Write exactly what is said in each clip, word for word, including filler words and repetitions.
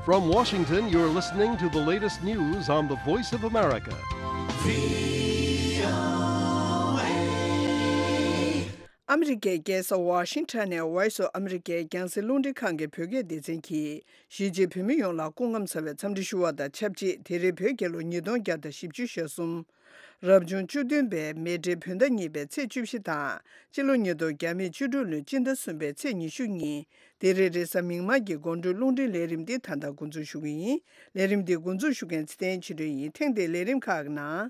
From Washington, you're listening to the latest news on the Voice of America. ཨ་མི་རི་ཀའི་རྒྱལ་ས་ཝ་ཤིང་ཊོན་ནས་Voice of America རྒྱང་སྲིང་རླུང་འཕྲིན་ཁང་གི་བོད་སྐད་སྡེ་ཚན་གྱིས། གཞིས་བྱེས་བོད་མི་ཡོངས་ལ་སྐུ་ཁམས་བཟང་བའི་འཚམས་འདྲི་ཞུ་བ་དང་ཆབས་ཅིག་དེ་རིང་བོད་རྒྱལ་ལོ་ཉིས་སྟོང་བརྒྱ་དང་བཞི་བཅུ་ཞེ་གསུམ། རབ་བྱུང་བཅུ་བདུན་པའི་མེ་སྤྲེལ་བོད་ཟླ་གཉིས་པའི་ཚེས་བཅུ་བཞི་དང་། སྤྱི་ལོ་ཉིས་སྟོང་བརྒྱ་མེད་བཅུ་དྲུག་ལོའི་སྤྱི་ཟླ་གསུམ་པའི་ཚེས་ཉི་ཤུ་ཉིན། དེ་རིང་རེས་གཟའ་མིག་དམར་གྱི་དགོང་དྲོའི་རླུང་འཕྲིན་ལས་རིམ་འདི་ད་ལྟ་འགོ་འཛུགས་ཞུ་གི་ཡིན། ལས་རིམ་འདི་འགོ་འཛུགས་ཞུ་མཁན་ཚེ་བརྟན་ཆོས་སྒྲོན་ཡིན། ཐེངས་འདིའི་ལས་རིམ་ཁག་གི་ནང་།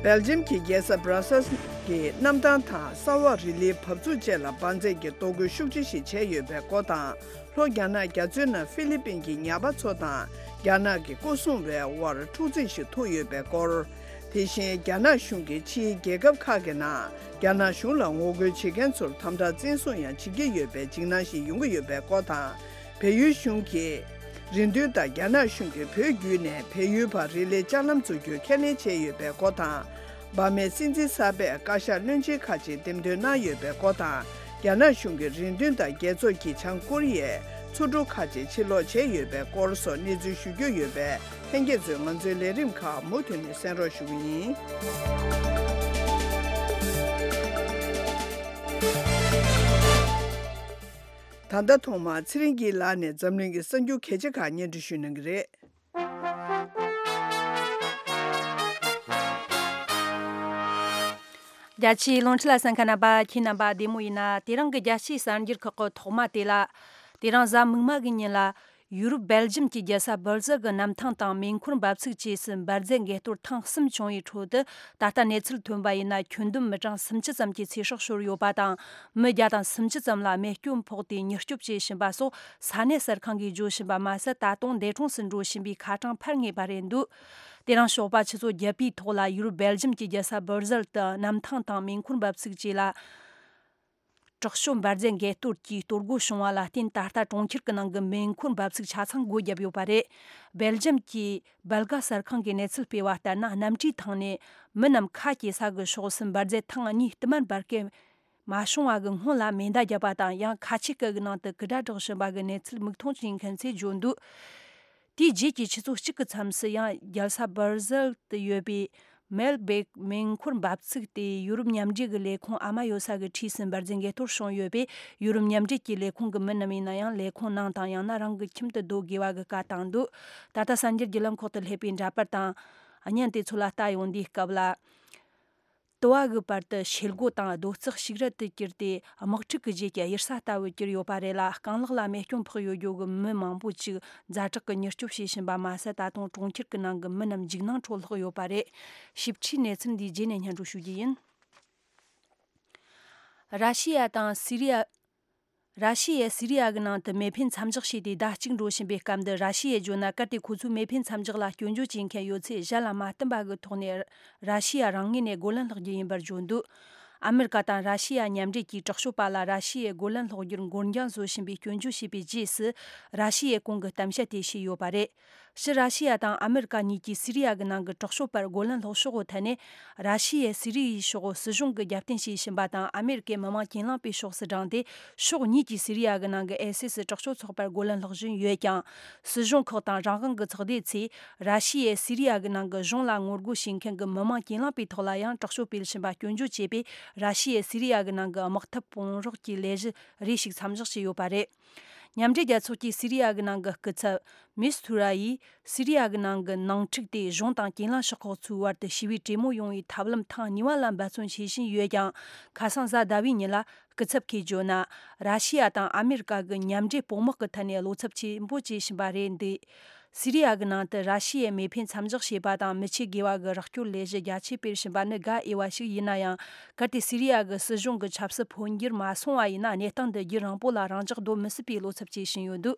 སྦེལ་ཇམ་གྱི་རྒྱལ་ས་སྦྲ་སལ་གྱི་གནམ་ཐང་དང་ས་འོག་རི་ལིའི་བབས་ཚུགས་བཅས་ལ་འབར་རྫས་ཀྱི་གཏོར་རྒོལ་ཤུགས་ཆེ་ཞིག་བྱས་ཡོད་པའི་སྐོར་དང་། ལྷོ་རྒྱ་ནག་རྒྱ་མཚོའི་ནང་ཧྥི་ལི་པིན་གྱི་ཉ་པ་ཚོ་དང་རྒྱ་ནག་གི་སྐོར་སྲུང་བའི་དབར་འཁྲུག་འཛིང་ཞིག་ཐུག་ཡོད་པའི་སྐོར། དེ་བཞིན་རྒྱ་ནག་གཞུང་གིས་ཕྱིའི་རྒྱལ་ཁབ་ཁག་གི་ནང་རྒྱ་ནག་གཞུང་ལ་ངོ་རྒོལ་བྱེད་མཁན་ཚོར་དམ་དྲག་བཙན་བཟུང་ཡང་བྱེད་ཀྱི་ཡོད་པའི་འཇིགས་སྣང་ཞིག་ཡོང་གི་ཡོད་པའི་སྐོར་དང་། བལ་ཡུལ་གཞུང་གིས་རེ་འདུན་ལྟར་རྒྱ་ནག་གཞུང་གིས་བོད་བརྒྱུད་ནས་བལ་ཡུལ་བར་རི་ལིའི་ལྕགས་ལམ་འཛུགས་རྒྱུ་ཁས་ལེན་བྱས་ཡོད་པའི་སྐོར་དང་། འབར་མའི་སྲིད་འཛིན་གསར་པས་བཀའ་ཤག་བློན་ཆེན་ཁག་ཅིག་འདེམས་ཐོན་གནང་ཡོད་པའི་སྐོར་དང་། རྒྱ་ནག་གཞུང་གི་རེ་འདུན་དང་རྒྱལ་ཚོགས་ཀྱིས་བྱང་ཀོ་རི་ཡའི་མཚོ་འབྲུག་ཁག་ཅིག་ཕྱིར་སློག་བྱས་ཡོད་པའི་སྐོར་སོགས་གནས་ཚུལ་ཞུ་རྒྱུ་ཡོད་པས། ལྷན་རྒྱས་ཚོས་ང་ཚོའི་ལས་རིམ་ཁག་མུ་མཐུད་ནས་གསན་རོགས་ཞུ་གི་ཡིན། ད་ལྟ་ཐོག་མར་ཚེ་རིང་སྐྱིད་ལགས་ནས་འཛམ་གླིང་གི་གསར་འགྱུར་གལ་ཆེ་ཁག་སྙན་སྒྲོན་ཞུ་གནང་གི་རེད། རྒྱ་ཆེའི་རླུང་འཕྲིན་ལ་གསན་མཁན་རྣམ་པ། ཁྱེད་རྣམ་པ་བདེ་མོ་ཡིན་ན། དེ་རིང་གི་རྒྱལ་སྤྱིའི་གསར་འགྱུར་ཁག་གི་ཐོག་མ་དེ་ལ། དེ་རིང་གཟའ་མིག་དམར་གྱི་ཉིན་ལ། ཡུ་རོབ་སྦེལ་ཇམ་གྱི་རྒྱལ་ས་སྦར་ཟལ་གྱི་གནམ་ཐང་དང་མེ་འཁོར་འབབ་ཚིགས་བཅས་སུ་འབར་རྫས་འགས་གཏོར་ཐེངས་གསུམ་བྱུང་བའི་ཁྲོད་དུ། ད་ལྟ་གནས་ཚུལ་ཐོན་པ་ཡིན་ན། ཁྱོན་བསྡོམས་མི་གྲངས་སུམ་ཅུ་ཙམ་གྱི་ཚེ་སྲོག་ཤོར་ཡོད་པ་དང་། མི་བརྒྱ་དང་སུམ་ཅུ་ཙམ་ལ་རྨས་སྐྱོན་ཕོག་སྟེ་མྱུར་སྐྱོབ་བྱེད་བཞིན་པ་སོགས་ས་གནས་གསར་ཁང་གིས་བརྗོད་བཞིན་པ་མ་ཟད། ད་དུང་འདས་གྲོངས་སུ་འགྲོ་བཞིན་པའི་ཁ་གྲངས་འཕར་ངེས་པ་རེད་འདུག་དེ་རིང་ཞོགས་པ་ཆུ་ཚོད་བརྒྱད་པའི་ཐོག་ལ། ཡུ་རོབ་སྦེལ་ཇམ་གྱི་རྒྱལ་ས་སྦར་ཟལ་དུ་གནམ་ཐང་དང་མེ་འཁོར་འབབ་ཚིགས་བཅས་ལ། དྲག་ཤོས་འབར་རྫས་འགས་གཏོར་གྱིས་གཏོར་རྒོལ་བྱུང་བ་ལ་བརྟེན། ད་ལྟ་གྲོང་ཁྱེར་གྱི་ནང་གི་མེ་འཁོར་འབབ་ཚིགས་ཆ་ཚང་སྒོ་བརྒྱབ་ཡོད་པ་རེད། སྦེལ་ཇམ་གྱི་སྦལ་ག་གསར་ཁང་གིས་གནས་ཚུལ་སྤེལ་བ་ལྟར་ན། གནམ་གྲུའི་ཐང་ནས་མི་རྣམས་ཁ་གྱེས་ས་གི་ཕྱོགས་སུ་འབར་རྫས་ཐེངས་གཉིས་བསྟུད་མར་འབར་གས་མ་བྱུང་བ་གི་སྔོན་ལ་མེ་མདའ་བརྒྱབ་པ་དང་། ཡང་ཁ་ཆེ་སྐད་གི་ནང་དུ་སྐུ་དགྲ་བསྒྲགས་བཞིན་པ་གི་གནས་ཚུལ་མིག་མཐོང་བྱེད་མཁན་ཚོས་བརྗོད་འདུག་དེའི་རྗེས་ཀྱི་ཆུ་ཚོད་གཅིག་གི་མཚམས་སུ་ཡང་རྒྱལ་ས་སྦར་ཟལ་དུ་ཡོད་པའི་མེལ་བེག་མེ་འཁོར་འབབ་ཚིགས་དེ་ཡུ་རོབ་མཉམ་འབྲེལ་གྱི་ལས་ཁུངས་ཨ་མ་ཡོད་ས་གི་འཁྲིས་སུ་འབར་རྫས་འགས་གཏོར་བྱུང་ཡོད་པས། ཡུ་རོབ་མཉམ་འབྲེལ་གྱི་ལས་ཁུངས་ཀྱི་མི་རྣམས་ཡིན་ན་ཡང་། ལས་ཁུངས་ནང་དང་ཡང་ན་རང་གི་ཁྱིམ་དུ་སྡོད་དགོས་པ་གི་བཀའ་བཏང་འདུག་ད་ལྟ་གསར་འགྱུར་བརྒྱུད་ལམ་ཁག་ཏུ་སླེབས་པའི་འདྲ་པར་དང་བརྙན་དེ་ཚོ་ལ་ལྟ་ཡོང་དུས་སྐབས་ལ། དུ་བ་གི་བར་དུ་ཤེལ་སྒོ་དང་རྡོ་བརྩེགས་ཞིག་རལ་དུ་གྱུར་ཏེ། དམག་འཁྲུག་གི་རྗེས་ཀྱི་གཡུལ་ས་ལྟ་བུར་གྱུར་ཡོད་པ་རེད་ལ། རྐང་ལག་ལ་རྨས་སྐྱོན་ཕོག་ཡོད་རྒྱུ་གི་མི་མང་པོ་ཅིག་ཛ་དྲག་གི་མྱུར་སྐྱོབ་བྱེད་བཞིན་པ་མ་ཟད། ད་དུང་གྲོང་ཁྱེར་གྱི་ནང་གི་མི་རྣམས་འཇིགས་སྣང་ཁྲོད་ལྷག་ཡོད་པ་རེད། ཞིབ་ཕྲའི་གནས་ཚུལ་འདིའི་རྗེས་ནས་སྙན་སྒྲོན་ཞུ་རྒྱུ་ཡིན། ར་ཤི་ཡ་དང་སི་རི་ཡ། ར་ཤི་ཡས་སི་རི་ཡ་གི་ནང་དུ་མེ་འཕེན་མཚམས་འཇོག་བྱས་ཏེ་ཟླ་གཅིག་འགྲོ་བཞིན་པའི་སྐབས་འདིར། ར་ཤི་ཡས་བརྗོད་ན། གལ་ཏེ་ཁོ་ཚོས་མེ་འཕེན་མཚམས་འཇོག་ལ་སྐྱོན་བརྗོད་བྱེད་མཁན་ཡོད་ཚེ། གཞན་ལ་མ་བསྟུན་པ་གི་ཐོག་ནས་ར་ཤི་ཡ་རང་ངོས་ནས་རྒོལ་ལན་སློག་རྒྱུ་ཡིན་པར་བརྗོད་འདུག་ཨ་མེ་རི་ཀ་དང་ར་ཤི་ཡ་མཉམ་འབྲེལ་གྱིས་དྲག་སྤྱོད་པ་ལ་ར་ཤི་ཡས་རྒོལ་ལན་སློག་རྒྱུར་འགོར་འགྱངས་བཟོ་བཞིན་པའི་སྐྱོན་བརྗོད་བྱས་པའི་རྗེས་སུ། ར་ཤི་ཡས་གོང་གི་གཏམ་བཤད་དེ་བྱས་ཡོད་པ་རེད། སྤྱིར་ར་ཤི་ཡ་དང་ཨ་མེ་རི་ཀ་གཉིས་ཀྱིས་སི་རི་ཡ་གི་ནང་གི་དྲག་སྤྱོད་པར་རྒོལ་ལན་སློག་ཕྱོགས་ཐད་ནས། ར་ཤི་ཡས་སི་རི་ཡའི་ཕྱོགས་སྲིད་གཞུང་གི་རྒྱབ་རྟེན་བྱེད་བཞིན་པ་དང་། ཨ་མེ་རི་ཀའི་མི་དམངས་གྱེན་ལངས་པའི་ཕྱོགས་སུ་དྲངས་ཏེ། ཕྱོགས་གཉིས་ཀྱིས་སི་རི་ཡ་གི་ནང་གི་ཨའི་སི་སི་དྲག་སྤྱོད་ཚོགས་པར་རྒོལ་ལན་སློག་བཞིན་ཡོད་ཀྱང་། སྲིད་གཞུང་ཁག་དང་རང་དབང་གི་ཚོགས་སྡེ་ཚོས། ར་ཤི་ཡས་སི་རི་ཡ་གི་ནང་གི་གཞུང་ལ་ངོ་རྒོལ་བྱེད་མཁན་གྱི་མི་དམངས་གྱེན་ལངས་པའི་ཐོག་ལ་ཡང་དྲག་སྤྱོད་སྤེལ་བཞིན་པ་སྐྱོན་བརྗོད་བྱས་པས། ར་ཤི་ཡས་སི་རི་ཡ་གི་ནང་གི་དམག་འཐབ་སྤོང་རོགས་ཀྱི་ལས་གཞི་རེ་ཞིག་མཚམས་འཇོག་བྱས་ཡོད་པ་རེད། མཉམ་འབྲེལ་རྒྱལ་ཚོགས་ཀྱི་སི་རི་ཡ་གི་ནང་གི་སྐུ་ཚབ་མིས་ཐུ་ར་ཡིས། སི་རི་ཡ་གི་ནང་གི་ནང་འཁྲུག་དེ་གཞུང་དང་གྱེན་ལངས་ཤོག་ཁག་ཚོའི་བར་དུ་ཞི་བའི་གྲོས་མོལ་ཡོང་བའི་ཐབས་ལམ་ཐེངས་གཉིས་པ་ལ་འབད་བརྩོན་བྱེད་བཞིན་ཡོད་ཀྱང་། ཁ་སང་གཟའ་ཟླ་བའི་ཉིན་ལ། སྐུ་ཚབ་ཁོས་བརྗོད་ན། ར་ཤི་ཡ་དང་ཨ་མེ་རི་ཀ་གི་མཉམ་འབྲེལ་དཔུང་དམག་གི་ཐད་ནས་བློ་འཚབ་ཆེན་པོ་བྱེད་བཞིན་པ་རེད་འདུག་སི་རི་ཡ་གི་ནང་དུ་ར་ཤི་ཡས་མེ་འཕེན་མཚམས་འཇོག་བྱས་པ་དང་། མི་ཆོས་དགེ་བ་གི་རོགས་སྐྱོར་ལས་གཞི་རྒྱ་ཆེ་སྤེལ་བཞིན་པ་ནི་དགའ་འོས་པ་ཞིག་ཡིན་ན་ཡང་། གལ་ཏེ་སི་རི་ཡ་གི་སྲིད་གཞུང་གི་ཆབ་སྲིད་འཕོ་འགྱུར་མ་སོང་བ་ཡིན་ན། གནས་སྟངས་འདི་རྒྱུན་རིང་པོ་ལ་རང་འཇགས་སྡོད་མི་སྲིད་པའི་བློ་འཚབ་བྱེད་བཞིན་ཡོད་འདུག་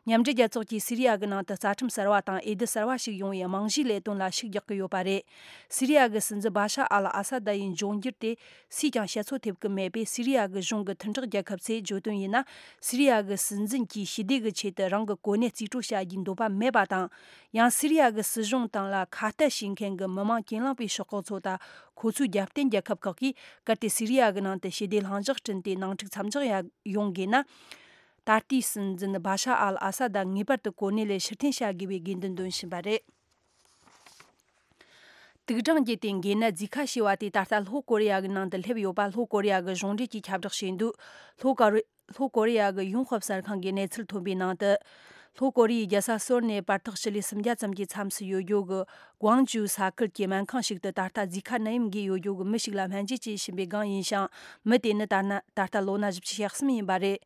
མཉམ་འབྲེལ་རྒྱལ་ཚོགས་ཀྱིས་སི་རི་ཡ་གི་ནང་དུ་རྩ་ཁྲིམས་གསར་བ་དང་འོས་བསྡུ་གསར་བ་ཞིག་ཡོང་བའི་རྨང་གཞིའི་ལས་དོན་ལ་ཤུགས་རྒྱག་གི་ཡོད་པ་རེད། སི་རི་ཡ་གི་སྲིད་འཛིན་བྷ་ཤ་ཨལ་ཨ་ས་ད་ཡི་འབྱུང་འགྱུར་དེ། སུས་ཀྱང་བཤད་ཚོད་ཐེབས་ཀྱི་མེད་པས། སི་རི་ཡ་གི་གཞུང་གི་མཐུན་གྲོགས་རྒྱལ་ཁབ་ཚོས་བརྗོད་དོན་ཡིན་ན། སི་རི་ཡ་གི་སྲིད་འཛིན་གྱིས་ཞི་བདེ་གི་ཆེད་དུ་རང་གི་གོ་གནས་རྩིས་སྤྲོད་བྱ་རྒྱུའི་འདོད་པ་མེད་ པ་དང་། ཡང་སི་རི་ཡ་གི་སྲིད་གཞུང་དང་ལ་ཁ་གཏད་བྱེད་མཁན་གྱི་མི་མང་གྱེན་ལངས་པའི་ཤོག་ཁག་ཚོ་དང་ཁོ་ཚོའི་རྒྱབ་རྟེན་རྒྱལ་ཁབ་ཁག་གིས་གལ་ཏེ་སི་རི་ཡ་གི་ནང་དུ་ཞི་བདེ་ལྷིང་འཇགས་བསྐྲུན་ཏེ་ནང་འཁྲུག་མཚམས་འཇོག་ཡ་ཡོང་དགོས་ན། ད་ལྟའི་སྲིད་འཛིན་བྷ་ཤ་ཨལ་ཨ་སཱ་ད་ངེས་པར་དུ་གོ་གནས་ལས་ཕྱིར་འཐེན་བྱ་དགོས་པའི་དགོས་འདུན་འདོན་བཞིན་པ་རེད། དུག་སྦྲང་རྒྱུད་དེ་འགོས་ནད་རྫས་ཁ་ཤས་པ་དེ་ད་ལྟ་ལྷོ་ཀོ་རི་ཡ་གི་ནང་དུ་སླེབས་ཡོད་པ་ལྷོ་ཀོ་རི་ཡ་གི་གཞུང་འབྲེལ་གྱིས་ཁྱབ་བསྒྲགས་བྱས་འདུག་ལྷོ་ཀོ་རི་ལྷོ་ཀོ་རི་ཡ་གི་ཡོང་ཧྥབ་གསར་ཁང་གིས་གནས་ཚུལ་ཐོན་པའི་ནང་དུ། ལྷོ་ཀོ་རི་ཡའི་རྒྱལ་ས་སོལ་ནས་བར་ཐག་ཞི་ལི་སུམ་བརྒྱ་ཙམ་གྱི་མཚམས་སུ་ཡོད་རྒྱུ་གི་ཀུང་ཇུ་ས་ཁུལ་གྱི་སྨན་ཁང་ཞིག་ཏུ་ད་ལྟ་རྫས་ཁ་ནད་ཡམས་འགོས་ཡོད་རྒྱུ་གི་མི་ཞིག་ལ་སྨན་བཅོས་བྱེད་བཞིན་པའི་སྒང་ཡིན་ཞིང་། མི་དེ་ནི་ད་ན་ད་ལྟ་ལོ་ན་བཞི་བཅུ་ཞེ་གསུམ་ཡིན་པ་རེད།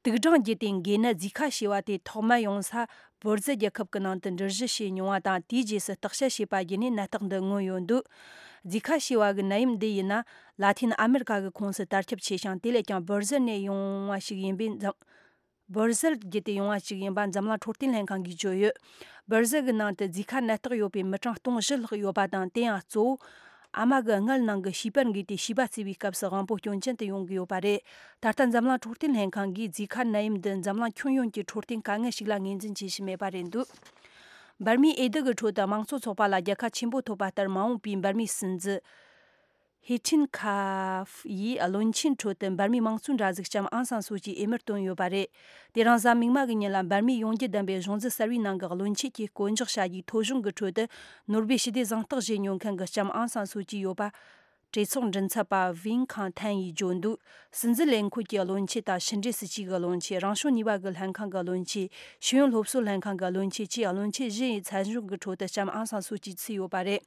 དུག་སྦྲང་རྒྱུད་དེ་འགོས་ནད་རྫས་ཁ་ཤས་པ་དེ་ཐོག་མར་ཡོང་ས་བོར་ཟལ་རྒྱལ་ཁབ་ཀྱི་ནང་དུ་འགྲུལ་བཞུད་བྱས་མྱོང་བ་དང་། དེའི་རྗེས་སུ་བརྟག་དཔྱད་བྱས་པ་བརྒྱུད་ནས་ནད་རྟགས་འདི་མངོན་ཡོད་འདུག་རྫས་ཁ་ཤས་པ་གི་ནད་ཡམས་འདི་ཡིན་ན་ལ་ཐིན་ཨ་མེ་རི་ཀ་གི་ཁོངས་སུ་དར་ཁྱབ་ཆེ་ཞིང་། དེ་ལས་ཀྱང་བོར་ཟལ་ནས་ཡོང་བ་ཞིག་ཡིན་པས་འཛམ། བོར་ཟལ་བརྒྱུད་དེ་ཡོང་བ་ཞིག་ཡིན་པ་འཛམ་གླིང་འཕྲོད་བསྟེན་ལྷན་ཁང་གིས་བརྗོད་ཡོད། བོར་ཟལ་གྱི་ནང་དུ་རྫས་ཁ་ནད་རྟགས་ཡོད་པའི་མི་གྲངས་སྟོང་བཞི་ལྷག་ཡོད་པ་དང་། དེ་ཡང་གཙོ་བོ། ཨ་མ་གི་མངལ་ནང་གི་བྱིས་པར་འགོས་ཏེ་བྱིས་པ་བཙས་པའི་སྐབས་སུ་དབང་པོ་སྐྱོན་ཅན་དུ་ཡོང་གི་ཡོད་པ་རེད། ད་ལྟ་འཛམ་གླིང་འཕྲོད་བསྟེན་ལྷན་ཁང་གིས་རྫས་ཁ་ནད་ཡམས་འདི་འཛམ་གླིང་ཁྱོན་ཡོངས་ཀྱི་འཕྲོད་བསྟེན་དཀའ་ངལ་ཞིག་ལ་ངོས་འཛིན་བྱེད་བཞིན་མེད་པ་རེད་འདུག་འབར་མའི་འོས་བསྡུ་གི་ཁྲོད་དུ་དམངས་གཙོ་ཚོགས་པ་ལ་རྒྱལ་ཁ་ཆེན་པོ་ཐོབ་པ་ལྟར། མ་འོངས་པའི་འབར་མའི་སྲིད་འཛིན་ཧེ་ཁྲིན་ཁ་ཧྥ་ཡིས་བློན་ཆེན་ཁྲོད་དུ་འབར་མའི་དམངས་གཙོའི་འདྲ་གཟུགས་ལྕམ་ཨང་སང་སུའུ་ཅིའི་འོས་མིར་བཏོན་ཡོད་པ་རེད། དེ་རིང་གཟའ་མིག་དམར་གྱི་ཉིན་ལ་འབར་མའི་ཡོངས་རྒྱུད་ལྡན་པའི་གཞུང་འཛིན་གསར་བའི་ནང་གི་བློན་ཆེན་གྱི་བསྐོ་འཇོག་བྱ་རྒྱུའི་ཐོ་གཞུང་གི་ཁྲོད་དུ། ནོ་སྦེལ་ཞི་བདེའི་གཟེངས་རྟགས་བཞེས་མྱོང་མཁན་གྱི་ལྕམ་ཨང་སང་སུའུ་ཅི་ཡོད་པ། གྲོས་ཚོགས་མགྲིན་ཚབ་པ་ཝིན་ཁང་ཐན་ཡིས་བརྗོད་འདུག་སྲིད་འཛིན་ལས་འཁོར་གྱི་བློན་ཆེན་དང་། ཕྱི་འབྲེལ་སྲིད་ཇུས་ཀྱི་བློན་ཆེན། རང་བྱུང་ནུས་པ་གི་ལྷན་ཁང་གི་བློན་ཆེན། ཤེས་ཡོན་སློབ་གསོའི་ལྷན་ཁང་གི་བློན་ཆེན་བཅས་བློན་ཆེན་བཞི་ཡི་མཚན་གཞུང་གི་ཁྲོད་དུ་ལྕམ་ཨང་སང་སུའུ་ཅི་ཚུད་ཡོད་པ་རེད།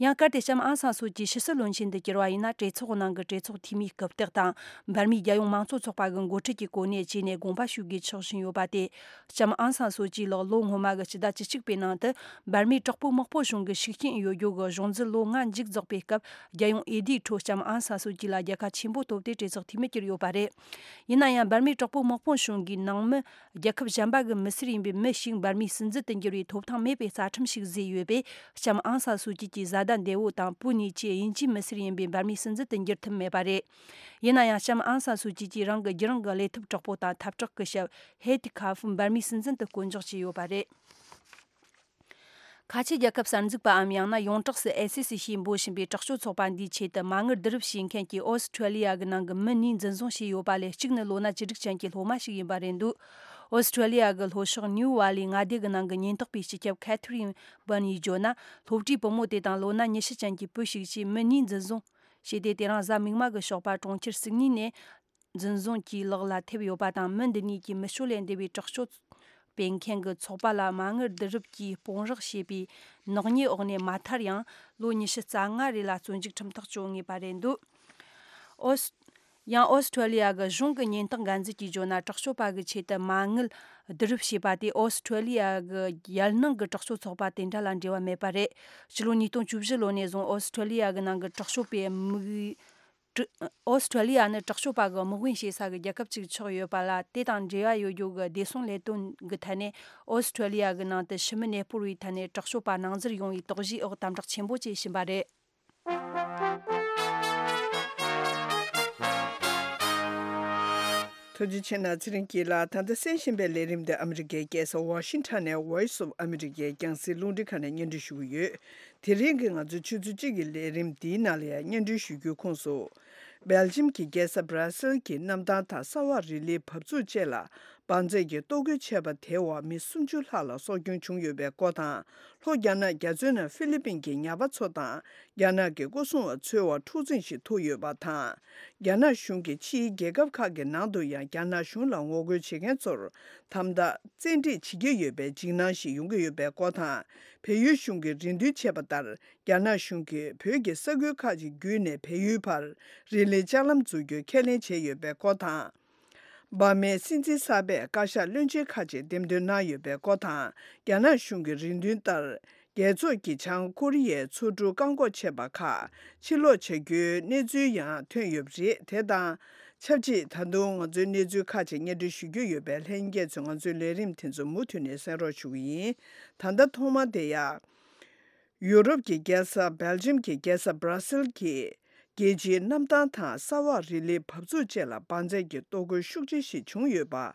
ཡང་བསྐྱར་ཏེ་ལྕམ་ཨང་སང་སུའུ་ཅི་ཕྱི་སྲིད་བློན་ཆེན་དུ་གྱུར་བ་ཡིན་ན། གྲོས་ཚོགས་ནང་གི་གྲོས་ཚོགས་འཐུས་མིའི་རྐུབ་སྟེགས་དང་། འབར་མའི་རྒྱལ་ཡོངས་མང་གཙོ་ཚོགས་པ་གི་འགོ་ཁྲིད་ཀྱི་གོ་གནས་བཅས་ནས་དགོངས་པ་ཞུ་དགོས་ཆགས་བཞིན་ཡོད་པ་སྟེ། ལྕམ་ཨང་སང་སུའུ་ཅི་ལགས་ལོ་སྔོན་མ་གི་ཕྱི་ཟླ་བཅུ་གཅིག་པའི་ནང་དུ། འབར་མའི་དྲག་པོའི་དམག་དཔུང་གཞུང་གི་ཤུགས་རྐྱེན་ཡོད་རྒྱུ་གི་གཞུང་འཛིན་ལོ་ལྔ་མཇུག་རྫོགས་པའི་སྐབས། རྒྱལ་ཡོངས་འོས་བསྡུའི་ཁྲོད་ལྕམ་ཨང་སང་སུའུ་ཅི་ལ་རྒྱལ་ཁ་ཆེན་པོ་ཐོབ་སྟེ་གྲོས་ཚོགས་འཐུས་མི་གྱུར་ཡོད་པ་རེད། ཡིན་ན་ཡང་། འབར་མའི་དྲག་པོའི་དམག་དཔུང་གཞུང་གིས་ནང་མི། རྒྱལ་ཁབ་གཞན་པ་གི་མི་སེར་ཡིན་པའི་མི་ཞིག་འབར་མའི་སྲིད་འཛིན་དུ་འགྱུར་བའི་ཐོབ་ཐང་མེད་པའི་རྩ་ཁྲིམས་ཤིག་བཟོས་ཡོད་པས། ལྕམ་ཨང་སང་སུའུ་ཅི་གི་བཟའ་ཟླ་འདས་པོ་དང་བུ་གཉིས་ཀྱིས་དབྱིན་ཇིའི་མི་སེར་ཡིན་པའི་འབར་མའི་སྲིད་འཛིན་དུ་འགྱུར་ཐུབ་མེད་པ་རེད། ཡིན་ན་ཡང་། ལྕམ་ཨང་སང་སུའུ་ཅི་གྱིས་རང་གི་རྒྱུད་རང་གི་ལས་ཐོབ་དྲག་པོ་དང་འཐབ་གྲོགས་ཀྱི་ཞབས་ཧེ་ཏི་ཁ་ཧྥུ་འབར་མའི་སྲིད་འཛིན་དུ་བསྐོ་འཇོག་བྱས་ཡོད་པ་རེད། ཁ་ཆེ་རྒྱལ་ཁབ་གསར་འཛུགས་པའམ་ཡང་ན་ཡོངས་གྲགས་སུ་ཨེ་སི་སི་ཞེས་འབོད་བཞིན་པའི་དྲག་སྤྱོད་ཚོགས་པ་འདིའི་ཆེད་དུ་མ་དངུལ་བསྡུ་རུབ་བྱེད་མཁན་གྱི་ཨོ་སི་ཁྲེ་ལི་ཡ་གི་ནང་གི་མི་གཉིས་འཛིན་བཟུང་བྱས་ཡོད་པ་ལས། གཅིག་ནི་ལོ་ན་བཅུ་དྲུག་ཅན་གྱི་སློབ་མ་ཞིག་ཡིན་པ་རེད་འདུག་ཨོ་སི་ཁྲེ་ལི་ཡ་གི་ལྷོ་ཕྱོགས་ནིའུ་ཝ་ལི་མངའ་སྡེ་གི་ནང་གི་ཉེན་རྟོག་པའི་སྤྱི་ཁྱབ་ཁེ་ཐི་རིན་བན་ཡིས་བརྗོད་ན། སློབ་གྲྭའི་བུ་མོ་དེ་དང་ལོ་ན་ཉི་ཤུ་ཅན་གྱི་བུ་ཞིག་བཅས་མི་གཉིས་འཛིན་བཟུང་བྱས་ཏེ། དེ་རིང་གཟའ་མིག་དམར་གྱི་ཞོགས་པ་གྲོང་ཁྱེར་སིད་ནི་ནས། འཛིན་བཟུང་གིས་ལག་ལ་ཐེབས་ཡོད་པ་དང་། མི་འདི་གཉིས་ཀྱིས་མི་སྤྱོད་ལས་འདས་པའི་དྲག་སྤྱོད་སྤེལ་མཁན་གྱི་ཚོགས་པ་ལ་མ་དངུལ་བསྡུ་རུབ་ཀྱིས་དཔུང་རོགས་བྱས་པའི་ནག་ཉེས་འོག་ནས་མ་མཐར་ཡང་ལོ་ཉི་ཤུ་རྩ་ལྔ་རེ་ལ་བཙོན་འཇུག་ཁྲིམས་ཐག་གཅོད་ངེས་པ་རེད་འདུག་ཨོ་སི། ཡང་ཨོ་སི་ཁྲེ་ལི་ཡ་གི་གཞུང་གི་ཉེན་རྟོག་འགན་འཛིན་གྱིས་བརྗོད་ན། དྲག་སྤྱོད་པ་གི་ཆེད་དུ་མ་དངུལ་བསྡུ་རུབ་བྱས་པ་དེ་ཨོ་སི་ཁྲེ་ལི་ཡ་གི་ཡུལ་ནང་གི་དྲག་སྤྱོད་ཚོགས་པ་དེ་འདྲ་ལ་འབྲེལ་བ་མེད་པ་རེད། ཕྱི་ལོ་ཉིས་སྟོང་བཅུ་བཞི་ལོ་ནས་བཟུང་ཨོ་སི་ཁྲེ་ལི་ཡ་གི་ནང་གི་དྲག་སྤྱོད་པའི་དམིགས། ཀྲི། ཨོ་སི་ཁྲེ་ལི་ཡ་ནི་དྲག་སྤྱོད་པ་གི་དམག་དཔོན་བྱེད་ས་གི་རྒྱལ་ཁབ་ཅིག་ཆགས་ཡོད་པ་ལ། དེ་དང་འབྲེལ་བ་ཡོད་རྒྱུ་གི་བདེ་སྲུང་ལས་དོན་གི་ཐད་ནས་ཨོ་སི་ཁྲེ་ལི་ཡ་གི་ནང་དུ་ཕྱི་མི་གནས་སྤོར་བའི་ཐད་ནས་དྲག་སྤྱོད་པ་སྣང་ཟུར་ཡོང་བའི་དོགས་གཞིའི་འོག་དམ་དྲག་ཆེན་པོ་བྱེད་བཞིན་པ་རེད། ཐུགས་རྗེ་ཆེ་གནང་། ཚེ་རིང་སྐྱིད་ལགས། ད་ལྟ་གསན་བཞིན་པའི་ལས་རིམ་འདི་ཨ་མི་རི་ཀའི་རྒྱལ་ས་ཝ་ཤིང་ཊོན་ནས་Voice of America རྒྱང་སྲིང་རླུང་འཕྲིན་ཁང་ནས་སྙན་སྒྲོན་ཞུ་གི་ཡོད། དེ་རིང་གི་ང་ཚོའི་ཆུ་ཚོད་གཅིག་གི་ལས་རིམ་འདིའི་ནང་ལ་ཡང་སྙན་སྒྲོན་ཞུ་རྒྱུའི་ཁོངས་སུ། སྦེལ་ཇམ་གྱི་རྒྱལ་ས་སྦྲ་སིལ་གྱི་གནམ་ཐང་དང་གསར་བ་རི་ལིའི་བབས་ཚུགས་བཅས་ལ་འབར་རྫས་ཀྱི་གཏོར་རྒོལ་བྱས་པ་དེའི་འོག་མི་སུམ་ཅུ་ལྷག་ལ་སྲོག་སྐྱོན་བྱུང་ཡོད་པའི་སྐོར་དང་། ལྷོ་རྒྱ་ནག་རྒྱ་མཚོའི་ནང་ཧྥི་ལི་པིན་གྱི་ཉ་པ་ཚོ་དང་རྒྱ་ནག་གི་སྐོར་སྲུང་བ་ཚོའི་བར་འཁྲུག་འཛིང་ཞིག་ཐུག་ཡོད་པ་དང་། རྒྱ་ནག་གཞུང་གིས་ཕྱིའི་རྒྱལ་ཁབ་ཁག་གི་ནང་དུ་ཡང་རྒྱ་ནག་གཞུང་ལ་ངོ་རྒོལ་བྱེད་མཁན་ཚོར་དམ་དྲག་བཙན་ཁྲིད་བྱེད་ཀྱི་ཡོད་པའི་འཇིགས་སྣང་ཞིག་ཡོང་གི་ཡོད་པའི་སྐོར་དང་། བལ་ཡུལ་གཞུང་གིས་རེ་འདུན་བྱས་པ་ལྟར། རྒྱ་ནག་གཞུང་གིས་བོད་ཀྱི་ས་ཁུལ་ཁག་ཅིག་བརྒྱུད་ནས་བལ་ཡུལ་བར་རི་ལིའི་ལྕགས་ལམ་འཛུགས་རྒྱུ་ཁས་ལེན་བྱས་ཡོད་པའི་སྐོར་དང་། འབར་མའི་སྲིད་འཛིན་གསར་པས་བཀའ་ཤག་བློན་ཆེན་ཁག་ཅིག་འདེམས་ཐོན་གནང་ཡོད་པའི་སྐོར་དང་། རྒྱ་ནག་གཞུང་གི་རེ་འདུན་ལྟར། རྒྱལ་ཚོགས་ཀྱིས་བྱང་ཀོ་རི་ཡའི་མཚོ་གྲུ་བཀག་འགོག་བྱས་པ་ཁག་ཕྱིར་སློག་བྱ་རྒྱུའི་གནས་ཚུལ་ཡང་ཐོན་ཡོད་པ་རེད། དེ་དང་ཆབས་ཅིག་ད་དུང་ང་ཚོའི་གནས་ཚུལ་ཁག་ཅིག་སྙན་སྒྲོན་ཞུ་རྒྱུ་ཡོད་པས། ལྷན་རྒྱས་ཚོས་ང་ཚོའི་ལས་རིམ་དེ་ཚོ་མུ་མཐུད་ནས་གསན་རོགས་ཞུ་གི་ཡིན། ད་ལྟ་ཐོག་མར་དེ་ཡང་། ཡུ་རོབ་ཀྱི་རྒྱལ་ས་སྦེལ་ཇམ་གྱི་རྒྱལ་ས་སྦྲ་སིལ་གྱི་རྒྱལ་སྤྱིའི་གནམ་ཐང་དང་གསར་བ་རི་ལིའི་བབས་ཚུགས་བཅས་ལ་འབར་རྫས་ཀྱི་གཏོར་རྒོལ་ཤུགས་ཆེ་ཞིག་བྱུང་ཡོད་པ།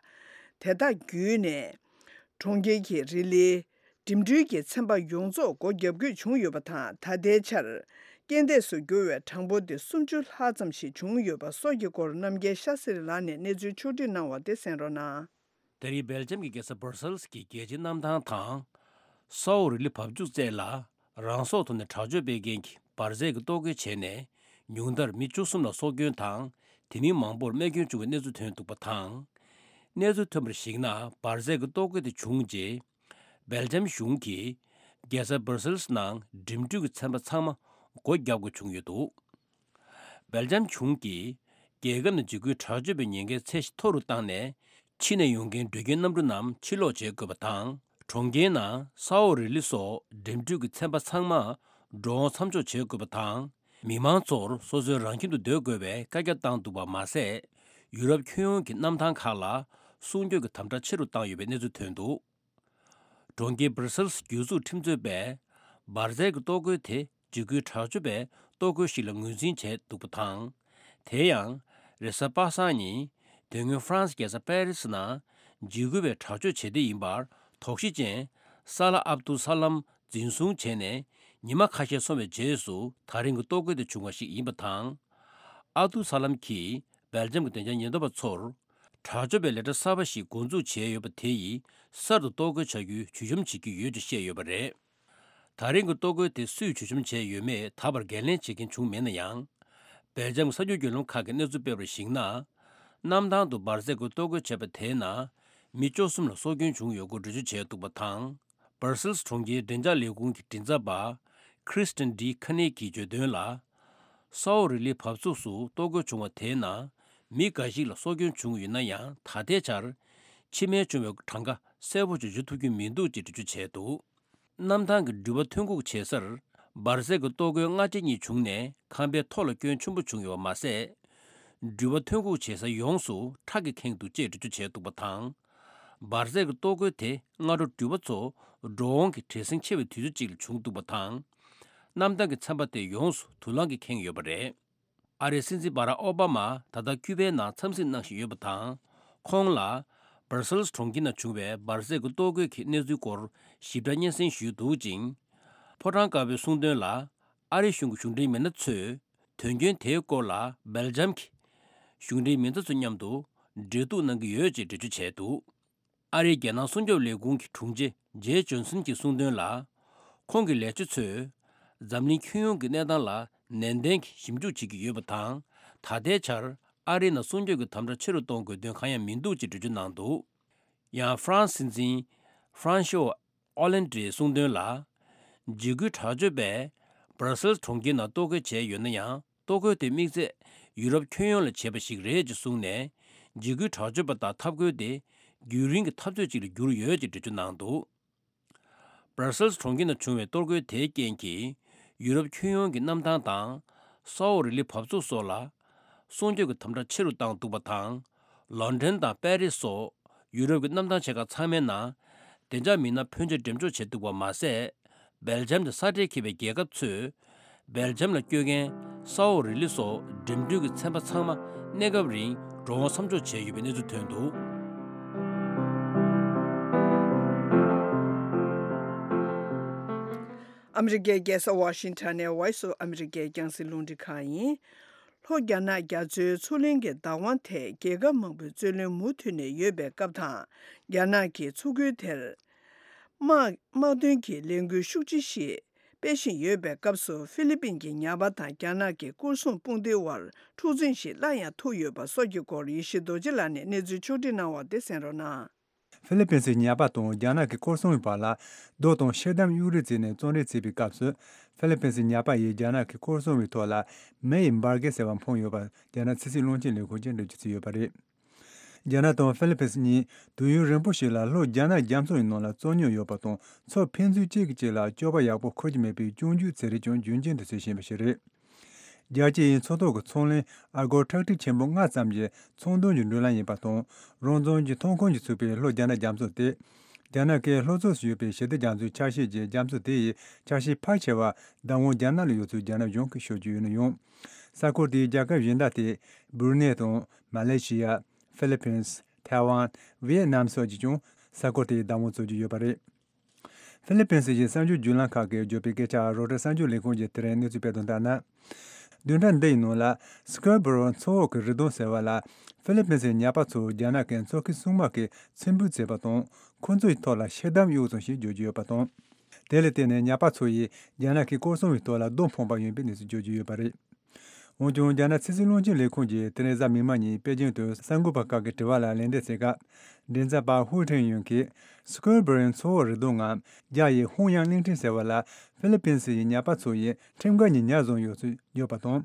དེ་དག་བརྒྱུད་ནས་ གྲོང་ཁྱེར་གྱི་རི་ལི། འགྲིམ་འགྲུལ་གྱི་ཚན་པ་ཡོངས་རྫོགས་སྒོ་བརྒྱབ་དགོས་བྱུང་ཡོད་པ་དང་། ད་ལྟའི་ཆར་རྐྱེན་འདས་སུ་གྱུར་བའི་གྲངས་འབོར་དེ་སུམ་ཅུ་ལྷག་ཙམ་ཞིག་བྱུང་ཡོད་པ་སོགས་ཀྱི་སྐོར་རྣམ་རྒྱལ་ཤཱ་སེ་རི་ལགས་ནས་གནས་ཚུལ་ཕྱོགས་བསྒྲིགས་གནང་བ་དེ་གསན་རོགས་གནང་། ད་རེས་སྦེལ་ཇམ་གྱི་རྒྱལ་ས་སྦར་སེལ་སི་གི་རྒྱལ་སྤྱིའི་གནམ་ཐང་དང་། སའོ་རི་ལི་བབས་ཚུགས་བཅས་ལ་རང་སྲོག་ཐོག་ནས་དྲག་སྤྱོད་སྤེལ་མཁན་གྱི་འབར་རྫས་ཀྱི་གཏོར་རྒོལ་བྱས་ནས། ཉུང་མཐར་མི་བཅུ་གསུམ་ལ་སྲོག་སྐྱོན་དང་། དེ་མིན་མང་པོར་རྨས་སྐྱོན་བྱུང་བའི་གནས་ཚུལ་ཐོན་འདུག་པ་དང་། གནས་ཚུལ་ཐོན་པར་གཞིགས་ན། འབར་རྫས་ཀྱི་གཏོར་རྒོལ་དེ་བྱུང་རྗེས། སྦེལ་ཇམ་གཞུང་གིས་རྒྱལ་ས་སྦར་སེལ་སི་ནང་འགྲིམ་འགྲུལ་གྱི་ཚན་པ་ཚང་མ་སྒོ་བརྒྱབ་དགོས་བྱུང་ཡོད་འདུག་སྦེལ་ཇམ་གཞུང་གིས་རྒྱལ་ཁབ་ནང་འཇིགས་སྐུལ་དྲག་སྤྱོད་པའི་ཉེན་ཁའི་ཚད་གཞི་མཐོ་རུ་བཏང་ནས། ཕྱི་ནས་ཡོང་མཁན་འགྲུལ་སྐྱེལ་གནམ་གྲུ་རྣམས་ཕྱིར་ལོག་བྱེད་དགོས་པ་དང་། གྲོང་ཁྱེར་ནང་སའོ་རི་ལི་སོགས་འགྲིམ་འགྲུལ་གྱི་ཚན་པ་ཚང་མ་འགྲོ་འོང་མཚམས་འཇོག་བྱེད་དགོས་པ་དང་། མི་མང་ཚོར་སོ་སོའི་རང་ཁྱིམ་དུ་སྡོད་དགོས་པའི་བཀའ་རྒྱ་བཏང་འདུག་པ་མ་ཟད། ཡུ་རོབ་ཁྱོན་ཡོངས་ཀྱི་གནམ་ཐང་ཁག་ལ་སྲུང་སྐྱོབ་ཀྱི་དམ་དྲག་ཆེ་རུ་བཏང་ཡོད་པའི་གནས་ཚུལ་ཐོན་འདུག་གྲོང་ཁྱེར་སྦར་སེལ་སི་རྒྱུད་འཛུགས་ཁྲིམས་རྩོད་པས། འབར་རྫས་ཀྱི་གཏོར་རྒོལ་དེ་འཇིགས་སྐུལ་དྲག་སྤྱོད་པའི་གཏོར་རྒོལ་ཞིག་ལ་ངོས་འཛིན་བྱས་འདུག་པ་དང་། དེ་ཡང་། རེས་གཟའ་པ་སངས་ཉིན། དེ་སྔོན་ཧྥ་རན་སི་རྒྱལ་ས་པེ་རི་སི་ནང་འཇིགས་སྐུལ་བའི་དྲག་སྤྱོད་བྱེད་གཏེ་ཡིན་པར་དོགས་གཞི་ཅན། སཱ་ལ་ཨབ་ཏུ་ས་ལམ་འཛིན་བཟུང་བྱས་ནས་ཉི་མ་ཁ་ཤས་སོང་བའི་རྗེས་སུ། ད་རིང་གི་གཏོར་རྒོལ་དེ་བྱུང་བ་ཞིག་ཡིན་པ་དང་། ཨབ་ཏུ་ས་ལམ་གྱིས་སྦེལ་ཇམ་གྱི་བདེ་འཇགས་ཉེན་རྟོག་པ་ཚོར། དྲག་སྤྱོད་པའི་ལས་གྲྭ་གསར་པ་ཞིག་འགོ་འཛུགས་བྱས་ཡོད་པ་དེ་ཡིས་གསར་དུ་གཏོར་རྒོལ་བྱ་རྒྱུའི་ཇུས་འཆམ་བྱེད་ཀྱི་ཡོད་ཅེས་བཤད་ཡོད་པ་རེད། ད་རིང་གི་གཏོར་རྒོལ་དེ་སུས་ཇུས་འཆམ་བྱས་ཡོད་མེད་ད་བར་འགན་ལེན་བྱེད་མཁན་བྱུང་མེད་ན་ཡང་། སྦེལ་ཇམ་གྱི་གསར་འགྱུར་བརྒྱུད་ལམ་ཁག་གིས་གནས་ཚུལ་སྤེལ་བར་གཞིགས་ན། གནམ་ཐང་དུ་འབར་རྫས་ཀྱི་གཏོར་རྒོལ་བྱས་པ་དེའི་ནང་མི་བཅུ་གསུམ་ལ་སྲོག་སྐྱོན་བྱུང་ཡོད་སྐོར་འགྲེལ་བརྗོད་བྱས་འདུག་པ་དང་། སྦར་སེལ་སི་གྲོང་ཁྱེར་བདེ་འཇགས་ལས་ཁུངས་ཀྱི་མགྲིན་ཚབ་པ་Kristen D Koenig གིས་བརྗོད་དོན་ལ། སའོ་རི་ལི་བབས་ཚུགས་སུ་གཏོར་རྒོལ་བྱུང་བ་དེའི་ནང་མི་འགའ་ཞིག་ལ་སྲོག་སྐྱོན་བྱུང་ཡོད་ན་ཡང་། ད་ལྟའི་ཆར་འཆི་རྨས་བྱུང་བའི་གྲངས་ཀ་གསལ་པོ་ཞིག་བརྗོད་ཐུབ་ཀྱི་མི་འདུག་ཅེས་འགྲེལ་བརྗོད་བྱས་འདུག་གནམ་ཐང་གི་འགྲུལ་པ་ཐོན་ཁུངས་བྱེད་སར་འབར་རྫས་ཀྱི་གཏོར་རྒོལ་སྔ་ཕྱི་གཉིས་བྱུང་ནས་ཁང་པའི་ཐོག་ལ་སྐྱོན་ཆེན་པོ་བྱུང་ཡོད་པ་མ་ཟད། འགྲུལ་པ་ཐོན་ཁུངས་བྱེད་ས་ཡོངས་སུ་ཁྲག་གིས་ཁེངས་འདུག་ཅེས་འགྲེལ་བརྗོད་བྱས་འདུག་པ་དང་། འབར་རྫས་ཀྱི་གཏོར་རྒོལ་དེ་སྔ་དྲོ་འགྲུལ་པ་ཚོ་འགྲོ་འོང་གི་བྲེལ་ཟིང་ཆེ་བའི་དུས་ཚོད་ཅིག་ལ་བྱུང་འདུག་པ་དང་། གནམ་ཐང་གི་ཚན་པ་དེ་ཡོངས་སུ་དུག་རླངས་ཀྱིས་ཁེངས་ཡོད་པ་རེད། ཨ་རིའི་སྲིད་འཛིན་སྦ་རག་ཨོ་བྷ་མ་ད་ལྟ་ཁྱུ་པའི་ནང་འཚམས་གཟིགས་གནང་བཞིན་ཡོད་པ་དང་། ཁོང་ལ་སྦར་སེལ་སི་གྲོང་ཁྱེར་ནང་བྱུང་བའི་འབར་རྫས་ཀྱི་གཏོར་རྒོལ་གྱི་གནས་ཚུལ་སྐོར་ཞིབ་ཕྲ་སྙན་སེང་ཞུས་འདུག་ཅིང་། ཕོ་བྲང་དཀར་པོའི་གསུངས་དོན་ལ། ཨ་རི་གཞུང་གི་གཞུང་འབྲེལ་མི་སྣ་ཚོས་དོན་རྐྱེན་དེའི་སྐོར་ལ་སྦེལ་ཇམ་གྱི་གཞུང་འབྲེལ་མི་སྣ་ཚོ་མཉམ་དུ་འབྲེལ་གཏུག་གནང་གི་ཡོད་ཅེས་འགྲེལ་བརྗོད་བྱས་འདུག་ཨ་རིའི་རྒྱལ་ནང་སྲུང་སྐྱོབ་ལས་ཁུངས་ཀྱི་དྲུང་ཆེ་ཇེ་ཇོན་སན་གྱིས་གསུངས་དོན་ལ། ཁོང་གི་ལས་བྱེད་ཚོས་འཛམ་གླིང་ཁྱོན་ཡོངས་ཀྱི་གནས་སྟངས་ལ་ནན་ཏན་གྱིས་ཞིབ་འཇུག་བྱེད་ཀྱི་ཡོད་པ་དང་། ད་ལྟའི་ཆར་ཨ་རིའི་ནང་སྲུང་སྐྱོབ་ཀྱི་དམ་དྲག་ཆེ་རུ་གཏོང་དགོས་དོན་གང་ཡང་མི་འདུག་ཅེས་འགྲེལ་བརྗོད་གནང་འདུག་ཡང་ཧྥ་རན་སི་སྲིད་འཛིན་ཧྥ་རན་ཤོ་ཨོ་ལན་ཌིས་གསུངས་དོན་ལ། འཇིགས་སྐུལ་དྲག་སྤྱོད་པས་སྦར་སེལ་སི་གྲོང་ཁྱེར་ནང་གཏོར་རྒོལ་བྱས་ཡོད་ན་ཡང་། གཏོར་རྒོལ་དེ་དམིགས་ཚད་ཡུ་རོབ་ཁྱོན་ཡོངས་ལ་བྱས་པ་ཞིག་རེད་ཅེས་གསུངས་ནས། འཇིགས་སྐུལ་དྲག་སྤྱོད་པ་དང་འཐབ་རྒོལ་དེ་རྒྱུན་རིང་གི་འཐབ་རྩོད་ཅིག་ལ་གྱུར་ཡོད་ཅེས་འགྲེལ་བརྗོད་གནང་འདུག་སྦར་སེལ་སི་གྲོང་ཁྱེར་ནང་བྱུང་བའི་གཏོར་རྒོལ་དེའི་རྐྱེན་གྱིས། ཡུ་རོབ་ཁྱོན་ཡོངས་ཀྱི་གནམ་ཐང་དང་། སའོ་རི་ལི་བབས་ཚུགས་སོགས་ལ། སྲུང་སྐྱོབ་ཀྱི་དམ་དྲག་ཆེ་རུ་བཏང་འདུག་པ་དང་། ལོན་ཌོན་དང་པེ་རིས་སོགས་ཡུ་རོབ་ཀྱི་གནམ་ཐང་ཆེ་ཁག་ཚང་མའི་ནང་བདེ་འཇགས་མི་སྣ་ཕོན་ཆེ་འགྲེམས་འཇོག་བྱས་འདུག་པ་མ་ཟད། སྦེལ་ཇམ་དང་ས་འབྲེལ་འཁེལ་བའི་རྒྱལ་ཁབ་ཚོས། སྦེལ་ཇམ་ལ་སྐྱོད་མཁན་སའོ་རི་ལི་སོགས་འགྲིམ་འགྲུལ་གྱི་ཚན་པ་ཚང་མ་གནས་སྐབས་རིང་འགྲོ་འོང་མཚམས་འཇོག་བྱས་ཡོད་པའི་གནས་ཚུལ་ཐོན་འདུག་ཨ་མི་རི་ཀའི་རྒྱལ་ས་ཝ་ཤིང་ཊོན་ནས་Voice of America རྒྱང་སྲིང་རླུང་འཕྲིན་ཁང་ཡིན། ལྷོ་རྒྱ་ནག་རྒྱ་མཚོའི་མཚོ་གླིང་གི་བདག་དབང་ཐད་རྒྱལ་ཁབ་མང་པོའི་རྩོད་གླེང་མུ་མཐུད་ནས་ཡོད་པའི་སྐབས་དང་། རྒྱ་ནག་གིས་མཚོ་ཁུལ་དེར་དམག་དམག་དོན་གྱི་ལས་འགུལ་ཤུགས་ཆེ་ཞིག་སྤེལ་བཞིན་ཡོད་པའི་སྐབས་སུ། ཧྥི་ལི་པིན་གྱི་ཉ་པ་དང་རྒྱ་ནག་གི་སྐོར་སྲུང་དཔུང་སྡེའི་དབར་འཁྲུག་འཛིང་ཞིག་སླར་ཡང་ཐུག་ཡོད་པ་སོགས་ཀྱི་སྐོར་ཡེ་ཤེས་རྡོ་རྗེ་ལགས་ནས་གནས་ཚུལ་ཕྱོགས་སྒྲིག་གནང་བ་དེ་གསན་རོགས་གནང་། ཧྥི་ལི་པིན་སི་ཉ་པ་དང་རྒྱ་ནག་གི་སྐོར་སྲུང་བའི་བར་ལ་རྡོ་དང་ཤེལ་དམ་གཡུག་རེས་བརྩིས་ནས་བཙོན་རེས་བརྩིས་པའི་སྐབས་སུ། ཧྥི་ལི་པིན་སི་ཉ་པ་ཡིས་རྒྱ་ནག་གི་སྐོར་སྲུང་བའི་ཐོག་ལ་མེ་ཡི་འབར་གས་ཟེར་བ་འཕངས་ཡོད་པ་རྒྱ་ནག་ཕྱི་སྲིད་བློན་ཆེན་ལས་ཁུངས་ཀྱིས་འགྲེལ་བརྗོད་བྱས་ཡོད་པ་རེད། རྒྱ་ནག་དང་ཧྥི་ལི་པིན་སི་གཉིས་དུས་ཡུན་རིང་པོ་ཞིག་ལ་ལྷོ་རྒྱ་ནག་རྒྱ་མཚོ་ཡི་ནང་ལ་རྩོད་རྙོག་ཡོད་པ་དང་། མཚོ་ཕན་ཚུན་གཅིག་གིས་གཅིག་ལ་སྐྱོབ་པ་ཡག་པོ་འཁུར་གྱི་མེད་པའི་སྐྱོན་བརྗོད་ཚིག་རེ་ཀྱང་རྒྱུན་གཅིག་ཏུ་བྱེད་བཞིན་པ་ཞིག་རེད། རྒྱལ་སྤྱི་ཡི་མཚོ་ཐོག་གི་ཚོང་ལས་ཨ་སྒོར་ཁྲག་ཁྲིག་ཆེན་པོ་ལྔ་ཙམ་གྱི་ཚོང་དོན་གྱི་འགྲུལ་ལམ་ཡིན་པ་དང་། རང་བཙན་གྱི་ཐོན་ཁུངས་ཀྱིས་ཚུགས་པའི་ལྷོ་རྒྱ་ནག་རྒྱ་མཚོ་སྟེ། རྒྱ་ནག་གི་ལྷོ་ཕྱོགས་སུ་ཡོད་པའི་ཞི་བདེ་རྒྱ་མཚོའི་ཆ་ཤས་ཀྱི་རྒྱ་མཚོ་དེ་ཡི་ཆ་ཤས་ཕལ་ཆེ་བ་བདག་དབང་རྒྱ་ནག་ལ་ཡོད་ཚུལ་རྒྱ་ནག་གཞུང་གིས་ཤོད་ཀྱི་ཡོད་ན་ཡང་། ས་ཁུལ་དེའི་རྒྱལ་ཁབ་གཞན་དག་སྟེ། སྦུར་ནེ་དང་མ་ལེ་ཤི་ཡ། ཧྥི་ལི་པིན། ཐའེ་ཝན། ཝི་ཡེ་ནམ་སོགས་ཀྱིས་ཀྱང་ ས་ཁུལ་དེའི་བདག་དབང་བཙུགས་ཀྱི་ཡོད་པ་རེད། ཧྥི་ལི་པིན་སི་ཡི་གསར་འགྱུར་བརྒྱུད་ལམ་ཁག་གིས་བརྗོད་པའི་སྐད་ཆར་རོའི་ཊར་གསར་འགྱུར་ལས་ཁུངས་ཀྱིས་དེ་རིང་གནས་ཚུལ་སྤེལ་དོན་ལྟར་ན། བདུན་ཕྲག་འདི་ཡི་ནང་ལ་སི་ཀོར་བོ་རོ་མཚོ་འོག་གི་རི་གདུང་ཟེར་བ་ལ་ཧྥི་ལི་པིན་སི་ཡི་ཉ་པ་ཚོ་རྒྱ་ནག་གི་མཚོ་ཁུལ་སྲུང་དམག་གིས་ཚེ་འབོད་བྱས་པ་དང་། ཁོ་ཚོའི་ཐོག་ལ་ཤི་དམ་གཡུགས་སོང་ཞེས་བརྗོད་ཀྱི་ཡོད་པ་དང་། དེ་ལ་བརྟེན་ནས་ཉ་པ་ཚོ་ཡིས་རྒྱ་ནག་གི་སྐོར་སྲུང་བའི་ཐོག་ལ་རྡོ་འཕངས་པ་ཡིན་པའི་གནས་ཚུལ་བརྗོད་ཀྱི་ཡོད་པ་རེད། འོན་ཀྱང་། རྒྱ་ནག་ཕྱི་སྲིད་བློན་ཆེན་ལས་ཁུངས་ཀྱིས་དེ་རིང་གཟའ་མིག་དམར་ཉིན་པེ་ཅིང་དུ་གསར་འགོད་པ་ཁག་གིས་དྲི་བ་ལ་ལན་འདེབས་བྱེད་སྐབས། མགྲིན་ཚབ་པ་ཧུའུ་ཁྲེང་ཡུན་གྱིས། སི་ཀོར་བོ་རོ་མཚོ་འོག་རི་གདུང་ངམ། རྒྱ་ཡི་ཧུང་ཡང་གླིང་ཕྲན་ཟེར་བ་ལ། ཧྥི་ལི་པིན་སི་ཡི་ཉ་པ་ཚོ་ཡིས་ཁྲིམས་འགལ་གྱི་ཉ་བཟུང་ཡོད་ཚུལ་བརྗོད་པ་དང་།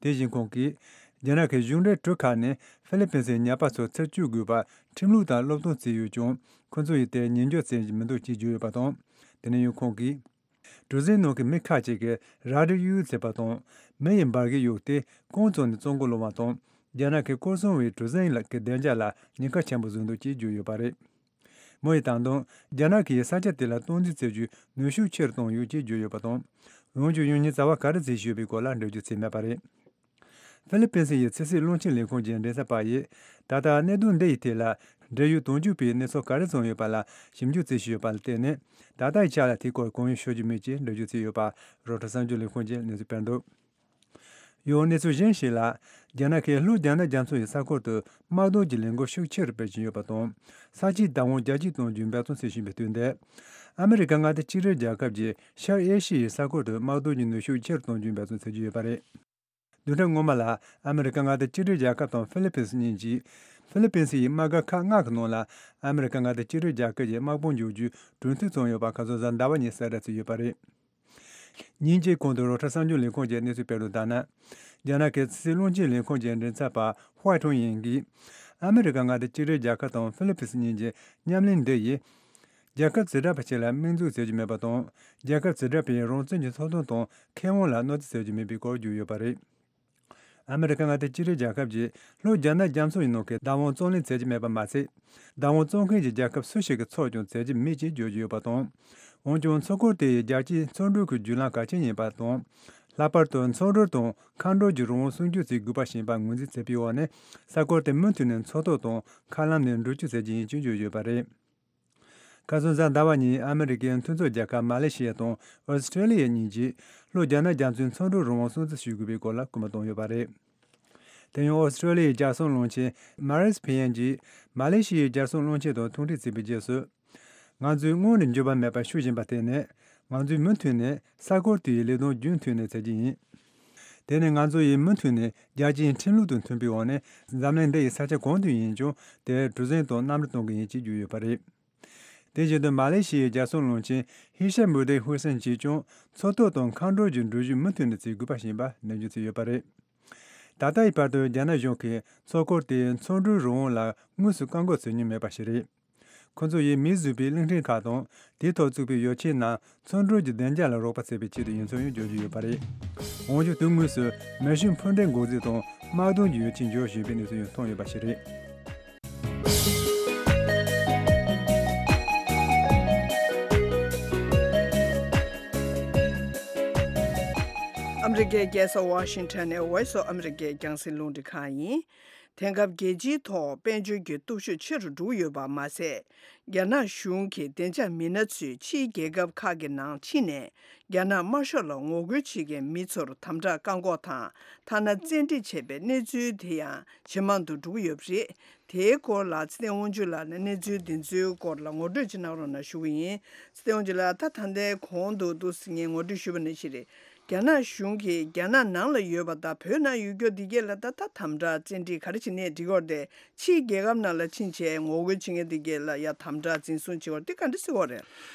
དེ་བཞིན་ཁོང་གིས། རྒྱ་ནག་གི་གཞུང་འབྲེལ་གྲུ་ཁག་ནས་ཧྥི་ལི་པིན་སི་ཡི་ཉ་པ་ཚོ་འཚོལ་སྐྱོབ་དགོས་པར་ཁྲིམས་ལུགས་དང་སློབ་སྟོན་བྱས་ཡོད་ཀྱང་། ཁོ་ཚོ་ཡིས་དེར་ཉན་འཇོག་བྱེད་ཀྱི་མི་འདུག་ཅེས་བརྗོད་ཡོད་པ་དང་། དེ་ནས་ཡང་ཁོང་གིས། གྲུ་གཟིངས་ནང་གི་མི་ཁག་ཅིག་གིས་རལ་གྲི་གཡུག་བྱས་པ་དང་། མི་ཡི་འབར་གས་གཡུགས་ཏེ་ཁོང་ཚོ་ནས་བཙོང་གི་སློང་བ་དང་། རྒྱ་ནག་གི་སྐོར་སྲུང་བའི་གྲུ་གཟིངས་ལ་གི་བདེ་འཇགས་ལ་ཉེན་ཁ་ཆེན་པོ་བཟོས་འདུག་ཅེས་བརྗོད་ཡོད་པ་རེད། མི་ཡིས་ད་དུང་རྒྱ་ནག་གིས་ས་ཆ་དེ་ལ་སྟངས་འཛིན་བྱེད་རྒྱུའི་ནུས་ཤུགས་ཆེ་རུ་བཏང་ཡོད་ཅེས་བརྗོད་ཡོད་པ་དང་། འོན་ཀྱང་། ཡང་སྙིང་རྩ་བ་ག་རེ་བྱས་ཡོད་པའི་སྐོར་ལ་འགྲེལ་བརྗོད་བྱས་མེད་པ་རེད། ཧྥི་ལི་པིན་སི་ཡི་ཕྱི་སྲིད་བློན་ཆེན་ལས་ཁུངས་ཀྱི་མགྲིན་ཚབ་པ་ཡིས། ད་ལྟ་གནད་དོན་འདི་ཡི་ཐད་ལ། འབྲེལ་ཡོད་དོན་གཅོད་པས་གནས་ཚུལ་ག་རེ་བྱུང་ཡོད་པ་ལ་ཞིབ་འཇུག་བྱེད་བཞིན་ཡོད་པ་ལ་བརྟེན་ནས། ད་ལྟ་ཡི་ཆ་ལ་དེའི་སྐོར་གང་ཡང་ཤོད་རྒྱུ་མེད་ཅེས་འགྲེལ་བརྗོད་བྱས་ཡོད་པ་རོའི་ཊར་གསར་འགྱུར་ལས་ཁུངས་ཀྱིས་གནས་ཚུལ་སྤེལ་འདུག་ཡང་གནས་ཚུལ་གཞན་ཞིག་ལ། རྒྱ་ནག་གིས་ལྷོ་རྒྱ་ནག་རྒྱ་མཚོ་ཡི་ས་ཁུལ་དུ་དམག་དོན་གྱི་ལས་འགུལ་ཤུགས་ཆེ་རུ་སྤེལ་བཞིན་ཡོད་པ་དང་། ས་ཆའི་བདག་དབང་རྒྱ་སྐྱེད་གཏོང་རྒྱུའི་འབད་བརྩོན་བྱེད་བཞིན་པའི་དུས་འདིར། ཨ་མི་རི་ཀ་མངའ་སྡེ་གཅིག་སྒྲིལ་རྒྱལ་ཁབ་ཀྱིས་ཤར་ཨེ་ཤི་ཡའི་ས་ཁུལ་དུ་དམག་དོན་གྱི་ནུས་ཤུགས་ཆེ་རུ་གཏོང་རྒྱུའི་འབད་བརྩོན་བྱེད་ཀྱི་ཡོད་པ་རེད། བདུན་ཕྲག་སྔོན་མ་ལ་ཨ་མི་རི་ཀ་མངའ་སྡེ་གཅིག་སྒྲིལ་རྒྱལ་ཁབ་དང་ཧྥི་ལི་པིན་སི་གཉིས་ཀྱིས། ཧྥི་ལི་པིན་སི་ཡི་དམག་སྒར་ཁག་ལྔ་གི་ནང་ལ་ཨ་མི་རི་ཀ་མངའ་སྡེ་གཅིག་སྒྲིལ་རྒྱལ་ཁབ་ཀྱི་དམག་དཔུང་འཇོག་རྒྱུའི་གྲོས་མཐུན་བྱུང་ཡོད་པ་ཁ་སང་གཟའ་ཟླ་བ་ཉིན་གསལ་བསྒྲགས་བྱས་ཡོད་པ་རེད། ཉིན་གཅིག་གོང་དུ་རོའི་ཊར་གསར་འགྱུར་ལས་ཁུངས་ཀྱིས་གནས་ཚུལ་སྤེལ་དོན་ལྟར་ན། རྒྱ་ནག་གི་ཕྱི་སྲིད་བློན་ཆེན་ལས་ཁུངས་ཀྱི་མགྲིན་ཚབ་པ་ཧུའེ་ཁྲུང་ཡིན་གྱིས། ཨ་མི་རི་ཀ་མངའ་སྡེ་གཅིག་སྒྲིལ་རྒྱལ་ཁབ་དང་ཧྥི་ལི་པིན་སི་གཉིས་ཀྱི་མཉམ་ལས་འདི་ཡིས། རྒྱལ་ཁབ་བྱེ་བྲག་པ་ཞིག་ལ་དམིགས་འཛུགས་བྱེད་རྒྱུ་མེད་པ་དང་། རྒྱལ་ཁབ་བྱེ་བྲག་པའི་རང་བཙན་གྱི་ཐོབ་ཐང་དང་ཁེ་དབང་ལ་གནོད་འཚེ་བྱེད་རྒྱུ་མེད་པའི་སྐོར་བརྗོད་ཡོད་པ་རེད། ཨ་མི་རི་ཀ་མངའ་སྡེ་གཅིག་སྒྲིལ་རྒྱལ་ཁབ་ཀྱིས་ལྷོ་རྒྱ་ནག་རྒྱ་མཚོ་ཡི་ནང་གི་བདག་དབང་རྩོད་ལེན་བྱེད་ཀྱི་མེད་པ་མ་ཟད། བདག་དབང་རྩོད་མཁན་གྱི་རྒྱལ་ཁབ་སུ་ཞིག་གི་ཕྱོགས་ཀྱང་བྱེད་ཀྱི་མེད་ཅེས་བརྗོད་ཀྱི་ཡོད་པ་དང་། འོན་ཀྱང་། མཚོ་འཁོར་དེ་ཡི་རྒྱལ་སྤྱིའི་མཚོ་འགྲུལ་གྱི་བརྒྱུད་ལམ་གལ་ཆེན་ཡིན་པ་དང་། ལྷག་པར་དུ་མཚོ་འགྲུལ་དང་མཁའ་འགྲུལ་གྱི་རང་དབང་སྲུང་སྐྱོབ་བྱེད་དགོས་པ་ཞེས་པ་ངོས་འཛིན་བྱས་པའི་འོག་ནས། ས་ཁུལ་དེ་མུ་མཐུད་ནས་མཚོ་ཐོག་དང་མཁའ་ལམ་ནས་འགྲུལ་སྐྱོད་བྱེད་ཀྱི་ཡིན་ཅེས་བརྗོད་ཡོད་པ་རེད། ཁ་སང་གཟའ་ཟླ་བ་ཉིན་ཨ་མི་རི་ཀའི་མཐུན་ཚོགས་རྒྱལ་ཁབ་མ་ལེ་ཤི་ཡ་དང་ཨོ་སི་ཁྲེ་ལི་ཡ་གཉིས་ཀྱིས་ལྷོ་རྒྱ་ནག་རྒྱ་མཚོའི་མཚོ་འགྲུལ་རང་དབང་སྲུང་བརྩི་ཞུ་དགོས་པའི་སྐོར་ལ་སྐུལ་མ་བཏང་ཡོད་པ་རེད། དེ་ཡང་ཨོ་སི་ཁྲེ་ལི་ཡའི་རྒྱལ་སྲུང་བློན་ཆེན་མ་རིས་ཕི་ཡན་གྱིས་མ་ལེ་ཤི་ཡའི་རྒྱལ་སྲུང་བློན་ཆེན་དང་ཐུག་འཕྲད་བྱས་པའི་རྗེས་སུ། ང་ཚོས་སྔོན་ནས་འགྱོད་པ་མེད་པར་ཞུ་བཞིན་པ་དེ་ནི། ང་ཚོས་མུ་མཐུད་ནས་ས་ཁུལ་དེའི་ལས་དོན་རྒྱུན་མཐུད་ནས་བྱེད་ཀྱི་ཡིན། དེ་ནི་ང་ཚོ་ཡིས་མུ་མཐུད་ནས་རྒྱལ་སྤྱིའི་ཁྲིམས་ལུགས་དང་མཐུན་པའི་འོག་ནས་འཛམ་གླིང་འདི་ཡི་ས་ཆ་གང་དུ་ཡིན་ཀྱང་དེར་གྲུ་གཟིངས་དང་གནམ་གྲུ་གཏོང་གི་ཡིན་ཅེས་བརྗོད་ཡོད་པ་རེད། དེ་བཞིན་དུ་མ་ལེ་ཤི་ཡའི་རྒྱལ་སྲུང་བློན་ཆེན་ཧི་ཤམ་བྷུ་ཏི་ཧུ་སན་གྱིས་ཀྱང་མཚོ་ཐོག་དང་མཁའ་འགྲུལ་གྱི་འགྲུལ་བཞུད་མུ་མཐུད་ནས་བྱེད་དགོས་པ་ཞེས་པ་ནན་བརྗོད་བྱས་ཡོད་པ་རེད། ད་ལྟ་ཡི་བར་དུ་རྒྱ་ནག་གཞུང་གིས་མཚོ་འཁོར་དེའི་མཚོ་འགྲུལ་རང་དབང་ལ་དངོས་སུ་བཀག་འགོག་བྱེད་མྱོང་མེད་པ་ཞིག་རེད། ཁོ་ཚོ་ཡིས་མིས་བཟོས་པའི་གླིང་ཕྲན་ཁག་དང་དེའི་ཐོག་བཙུགས་པའི་ཡོ་ཆས་རྣམས་མཚོ་འགྲུལ་གྱི་བདེ་འཇགས་ལ་རོགས་པ་བྱེད་པའི་ཆེད་དུ་ཡིན་ཚུལ་ཡང་བརྗོད་ཀྱི་ཡོད་པ་རེད། འོན་ཀྱང་། དུས་དངོས་སུ་མེ་ཤིང་འཕུར་མདེལ་འགོག་རྫས་དང་དམག་དོན་གྱི་ཡོ་ཆས་འབྱོར་བཞིན་པའི་གནས་ཚུལ་ཡང་ཐོན་ཡོད་པ་ཞིག་རེད། ཨ་མི་རི་ཀའི་རྒྱལ་ས་ཝ་ཤིང་ཊོན་ནས་Voice of America རྒྱང་སྲིང་རླུང་འཕྲིན་ཁང་ཡིན། དེང་སྐབས་རྒྱལ་སྤྱིའི་ཐོག་དཔལ་འབྱོར་གྱི་སྟོབས་ཤུགས་ཆེ་རུ་འགྲོ་གི་ཡོད་པ་མ་ཟད། རྒྱ་ནག་གཞུང་གིས་བདེ་འཇགས་མི་སྣ་ཚོས་ཕྱིའི་རྒྱལ་ཁབ་ཁག་གི་ནང་ཕྱིན་ནས་རྒྱ་ནག་དམར་ཤོག་ལ་ངོ་རྒོལ་བྱེད་མཁན་མི་ཚོར་དམ་དྲག་བཀག་འགོག་དང་ཐ་ན་བཙན་ཁྲིད་བྱས་པའི་གནས་ཚུལ་དེ་ཡང་ཇེ་མང་དུ་འགྲོ་གི་ཡོད་པ་རེད། དེའི་སྐོར་ལ་ཚེ་བརྟན་དབང་ཕྱུག་ལགས་ནས་གནས་ཚུལ་འདི་ཚོའི་སྐོར་ལ་ངོ་སྤྲོད་ཅིག་གནང་རོགས་གནང་ཞུ་གི་ཡིན། ཚེ་བརྟན་དབང་ཕྱུག་ལགས། ད་ད་ལྟའི་གོང་དུ་འདུག་སེ་ངས་ངོ་སྤྲོད་ཞུས་པ་ནང་བཞིན་རེད། རྒྱ་ནག་གཞུང་གིས་རྒྱ་ནག་ནང་ལ་ཡོད་པ་དང་བོད་ནང་ཡོད་རྒྱུ་འདི་གས་ལ་ད་ལྟ་དམ་དྲག་བཙན་ཁྲིད་ག་རེ་བྱེད་ནས་འགྲིག་གི་རེད་དེ། ཕྱིའི་རྒྱལ་ཁབ་ནང་ལ་ཕྱིན་བྱས་ངོ་རྒོལ་བྱེད་མཁན་འདི་གས་ལ་ཡ་དམ་དྲག་འཛིན་བཟུང་བྱེད་དགོས་རེད་དེ་ག་འདྲ་སེ་གོ་རེད།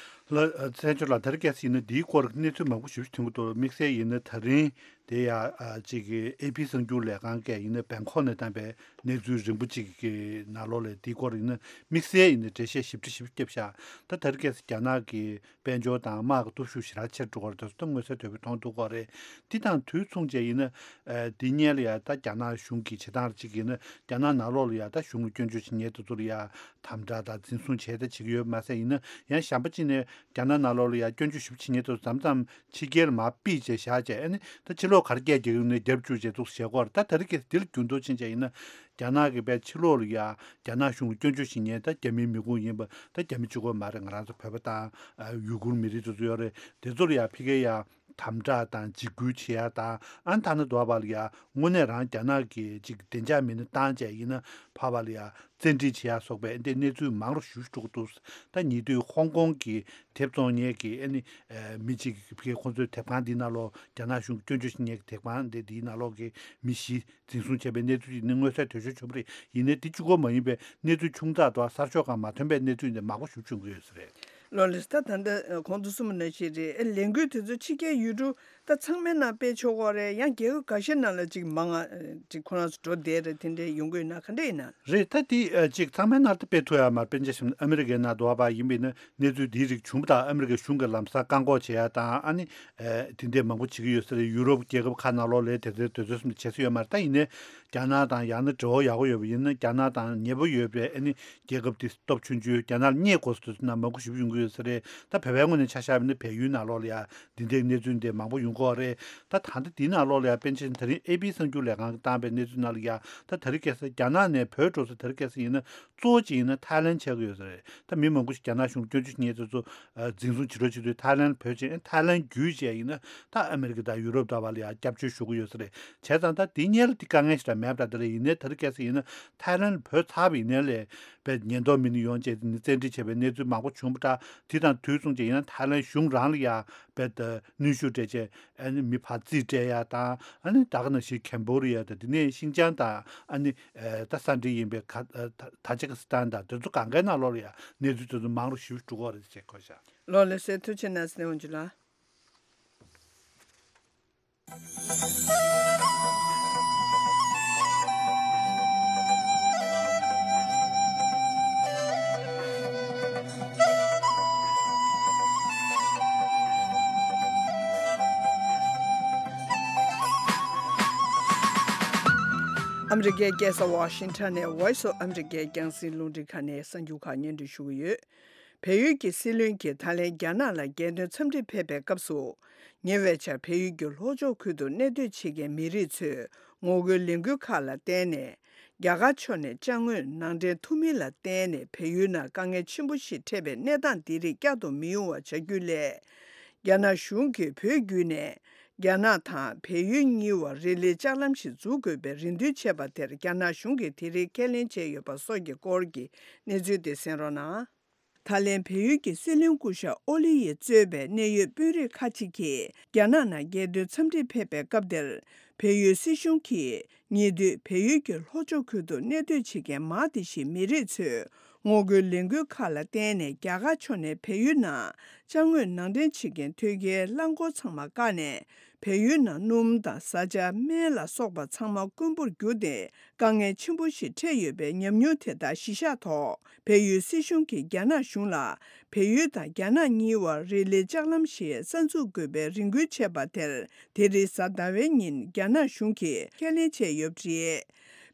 ལགས། ཚེ་བརྟན་ལགས། དེ་རིང་ཁ་སང་ཡིན་ན་འདིའི་སྐོར་གནས་ཚུལ་མང་པོ་ཞིབ་ཞིབ་ཐོན་གྱི་འདུག་དམིགས་བསལ་ཡིན་ན་ད་རིང་དེ་ཡ་ཨ་ཅིག་གི་ཨེ་པི་གསར་འགྱུར་ལས་ཁང་གིས་ཡིན་ན་བེང་ཀོག་ནས་བཏང་པའི་གནས་ཚུལ་རིང་པོ་ཅིག་གི་ནང་ལོགས་ལ་འདིའི་སྐོར་ཡིན་ན་དམིགས་བསལ་ཡིན་ན་འགྲེལ་བཤད་ཞིབ་ཕྲ་ཞིབ་བརྒྱབ་ཤག་ད་དེ་རིང་ཁ་སང་རྒྱ་ནག་གི་དཔལ་འབྱོར་དང་དམག་གི་སྟོབས་ཤུགས་ཞེ་དྲག་ཆེར་འགྲོ་གི་རེད། དེ་ཚོ་མངོན་གསལ་དོད་པོ་མཐོང་ཐུབ་ཀྱི་རེད། འདི་དང་དུས་མཚུངས་བྱས་ཡིན་ན། ཨ། འདི་སྔོན་ལ་ཡ་ད་རྒྱ་ནག་གཞུང་གིས་བྱེད་སྟངས་གཅིག་ཡིན་ན་རྒྱ་ནག་ནང་ལོགས་ལ་ཡ་ད་གཞུང་ལ་སྐྱོན་བརྗོད་བྱེད་མཁན་དེ་ཚོ་ལ་ཡ་དམ་དྲག་དང་འཛིན་བཟུང་བྱས་ད་བྱེད་ཀྱི་ཡོད་མ་ཟད། ཡིན་ན་ཡང་གཞན་པ་གཅིག་ནས་རྒྱ་ནག་ནང་ལོགས་ལ་ཡ་སྐྱོན་བརྗོད་ཞིབ་བྱེད་མཁན་དེ་ཚོ་མཚམས་མཚམས་ཕྱི་རྒྱལ་ལ་མར་ཕུད་བྱས་བཞག་བྱས། ཨ་ནི་ད་ཕྱི་ལོགས་ ཐོག་གར་སྐད་རྒྱག་ཡོང་ནས་རྒྱབ་བཅུག་བྱས་འདུག་བཤད་སྐོར། ད་དེ་རིང་ཁ་སང་འདི་ལ་འགྱུར་ལྡོག་ཕྱིན་བྱས་ཡིན་ན། རྒྱ་ནག་གི་པའི་ཕྱི་ལོགས་ལ་ཡ་རྒྱ་ནག་གཞུང་ལ་སྐྱོན་བརྗོད་བྱེད་མཁན་ད་རྒྱ་མིའི་མི་ཁུངས་ཡིན་པ་ད་རྒྱ་མི་གཅིག་པོ་མ་རེད། ང་རང་ཚོ་བོད་པ་དང་ཡུ་གུར་མི་རིགས་དེ་ཚོ་ཡོད་རེད། དེ་ཚོ་ལ་ཡ་ཕ་གིར་ཡ་དམ་དྲག་དང་འཇིགས་སྐུལ་བྱེད་ཡ་དང་། ཨ་ནི་ཐ་ན་དུ་བ་ལ་ཡ་དངོས་གནས་རང་རྒྱ་ནག་གིས་ཅིག་བདེ་འཇགས་མེད་ན་བཏང་བྱས་ཡིན་ན་ཕར་བ་ལ་ཡ་བཙན་ཁྲིད་བྱེད་ཡ་སོགས་པའི་འདི་གནས་ཚུལ་མང་རུ་ཞེ་པོ་ཅིག་འགྲོ་གི་འདུག་ད་ཉེ་དུས་ཧོང་ཀོང་གི་དེབ་བཙོང་མཁན་གྱི་ཨ་ནི་མི་གཅིག་གིས་ཁོང་ཚོའི་དེབ་ཁང་འདི་ནང་ལོགས་རྒྱ་ནག་གཞུང་སྐྱོན་བརྗོད་བྱེད་མཁན་གྱི་དེབ་ཁང་འདི་འདིའི་ནང་ལོགས་ཀྱི་མི་བཞི་འཛིན་བཟུང་བྱས་པའི་གནས་ཚུལ་ཅིག་ནི་མངོན་གསལ་དོད་ཤོས་བྱུང་བ་རེད། ཡིན་ནའི་འདི་གཅིག་པོ་མ་ཡིན་པའི་གནས་ཚུལ་ཆུང་ཙག་དང་གསར་ཤོག་ཁག་མ་ཐོན་པའི་གནས་ཚུལ་འདི་མང་པོ་ཞེ་པོ་ཅིག་བྱུང་གི་ཡོད་ས་རེད། ལོ་ལེགས། ད་ད་ལྟ་གོང་དུ་གསུངས་པ་ནང་བཞིན་རེད། ཨེ་ལས་འགུལ་དེ་ཚོ་ཕྱི་རྒྱལ་ཡུལ་གྲུ་ད་ཚང་མའི་ནང་སྤེལ་ཆོག་གི་རེད། ཡང་རྒྱལ་ཁབ་འགའ་ཤས་ནང་ལ་ཅིག་མང་ང་ཅིག་ཁོ་རང་ཚོ་འགྲོ་བསྡད་རེད། དེ་འདྲའི་ཡོང་གི་ཡོད་ན་ག་འདྲ་ཡིན་ན། རེད། ད་དེ་ཅིག་ཚང་མའི་ནང་དུ་སྤེལ་ཐུབ་ཡ་མ་རེད། དཔེར་ན་ཆ་བཞག་ན་ཨ་མི་རི་ཀའི་ནང་དུ་བ་ཡིན་པ་ཡིན་ན་གནས་ཚུལ་འདིའི་རིགས་བྱུང་བ་དང་ཨ་མི་རི་ཀའི་གཞུང་གི་ལམ་སང་བཀག་འགོག་བྱེད་ཡ་དང་། ཨ་ནི་དེ་འདྲའི་མང་པོ་བྱེད་ཀྱི་ཡོད་ས་རེད། ཡུ་རོབ་རྒྱལ་ཁབ་ཁག་ནང་ལོགས་ལ་དེ་ཚོའི་དེ་ཚོའི་སེམས་ལ་བྱེད་ས་ཡོད་མ་རེད། ད་ཡིན་ནའི་རྒྱ་ནག་དང་ཡང་ན་འབྲེལ་བ་ཡག་པོ་ཡོད་པ་ཡིན་ན་རྒྱ་ནག་དང་ཉེ་པོ་ཡོད་པའི་ཨ་ནི་རྒྱལ་ཁབ་དེ་སྟོབས་ཆུང་ཆུང་རྒྱ་ནག་ལ་བསྙད་དགོས་ས་དེ་ཚོ་ནང་མང་པོ་ཞེ་པོ་ཡོང་གི་ཡོད་ས་རེད། ད་བོད་པའི་ངོས་ནས་ཆ་བཞག་པ་ཡིན་ན་བལ་ཡུལ་ནང་ལོགས་ལ་ཡ་འདི་འདྲའི་གནས་ཚུལ་འདི་མང་པོ་ཡོང་གི་ཡོད་རེད། ད་ད་ལྟ་འདི་ནང་ལོགས་ལ་ཡ་དཔེར་ན་ཆ་བཞག་ན་ད་རིང་ཨེ་པི་གསར་འགྱུར་ལས་ཁང་གིས་བཏང་པའི་གནས་ཚུལ་ནང་ལ་ཡ་ད་དེ་རིང་ཁ་སང་རྒྱ་ནག་ནས་བོད་འགྲོ་ས་དེ་རིང་ཁ་སང་ཡིན་ན་གཙོ་བོ་གཅིག་ཡིན་ན་ཐའི་ལན་ཆགས་ཀྱི་ཡོད་ས་རེད། ད་མི་མང་པོ་ཞིག་རྒྱ་ནག་གཞུང་སྐྱོན་བརྗོད་བྱེད་མཁན་དེ་ཚོ་འཛིན་བཟུང་བྱེད་རོགས་བྱེད་དུས་ཐའི་ལན་བོད་ཅན་ཐའི་ལན་བརྒྱུད་བྱས་ཡིན་ན་ད་ཨ་མི་རི་ཀ་དང་ཡུ་རོབ་ལྟ་བ་ལ་ཡང་སྐྱབས་བཅོལ་ཞུ་གི་ཡོད་ས་རེད། བྱས་ཙང་ད་དེ་སྔོན་ལ་དེ་དཀའ་ངལ་ཞིག་ད་མེད་པ་འདྲ་དེ་རེད། ཡིན་ནའི་ད་རེས་ཁ་སང་ཡིན་ན་ཐའི་ལན་བོད་ཚར་བ་ཡིན་ནའི་ལས་པའི་ཉེན་རྟོག་མི་སྣ་ཡོང་བྱས་ནས་བཙན་ཁྲིད་བྱས་པའི་གནས་ཚུལ་མང་པོ་བྱུང་བ་འདྲ། དེ་དང་དུས་མཚུངས་ཀྱི་ཡིན་ན་ཐའི་ལན་གཞུང་རང་ལ་ཡང་བོད་དུ་གནོན་ཤུགས་སྤྲད་བྱས་ཨ་ནི་མི་ཕར་རྩིས་སྤྲད་ཡ་དང་། ཨ་ནི་ད་ག་ནང་བཞིན་ཁེམ་བྷོ་ཌི་ཡ་དང་དེ་ནས་ཤིན་ཅང་དང་ཨ་ནི་ད་ས་འབྲེལ་ཡིན་པའི་ཁ་ད་ཇི་ཀི་སི་ཐན་དང་དེ་ཚོ་གང་གའི་ནང་ལོགས་ལ་ཡང་གནས་ཚུལ་དེ་ཚོ་མང་རུ་ཞེ་པོ་འགྲོ་གི་ཡོད་རེད་ཅེས་གོ་བཞག་ལོ་ལེགས་སེ། ཐུགས་རྗེ་གནང་སེ་འོང་ཇུ་ལགས། ཨ་མི་རི་ཀའི་རྒྱལ་ས་ཝ་ཤིང་ཊོན་ནས་Voice of America རྒྱང་སྲིང་རླུང་འཕྲིན་ཁང་ནས་གསར་འགྱུར་ཁག་སྙན་སྒྲོན་ཞུ་གི་ཡོད། བལ་ཡུལ་གྱི་སྲིད་བློན་གྱིས་ད་ལན་རྒྱ་ནག་ལ་རྒྱལ་དོན་འཚམས་འདྲིར་ཕེབས་པའི་སྐབས་སུ། ཉེ་བའི་ཆར་བལ་ཡུལ་གྱི་ལྷོ་ཕྱོགས་ཁུལ་དུ་གནས་སྡོད་བྱེད་མཁན་མི་རིགས་ཚོས་ངོ་རྒོལ་ལས་འགུལ་ཁག་ལ་བརྟེན་ནས། རྒྱ་གར་ཕྱོགས་ནས་ཅ་དངོས་ནང་འདྲེན་ཐུབ་མིན་ལ་བརྟེན་ནས་བལ་ཡུལ་ནང་དཀའ་ངལ་ཆེན་པོ་ཞིག་འཕྲད་པའི་གནས་སྟངས་འདི་རིགས་བསྐྱར་དུ་མི་ཡོང་བ་བྱ་རྒྱུ་སླད། རྒྱ་ནག་གཞུང་གིས་བོད་བརྒྱུད་ནས་རྒྱ་ནག་དང་བལ་ཡུལ་གཉིས་བར་རེ་ལིའི་ལྕགས་ལམ་ཞིག་འཛུགས་དགོས་པའི་རེ་འདུན་བྱས་པ་དེར་རྒྱ་ནག་གཞུང་གིས་དེ་རིང་ཁས་ལེན་བྱས་ཡོད་པ་སོགས་ཀྱི་སྐོར་གྱི་གནས་ཚུལ་དེ་གསན་རོགས་གནང་། ད་ལན་བལ་ཡུལ་གྱི་སྲིད་བློན་སྐུ་ཞབས་ཨོ་ལི་ཡིས་གཙོས་པའི་གནད་ཡོད་དཔོན་རིགས་ཁག་ཅིག་གིས་རྒྱ་ནག་ནང་རྒྱལ་དོན་འཚམས་འདྲིར་ཕེབས་པའི་སྐབས་དེར། བལ་ཡུལ་སྲིད་གཞུང་གིས་ཉེ་དུས་བལ་ཡུལ་གྱི་ལྷོ་ཕྱོགས་ཁུལ་དུ་གནས་སྡོད་བྱེད་མཁན་མང་དེ་ཞིག་མི་རིགས་ཚོས་ངོ་རྒོལ་ལས་འགུལ་ཁག་ལ་བརྟེན་ནས་རྒྱ་གར་ཕྱོགས་ནས་བལ་ཡུལ་ནང་ཅ་དངོས་ནང་འདྲེན་བྱེད་མཁན་ཐོན་སྐྱེལ་རླངས་འཁོར་ཚང་མ་བཀག་ནས། བལ་ཡུལ་ནང་སྣུམ་དང་བཟའ་བཅའ་སྨན་ལ་སོགས་པ་ཚང་མ་དཀོན་པོར་གྱུར་ཏེ། དཀའ་ངལ་ཆེན་པོ་ཞིག་འཕྲད་ཡོད་པའི་ཉམས་མྱོང་དེ་དག་གཞི་བཞག་ཐོག་བལ་ཡུལ་སྲིད་གཞུང་གིས་རྒྱ་ནག་གཞུང་ལ་བལ་ཡུལ་དང་རྒྱ་ནག་གཉིས་བར་རེ་ལིའི་ལྕགས་ལམ་ཞིག་གསར་འཛུགས་དགོས་པའི་རེ་སྐུལ་བྱས་པ་དེར། དེ་རིང་གཟའ་ཟླ་བའི་ཉིན་རྒྱ་ནག་གཞུང་གིས་ཁས་ལེན་བྱས་ཡོད་པ་རེད།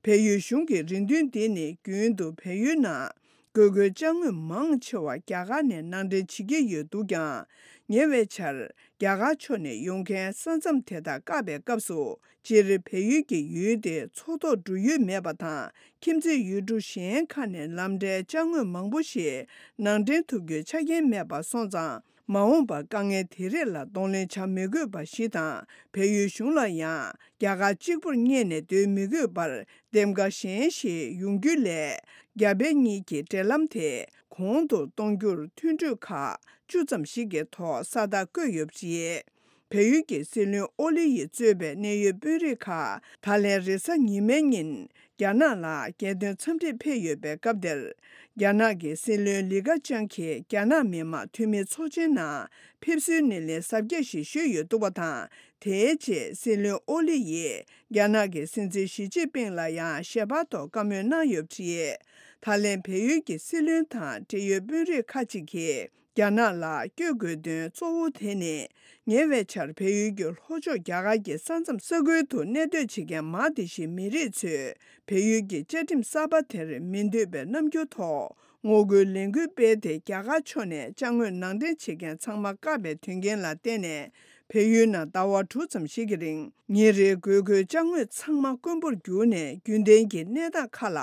བལ་ཡུལ་གཞུང་གི་རེ་འདུན་འདི་ནི་རྒྱུན་དུ་བལ་ཡུལ་ནང་དགོས་མཁོའི་ཅ་དངོས་མང་ཆེ་བ་རྒྱ་གར་ནས་ནང་འདྲེན་བྱེད་ཀྱི་ཡོད་འདུག་ཀྱང་། ཉེ་བའི་ཆར་རྒྱ་གར་ཕྱོགས་ནས་ཡོང་མཁན་ས་མཚམས་དེ་དག་བཀག་པའི་སྐབས་སུ། སྤྱིར་བལ་ཡུལ་གྱི་ཡུལ་དེ་མཚོ་ཐོག་འགྲོ་ཡུལ་མེད་པ་དང་། ཁྱིམ་མཚེས་ཡུལ་གྲུ་གཞན་ཁག་ནས་ལམ་འབྲས་ཅ་དངོས་མང་པོ་ཞིག་ནང་འདྲེན་ཐུབ་རྒྱུའི་ཆ་རྐྱེན་མེད་པ་སོང་ཙང་། མ་འོངས་པར་དཀའ་ངལ་དེ་རིགས་ལ་གདོང་ལེན་བྱ་མི་དགོས་པ་ཞིག་དང་། བལ་ཡུལ་གཞུང་ལ་ཡང་རྒྱ་གར་གཅིག་པུར་གཉེར་ནས་སྡོད་མི་དགོས་པར། འདེམས་ཀ་གཞན་ཞིག་ཡོང་རྒྱུ་ལས། རྒྱ་བལ་གཉིས་ཀྱི་འབྲེལ་ལམ་དེ་གོང་དུ་གཏོང་རྒྱུར་མཐུན་གྲོས་ཁག་བཅུ་ཙམ་ཞིག་གི་ཐོག་ས་རྟགས་བཀོད་ཡོད་པ་རེད། བལ་ཡུལ་གྱི་སྲིད་བློན་ཨོ་ལི་ཡིས་གཙོས་པའི་གནད་ཡོད་དཔོན་རིགས་ཁག་ད་ལན་རེས་གཟའ་ཉི་མའི་ཉིན་རྒྱ་ནག་ལ་རྒྱལ་དོན་འཚམས་འདྲིར་ཕེབས་ཡོད་པའི་སྐབས་དེར། རྒྱ་ནག་གི་སྲིད་བློན་ལི་ཁ་ཆང་གིས་རྒྱ་ནག་མི་དམངས་འཐུས་མི་ཚོགས་ཆེན་ནང་ཕེབས་བསུའི་སྣེ་ལེན་གཟབ་རྒྱས་ཤིག་ཞུས་ཡོད་འདུག་པ་དང་། དེའི་རྗེས་སྲིད་བློན་ཨོ་ལི་ཡིས་རྒྱ་ནག་གི་སྲིད་འཛིན་ཞི་ཅིན་ཕིང་ལ་ཡང་ཞལ་པར་ཐོག་བཀའ་མོལ་གནང་ཡོད་པ་རེད། ད་ལན་བལ་ཡུལ་གྱི་སྲིད་བློན་དང་འབྲེལ་ཡོད་དཔོན་རིགས་ཁག་ཅིག་གིས་རྒྱ་ནག་ལ་བསྐྱོད་དགོས་དོན་གཙོ་བོ་དེ་ནི། ཉེ་བའི་ཆར་བལ་ཡུལ་གྱི་ལྷོ་ཕྱོགས་རྒྱ་གར་གྱི་ས་མཚམས་ས་ཁུལ་དུ་གནས་སྡོད་བྱེད་མཁན་མང་དེ་ཞིག་མི་རིགས་ཚོས་བལ་ཡུལ་གྱི་བཅའ་ཁྲིམས་གསར་པ་དེར་མི་འདོད་པའི་རྣམ་འགྱུར་ཐོག་ངོ་རྒོལ་ལས་འགུལ་སྤེལ་ཏེ། རྒྱ་གར་ཕྱོགས་ནས་ཅ་དངོས་ནང་འདྲེན་བྱེད་མཁན་ཚང་མ་བཀག་པའི་དོན་རྐྱེན་ལ་བརྟེན་ནས། བལ་ཡུལ་ནང་ཟླ་བ་དྲུག་ཙམ་ཞིག་གི་རིང་ཉིན་རེའི་དགོས་མཁོའི་ཅ་དངོས་ཚང་མ་དཀོན་པོར་གྱུར་ནས། རྒྱུན་ལྡན་གྱི་གནས་སྟངས་ཁག་ལ་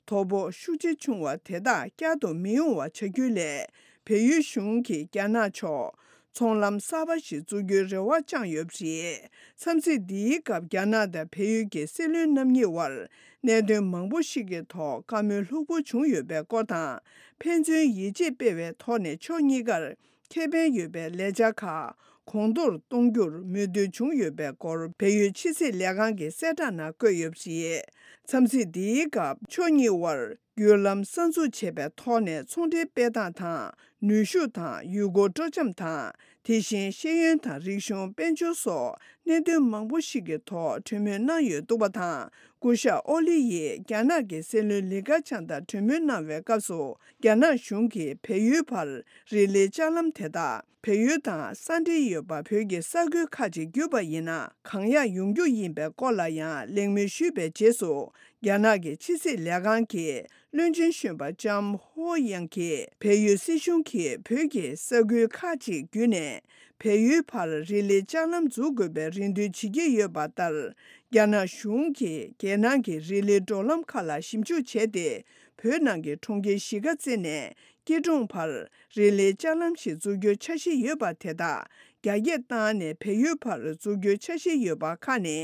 དོ་ཕོག་ཤུགས་ཆེ་བྱུང་བ་དེ་དག་བསྐྱར་དུ་མི་ཡོང་བ་བྱ་རྒྱུ་ལས། བལ་ཡུལ་གཞུང་གིས་རྒྱ་ནག་ཕྱོགས་ཚོང་ལམ་གསར་པ་ཞིག་བཙུགས་རྒྱུའི་རེ་བ་བཅངས་ཡོད་པ་རེད། འཚམས་གཟིགས་འདིའི་སྐབས་རྒྱ་ནག་དང་བལ་ཡུལ་གྱི་སྲིད་བློན་རྣམ་གཉིས་དབར་གནད་དོན་མང་པོ་ཞིག་གི་ཐོག་བཀའ་མོལ་ལྷུག་པོ་བྱུང་ཡོད་པའི་སྐོར་དང་། ཕན་ཚུན་ཡིད་ཆེས་སྤེལ་བའི་ཐོག་ནས་ཕྱོགས་གཉིས་ཀར་ཁེ་ཕན་ཡོད་པའི་ལས་འཆར་ཁག་གོང་མཐོར་གཏོང་རྒྱུར་མོས་མཐུན་བྱུང་ཡོད་པའི་སྐོར་བལ་ཡུལ་ཕྱི་སྲིད་ལས་ཁང་གི་གསལ་བསྒྲགས་ནང་བཀོད་ཡོད་པ་རེད། འཚམས་གཟིགས་འདིའི་སྐབས་ཕྱོགས་གཉིས་དབར་བརྒྱུད་ལམ་གསར་འཛུགས་བྱས་པའི་ཐོག་ནས་ཚོང་འབྲེལ་སྤེལ་སྟངས་དང་། ནུས་ཤུགས་དང་ཡུལ་སྐོར་སྤྲོ་འཆམ་དང་། དེ་བཞིན་ཤེས་ཡོན་དང་རིག་གཞུང་། དཔལ་འབྱོར་སོགས་གནད་དོན་མང་པོ་ཞིག་གི་ཐོག་གྲོས་མོལ་གནང་ཡོད་འདུག་པ་དང་། སྐུ་ཞབས་ཨོ་ལི་ཡིས་རྒྱ་ནག་གི་སྲིད་བློན་ལི་ཁེ་ཆང་དང་གྲོས་མོལ་གནང་བའི་སྐབས་སུ། རྒྱ་ནག་གཞུང་གིས་བལ་ཡུལ་བར་རི་ལི་ལྕགས་ལམ་དེ་དག་བལ་ཡུལ་དང་ས་འབྲེལ་ཡོད་པ་བོད་ཀྱི་ས་ཁུལ་ཁག་ཅིག་བརྒྱུད་པ་ཡིན་ན་གང་ཡག་ཡོང་རྒྱུ་ཡིན་པའི་སྐོར་ལ་ཡང་གླེང་མོལ་ཞུས་པའི་རྗེས་སུ། རྒྱ་ནག་གི་ཕྱི་སྲིད་ལས་ཁང་གི་བློན་ཆེན་གཞོན་པ་ལྕམ་ཧོ་ཡང་གིས། བལ་ཡུལ་སྲིད་གཞུང་གིས་བོད་ཀྱི་ས་ཁུལ་ཁག་ཅིག་བརྒྱུད་ནས་བལ་ཡུལ་བར་རི་ལི་ལྕགས་ལམ་འཛུགས་དགོས་པའི་རེ་འདུན་བྱེད་ཀྱི་ཡོད་པ་ལྟར། རྒྱ་ནག་གཞུང་གིས་རྒྱལ་ནང་གི་རི་ལི་འགྲོ་ལམ་ཁག་ལ་ཞིབ་འཇུག་བྱས་ཏེ། བོད་ནང་གི་གྲོང་ཁྱེར་གཞིས་ཀ་རྩེ་ནས་སྐྱིད་གྲོང་བར་རི་ལི་ལྕགས་ལམ་ཞིག་འཛུགས་རྒྱུའི་འཆར་གཞི་ཡོད་པ་དེ་དག་རྒྱ་སྐྱེད་བཏང་ནས་བལ་ཡུལ་བར་འཛུགས་རྒྱུའི་འཆར་གཞི་ཡོད་པ་ཁག་ནི།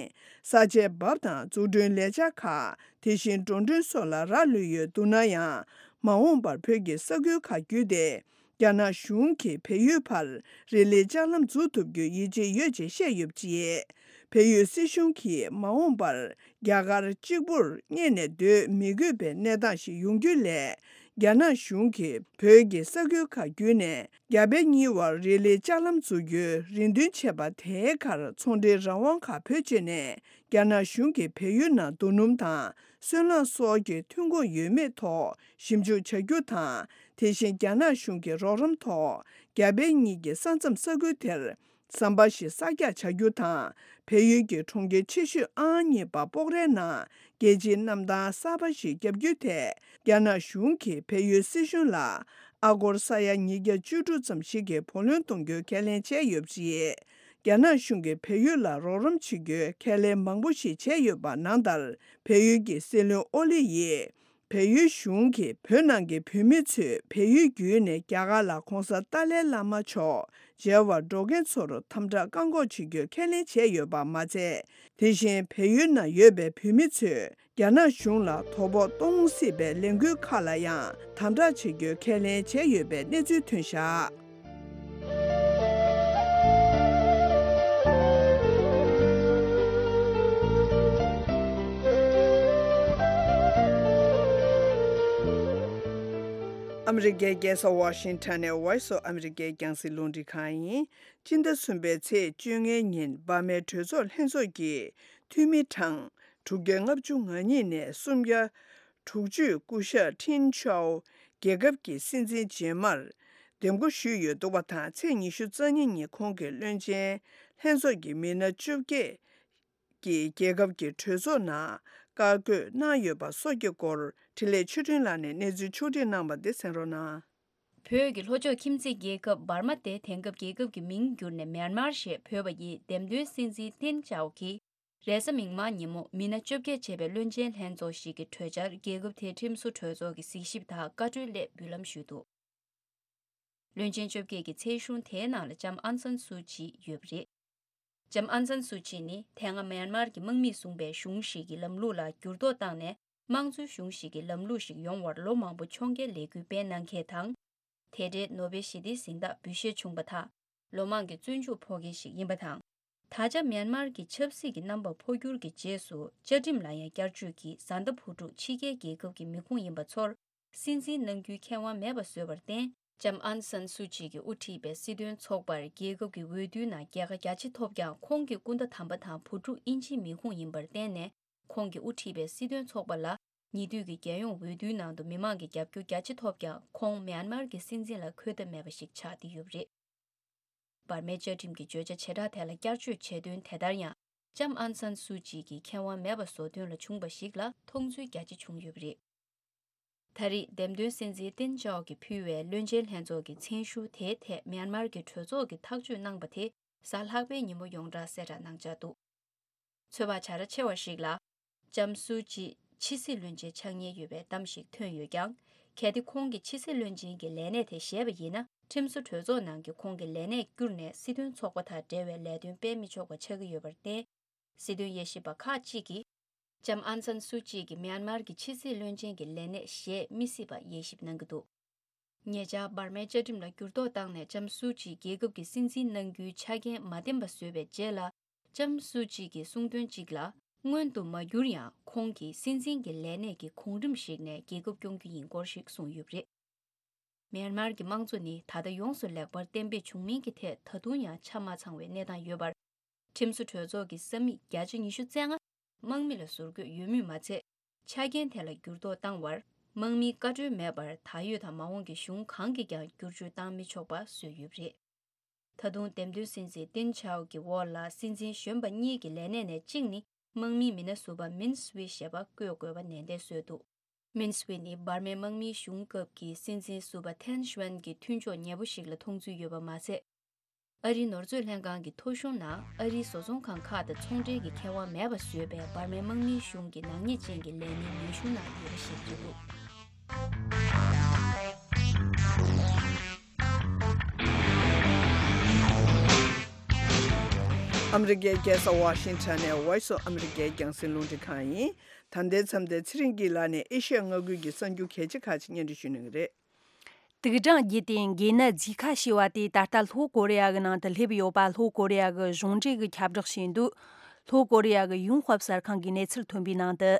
ས་ཆའི་འབབ་དང་འཛུགས་སྐྲུན་ལས་འཆར་ཁག་དེ་བཞིན་འགྲོ་གྲོན་སོགས་ལ་རག་ལུས་ཡོད་འདུག་ན་ཡང་། མ་འོངས་པར་བོད་ཀྱི་ས་ཁུལ་ཁག་བརྒྱུད་དེ། རྒྱ་ནག་གཞུང་གིས་བལ་ཡུལ་བར་རི་ལི་ལྕགས་ལམ་འཛུགས་ཐུབ་རྒྱུའི་ཡིད་ཆེས་ཡོད་ཅེས་བཤད་ཡོད་པ་རེད། བལ་ཡུལ་སྲིད་གཞུང་གིས་མ་འོངས་པར་རྒྱ་གར་གཅིག་པུར་གཉེར་ནས་སྡོད་མི་དགོས་པའི་གནས་སྟངས་ཤིག་ཡོང་རྒྱུ་ལས། རྒྱ་ནག་གཞུང་གིས་བོད་ཀྱི་ས་ཁུལ་ཁག་བརྒྱུད་ནས་རྒྱ་བལ་གཉིས་བར་རི་ལི་ལྕགས་ལམ་འཛུགས་རྒྱུའི་རེ་འདུན་བྱས་པ་དེའི་ཁར་ཚོང་འབྲེལ་རང་དབང་ཁག་བེད་སྤྱོད་ནས། རྒྱ་ནག་གཞུང་གིས་བལ་ཡུལ་ནང་རྡོ་སྣུམ་དང་སོལ་རླངས་སོགས་ཀྱི་ཐོན་ཁུངས་ཡོད་མེད་ཐོག་ཞིབ་འཇུག་བྱ་རྒྱུ་དང་། དེ་བཞིན་རྒྱ་ནག་གཞུང་གི་རོགས་རམ་ཐོག་རྒྱ་བལ་གཉིས་ཀྱི་ས་མཚམས་ས་ཁུལ་དེར་ཟམ་པ་ཞིག་གསར་རྒྱག་བྱ་རྒྱུ་དང་། བལ་ཡུལ་གྱི་གྲོང་ཁྱེར་ཆེ་ཤོས་ཨང་གཉིས་པ་སྤོག་རའི་ནང་རྒྱལ་སྤྱིའི་གནམ་ཐང་གསར་པ་ཞིག་བརྒྱབ་རྒྱུའི་ཐད། རྒྱ་ནག་གཞུང་གིས་བལ་ཡུལ་སྲིད་གཞུང་ལ་ཨ་སྒོར་ས་ཡ་ཉིས་བརྒྱ་བཅུ་དྲུག་ཙམ་ཞིག་གི་བུ་ལོན་གཏོང་རྒྱུའི་ཁས་ལེན་བྱས་ཡོད་པ་རེད། རྒྱ་ནག་གཞུང་གིས་བལ་ཡུལ་ལ་རོགས་རམ་བྱེད་རྒྱུའི་ཁས་ལེན་མང་པོ་ཞིག་བྱས་ཡོད་པ་ནང་ལྟར། བལ་ཡུལ་གྱི་སྲིད་བློན་ཨོ་ལི་ཡིས། བལ་ཡུལ་གཞུང་གིས་བོད་ནང་གི་བོད་མི་ཚོས་བལ་ཡུལ་བརྒྱུད་ནས་རྒྱ་གར་ལ་༧གོང་ས་ཏཱ་ལའི་བླ་མ་མཆོག་མཇལ་བར་འགྲོ་མཁན་ཚོར་དམ་དྲག་བཀག་འགོག་བྱེད་རྒྱུའི་ཁས་ལེན་བྱས་ཡོད་པ་མ་ཚད། དེ་བཞིན་བལ་ཡུལ་ནང་ཡོད་པའི་བོད་མི་ཚོས་རྒྱ་ནག་གཞུང་ལ་དོ་ཕོག་གཏོང་སྲིད་པའི་ལས་འགུལ་ཁག་ལ་ཡང་དམ་དྲག་བྱེད་རྒྱུའི་ཁས་ལེན་བྱས་ཡོད་པའི་གནས་ཚུལ་ཐོན་བཞག། ཨ་མི་རི་ཀའི་རྒྱལ་ས་ཝ་ཤིང་ཊོན་ནས་Voice of America རྒྱང་སྲིང་རླུང་འཕྲིན་ཁང་ཡིན། སྤྱི་ཟླ་གསུམ་པའི་ཚེས་བཅོ་ལྔའི་ཉིན་འབར་མའི་གྲོས་ཚོགས་ལྷན་ཚོགས་ཀྱི་འཐུས་མི་གྲངས་དྲུག་བརྒྱ་ལྔ་བཅུ་ང་གཉིས་ནས་སུམ་བརྒྱ་དྲུག་ཅུས་སྐུ་ཞབས་ཊིན་ཆའོ་རྒྱལ་ཁབ་ཀྱི་སྲིད་འཛིན་རྗེས་མར་འདེམས་བསྐོ་ཞུས་ཡོད་འདུག་པ་དང་། ཚེས་ཉི་ཤུ་རྩ་གཉིས་ཉིན་ཁོང་གིས་བློན་ཆེན་ལྷན་ཚོགས་ཀྱི་མི་སྣ་བཅོ་བརྒྱད་ཀྱིས་རྒྱལ་ཁབ་ཀྱི་གྲོས་ཚོགས་ནང་བཀའ་བཀོད་གནང་ཡོད་པ་སོགས་ཀྱི་སྐོར་འཕྲིན་ལས་ཆོས་སྒྲོན་ལགས་ནས་གནས་ཚུལ་ཕྱོགས་སྒྲིག་གནང་བ་འདི་གསན་རོགས་གནང་། བོད་ཀྱི་ལྷོ་ཕྱོགས་ཁྱིམ་མཚེས་རྒྱལ་ཁབ་འབར་མ་སྟེ། དེང་སྐབས་རྒྱལ་ཁབ་ཀྱི་མིང་བསྒྱུར་ནས་མེན་མར་ཞེས་འབོད་པ་ཡི་འདེམས་ཐོན་སྲིད་འཛིན་ཏིན་ཅའོ་གིས་རེས་གཟའ་མིག་དམར་ཉིན་མོ་མི་སྣ་བཅོ་བརྒྱད་བྱས་པའི་བློན་ཆེན་ལྷན་ཚོགས་ཤིག་གི་གྲོས་འཆར་རྒྱལ་ཁབ་དེའི་ཁྲིམས་བཟོ་གྲོས་ཚོགས་ཀྱི་གཟིགས་ཞིབ་དང་བཀའ་འཁྲོལ་སླད་འབུལ་ལམ་ཞུས་འདུག། བློན་ཆེན་བཅོ་བརྒྱད་ཀྱི་ཚན་གཞུང་དེའི་ནང་ལ་ལྕམ་ཨང་སན་སུའུ་ཅི་ཡོད་པ་རེད། ལྕམ་ཨང་སན་སུའུ་ཅི་ནི་དེ་སྔ་མེན་མར་གྱི་དམག་མིས་བཟུང་པའི་གཞུང་ཞིག་གི་ལམ་ལུགས་ལ་འགྱུར་ལྡོག་བཏང་ནས། དམངས་གཙོའི་གཞུང་ཞིག་གི་ལམ་ལུགས་ཤིག་ཡོང་བར་ལོ་མང་པོ་ཕྱོགས་འགལ་ལས་འགུལ་སྤེལ་གནང་མཁན་དང་། དེ་འབྲེལ་ནོ་བེལ་ཞི་བདེའི་གཟེངས་རྟགས་འབུལ་བཞེས་བྱུང་བ་དང་། ལོ་མང་གི་བཙོན་འཇུག་ཕོག་མཁན་ཞིག་ཡིན་པ་དང་། ད་ཆ་མེན་མར་གྱི་ཆབ་སྲིད་ཀྱི་རྣམ་པ་འཕོ་འགྱུར་གྱི་རྗེས་སུ། བཅའ་ཁྲིམས་ལ་ཡང་བསྐྱར་བཅོས་ཀྱིས་བཟའ་ཟླ་བུ་ཕྲུག་ཕྱི་རྒྱལ་རྒྱལ་ཁབ་ཀྱི་མི་ཁུངས་ཡིན་པ་ཚོར་སྲིད་འཛིན་གནང་རྒྱུའི་ཁེ་དབང་མེད་པ་བཟོས་པར་བརྟེན། ལྕམ་ཨང་སན་སུའུ་ཅི་གིས་དབུ་ཁྲིད་པའི་སྲིད་དོན་ཚོགས་པར་རྒྱལ་ཁབ་ཀྱི་འོས་བསྡུའི་ནང་རྒྱལ་ཁ་རྒྱ་ཆེ་ཐོབ་ཀྱང་། ཁོང་གི་སྐུ་ཟླ་དམ་པ་དང་བུ་ཕྲུག་དབྱིན་ཇིའི་མི་ཁུངས་ཡིན་པར་བརྟེན་ནས། ཁོང་གིས་དབུ་ཁྲིད་པའི་སྲིད་དོན་ཚོགས་པ་ལ་ཉེ་དུས་ཀྱི་རྒྱལ་ཡོངས་འོས་བསྡུའི་ནང་དུ་མི་མང་གི་རྒྱབ་སྐྱོར་རྒྱ་ཆེ་ཐོབ་ཀྱང་། ཁོང་མེན་མར་གྱི་སྲིད་འཛིན་ལ་འཁོད་ཐབས་མེད་པ་ཞིག་ཆགས་བསྡད་ཡོད་པ་རེད། འབར་མའི་བཅའ་ཁྲིམས་ཀྱི་བརྗོད་བྱ་བྱེ་བྲག་དེ་ལ་བསྐྱར་བཅོས་བྱེད་དོན་དེ་ལྟར་ཡང་། ལྕམ་ཨང་སན་སུའུ་ཅི་གི་ཁེ་དབང་མེད་པ་བཟོ་དོན་ལ་བྱུང་བ་ཞིག་ལ་མཐོང་ཚུལ་རྒྱ་ཆེ་བྱུང་ཡོད་པ་རེད། ད་རེས་འདེམས་ཐོན་སྲིད་འཛིན་ཏིན་ཅའོ་གིས་ཕུལ་བའི་བློན་ཆེན་ལྷན་ཚོགས་ཀྱི་མཚན་ཞུ་དེའི་ཐད་མེན་མར་གྱི་གྲོས་ཚོགས་ཀྱིས་ཐག་གཅོད་གནང་པ་དེ། གཟའ་ལྷག་པའི་ཉིན་མོ་ཡོངས་གྲགས་གསལ་བསྒྲགས་གནང་འཆར་འདུག། ཚོད་དཔག་བྱ་ར་ཆེ་བ་ཞིག་ལ། ལྕམ་སུའུ་ཅི་ཕྱི་སྲིད་བློན་ཆེན་ཆགས་ཉེན་ཡོད་པའི་གཏམ་ཞིག་ཐོན་ཡོད་ཀྱང་། གལ་ཏེ་ཁོང་གིས་ཕྱི་སྲིད་བློན་ཆེན་གྱི་ལས་གནས་དེ་བཞེས་པ་ཡིན་ན། ཁྲིམས་བཟོ་གྲོས་ཚོགས་ནང་གི་ཁོང་གི་ལས་གནས་བསྐྱུར་ནས་སྲིད་དོན་ཚོགས་པ་དང་འབྲེལ་བའི་ལས་དོན་སྤེལ་མི་ཆོག་པ་ཆགས་ཀྱི་ཡོད་པར་བརྟེན། སྲིད་དོན་དབྱེ་ཞིབ་པ་ཁག་ཅིག་གིས། ལྕམ་ཨང་སན་སུའུ་ཅི་གིས་མྱན་མར་གྱི་ཕྱི་སྲིད་བློན་ཆེན་གྱི་ལས་གནས་བཞེས་མི་སྲིད་པ་དབྱེ་ཞིབ་གནང་གི་འདུག། ཉེ་ཆར་འབར་མའི་བཅའ་ཁྲིམས་ལ་འགྱུར་ལྡོག་བཏང་ནས་ལྕམ་སུའུ་ཅི་རྒྱལ་ཁབ་ཀྱི་སྲིད་འཛིན་གནང་རྒྱུའི་ཆ་རྐྱེན་མ་བརྟན་པ་བཟོས་པའི་རྗེས་ལ། ལྕམ་སུའུ་ཅི་གིས་གསུངས་དོན་གཅིག་ལ། སྔོན་དུ་མ་འགྱུར་ཡང་ཁོང་གིས་སྲིད་འཛིན་གྱི་ལས་གནས་ཀྱི་གོང་རིམ་ཞིག་ནས་རྒྱལ་ཁབ་སྐྱོང་རྒྱུ་ཡིན་སྐོར་ཞིག་གསུངས་ཡོད་པ་རེད། མྱན་མར་གྱི་དམངས་གཙོ་ནི་ད་ལྟ་ཡོངས་སུ་ལེགས་པར་གཏན་འབེབས་བྱུང་མིན་གྱི་ཐད་ད་དུང་ཡང་ཆ་མ་ཚང་བའི་གནས་སྟངས་ཡོད་པར། ཁྲིམས་བཟོ་གྲོས་ཚོགས་ཀྱི་ས་མིག་བརྒྱ་ཆ་ཉི་ཤུ་རྩ་ལྔ་དམག་མི་ལ་ཟུར་བཀོད་ཡོད་མུས་མ་ཚད། ཆ་རྐྱེན་དེ་ལ་འགྱུར་ལྡོག་བཏང་བར་དམག་མིའི་བཀའ་འཁྲོལ་མེད་པར་ད་ཡོད་དང་མ་འོངས་ཀྱི་གཞུང་གང་གིས་ཀྱང་བསྒྱུར་བཅོས་བཏང་མི་ཆོག་པ་བཟོས་ཡོད་པ་རེད། ད་དུང་འདེམས་ཐོན་སྲིད་འཛིན་ཏིན་ཆའོ་གི་འོག་ལ་སྲིད་འཛིན་གཞོན་པ་གཉིས་ཀྱི་ལས་གནས་ནས་གཅིག་ནི་དམག་མིའི་མི་སྣ་ཟུར་པ་མིན་སུའེ་ཞེས་པ་བསྐོ་དགོས་པ་ནན་ཏན་བཟོས་འདུག། མིན་སུའེ་ནི་འབར་མའི་དམག་མིའི་གཞུང་སྐབས་ཀྱི་སྲིད་འཛིན་ཟུར་པ་ཐན་ཤུའན་གྱི་མཐུན་ཕྱོགས་ཉེ་པོ་ཞིག་ལ་མཐོང་ཚུལ་ཡོད་པ་མ་ཟད། ཨ་རིའི་ནོར་མཛོད་ལྷན་ཁང་གི་ཐོ་གཞུང་ནང་ཨ་རིའི་བཟོ་ཚོང་ཁང་ཁག་དང་ཚོང་འབྲེལ་གྱི་ཁེ་དབང་མེད་པ་བཟོས་པའི་འབར་མའི་དམག་མིའི་གཞུང་གི་ནག་ཉེས་ཅན་གྱི་ལས་སྣའི་ལས་གཞུང་ནང་ཡོད་པ་ཞིག་རེད་འདུག། ཨ་མི་རི་ཀའི་རྒྱལ་ས་ཝ་ཤིང་ཊོན་ནས་Voice of America རྒྱང་སྲིང་རླུང་འཕྲིན་ཁང་ཡིན། ད་ལྟའི་མཚམས་དེར་ཚེ་རིང་སྐྱིད་ལགས་ནས་ཨེ་ཤ་ཡ་མངའ་ཁུལ་གྱི་གསར་འགྱུར་གལ་ཆེ་ཁག་ཅིག་སྙན་སྒྲོན་ཞུ་གནང་གི་རེད། དུག་སྦྲང་རྒྱུད་དེ་འགོས་ནད་ཛི་ཁ་ཞེས་པ་དེ་ད་ལྟ་ལྷོ་ཀོ་རི་ཡ་གི་ནང་དུ་སླེབས་ཡོད་པ་ལྷོ་ཀོ་རི་ཡ་གི་གཞུང་འབྲེལ་གྱིས་ཁྱབ་བསྒྲགས་བྱས་འདུག། ལྷོ་ཀོ་རི་ཡ་གི་ཡུན་ཧྥབ་གསར་ཁང་གིས་གནས་ཚུལ་ཐོན་པའི་ནང་དུ།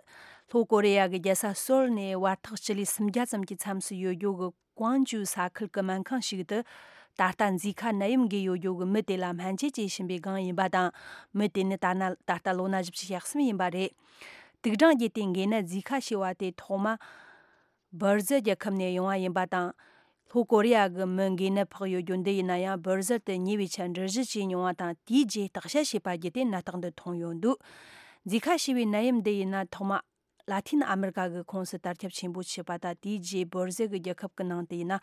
ལྷོ་ཀོ་རི་ཡ་གི་རྒྱལ་ས་སོལ་ནས་བར་ཐག་སྤྱི་ལེ་སུམ་བརྒྱ་ཙམ་གྱི་མཚམས་སུ་ཡོད་རྒྱུ་གི་ཀོང་ཇུ་ས་ཁུལ་གྱི་སྨན་ཁང་ཞིག་ཏུ། ད་ལྟ་ཛི་ཁ་ནད་ཡམས་འགོས་ཡོད་རྒྱུ་གི་མི་དེ་ལ་སྨན་བཅོས་བྱེད་བཞིན་པའི་སྒང་ཡིན་པ་དང་། མི་དེ་ནི་ད་ན་ད་ལྟ་ལོ་ན་བཞི་བཅུ་ཞེ་གསུམ་ཡིན་པ་རེད། དུག་སྦྲང་རྒྱུད་དེ་འགོས་ནད་ཛི་ཁ་ཞེས་པ་དེ་ཐོག་མ། བྷར་ཟིལ་རྒྱལ་ཁབ་ནས་ཡོང་བ་ཡིན་པ་དང་། ལྷོ་ཀོ་རི་ཡ་གི་མི་འགོས་ནད་ཕོག་ཡོད་རྒྱུ་འདི་ཡིན་ན་ཡང་བྷར་ཟིལ་དུ་ཉེ་བའི་ཆར་འགྲུལ་བཞུད་བྱས་མྱོང་བ་དང་། དེའི་རྗེས་བརྟག་དཔྱད་བྱས་པ་བརྒྱུད་དེ་ནད་རྟགས་འདི་མཐོང་ཡོད་འདུག། ཛི་ཁ་ཞེས་པའི་ནད་ཡམས་འདི་ཡིན་ན་ཐོག་མ་ལ་ཐིན་ཨ་མི་རི་ཀ་གི་ཁོངས་སུ་དར་ཁྱབ་ཆེན་པོ་ཕྱིན་པ་དང་། དེའི་རྗེས་བྷར་ཟིལ་གྱི་རྒྱལ་ཁབ་ཀྱི་ནང་དུ་ཡིན་ན་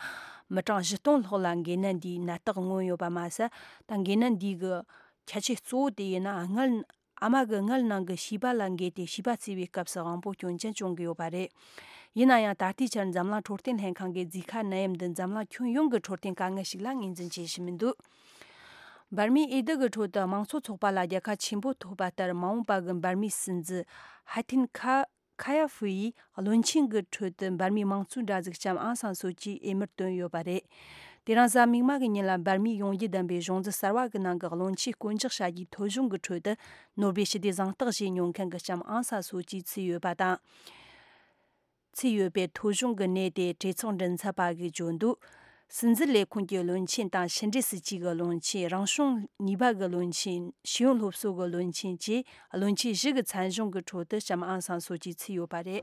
མི་གྲངས་བཞི་སྟོང་ལྷག་ལ་འགོས་ནད་འདིའི་ནད་རྟགས་མངོན་ཡོད་པ་མ་ཟད། ད་འགོས་ནད་འདི་གི་ཁྱད་ཆོས་གཙོ་བོ་དེ་ཡིན་ན་མངལ། ཨ་མ་གི་མངལ་ནང་གི་བྱིས་པ་ལ་འགོས་ཏེ་བྱིས་པ་བཙས་པའི་སྐབས་སུ་དབང་པོ་སྐྱོན་ཅན་བྱུང་གི་ཡོད་པ་རེད། ཡིན་ན་ཡང་ད་ལྟའི་ཆར་འཛམ་གླིང་འཕྲོད་བསྟེན་ལྷན་ཁང་གིས་ཛི་ཁ་ནད་ཡམས་འདི་འཛམ་གླིང་ཁྱོན་ཡོངས་ཀྱི་འཕྲོད་བསྟེན་དཀའ་ངལ་ཞིག་ལ་ངོས་འཛིན་བྱེད་བཞིན་མི་འདུག། འབར་མའི་འོས་བསྡུ་གི་ཁྲོད་དུ་དམངས་གཙོ་ཚོགས་པ་ལ་རྒྱལ་ཁ་ཆེན་པོ་ཐོབ་པ་ལྟར། མ་འོངས་པ་གི་འབར་མའི་སྲིད་འཛིན་ཧ་ཐིན་ཁ་ཁ་ཡ་ཧྥུ་ཡིས་བློན་ཆེན་གྱི་ཁྲོད་དུ་འབར་མའི་དམངས་གཙོའི་དགྲ་འཛིན་ལྕམ་ཨང་སན་སུའུ་ཅིའི་འོས་མིར་བཏོན་ཡོད་པ་རེད། དེ་རིང་གཟའ་མིག་དམར་གྱི་ཉིན་ལ་འབར་མའི་ཡོངས་རྒྱུ་ལྡན་པའི་གཞུང་འཛིན་གསར་བ་གི་ནང་གི་བློན་ཆེན་བསྐོ་འཇོག་བྱ་རྒྱུའི་ཐོ་གཞུང་གི་ཁྲོད་དུ། ནོ་སྦེལ་ཞི་བདེའི་གཟེངས་རྟགས་བཞེས་མྱོང་མཁན་གྱི་ལྕམ་ཨང་སན་སུའུ་ཅི་ཚུད་ཡོད་པ་དང་། ཚུད་ཡོད་པའི་ཐོ་གཞུང་གི་གནས་དེ་གྲོས་ཚོགས་མགྲིན་ཚབ་པ་གིས་བརྗོད་འདུག། སྲིད་འཛིན་ལས་ཁུངས་ཀྱི་བློན་ཆེན་དང་། ཕྱི་འབྲེལ་སྲིད་ཇུས་ཀྱི་བློན་ཆེན། རང་གཞུང་གཉིས་པ་གི་བློན་ཆེན། ཤེས་ཡོན་སློབ་གསོ་གི་བློན་ཆེན་བཅས་བློན་ཆེན་བཞི་གི་མཚན་གཞུང་གི་ཁྲོད་དུ་ལྕམ་ཨང་སན་སུའུ་ཅི་ཚུད་ཡོད་པ་རེད།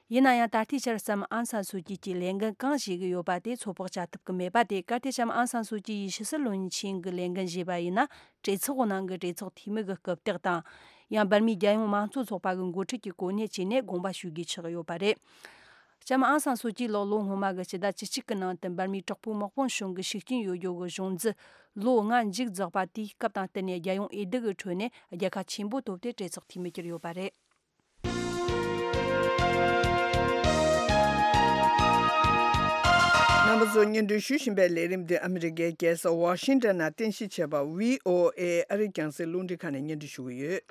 ཡིན་ན་ཡང་ད་ལྟའི་ཆར་ལྕམ་ཨང་སན་སུའུ་ཅི་གིས་ལས་འགན་གང་བཞེས་ཀྱི་ཡོད་པ་དེ་ཚོད་དཔག་བྱ་ཐུབ་ཀྱི་མེད་པ་དེ། གལ་ཏེ་ལྕམ་ཨང་སན་སུའུ་ཅི་ཡིས་ཕྱི་སྲིད་བློན་ཆེན་གྱི་ལས་འགན་བཞེས་པ་ཡིན་ན། གྲོས་ཚོགས་ནང་གི་གྲོས་ཚོགས་འཐུས་མི་གི་རྐུབ་སྟེགས་དང་། ཡང་འབར་མའི་རྒྱལ་ཡོངས་དམངས་གཙོ་ཚོགས་པ་གི་འགོ་ཁྲིད་ཀྱི་གོ་གནས་བཅས་ནས་དགོངས་པ་ཞུ་དགོས་ཆགས་ཡོད་པ་རེད། ལྕམ་ཨང་སན་སུའུ་ཅི་ལགས་ལོ་སྔོན་མ་གི་སྤྱི་ཟླ་བཅུ་གཅིག་གི་ནང་དུ་འབར་མའི་དྲག་པོའི་དམག་དཔུང་གཞུང་གི་ཤུགས་རྐྱེན་ཡོད་རྒྱུ་གི་གཞུང་འཛིན་ལོ་ལྔ་མཇུག་རྫོགས་པ་དེའི་སྐབས་དང་བསྟུན་ནས་རྒྱལ་ཡོངས་འོས་བསྡུ་གི་ཁྲོད་ནས་རྒྱལ་ཁ་ཆེན་པོ་ཐོབ་སྟེ་གྲོས་ཚོགས་འཐུས་མི་གྱུར་ཡོད་པ་རེད། རྣམ་པ་ཚོ་སྙན་སྒྲོན་ཞུ་བཞིན་པའི་ལས་རིམ་འདི་ཨ་མི་རི་ཀའི་རྒྱལ་ས་ཝ་ཤིང་ཊོན་ནང་རྟེན་གཞི་བྱས་པ་ཝི་ཨོ་ཨེ་ཨ་རིའི་རྒྱང་སྲིང་རླུང་འཕྲིན་ཁང་ནས་སྙན་སྒྲོན་ཞུ་གི་ཡོད།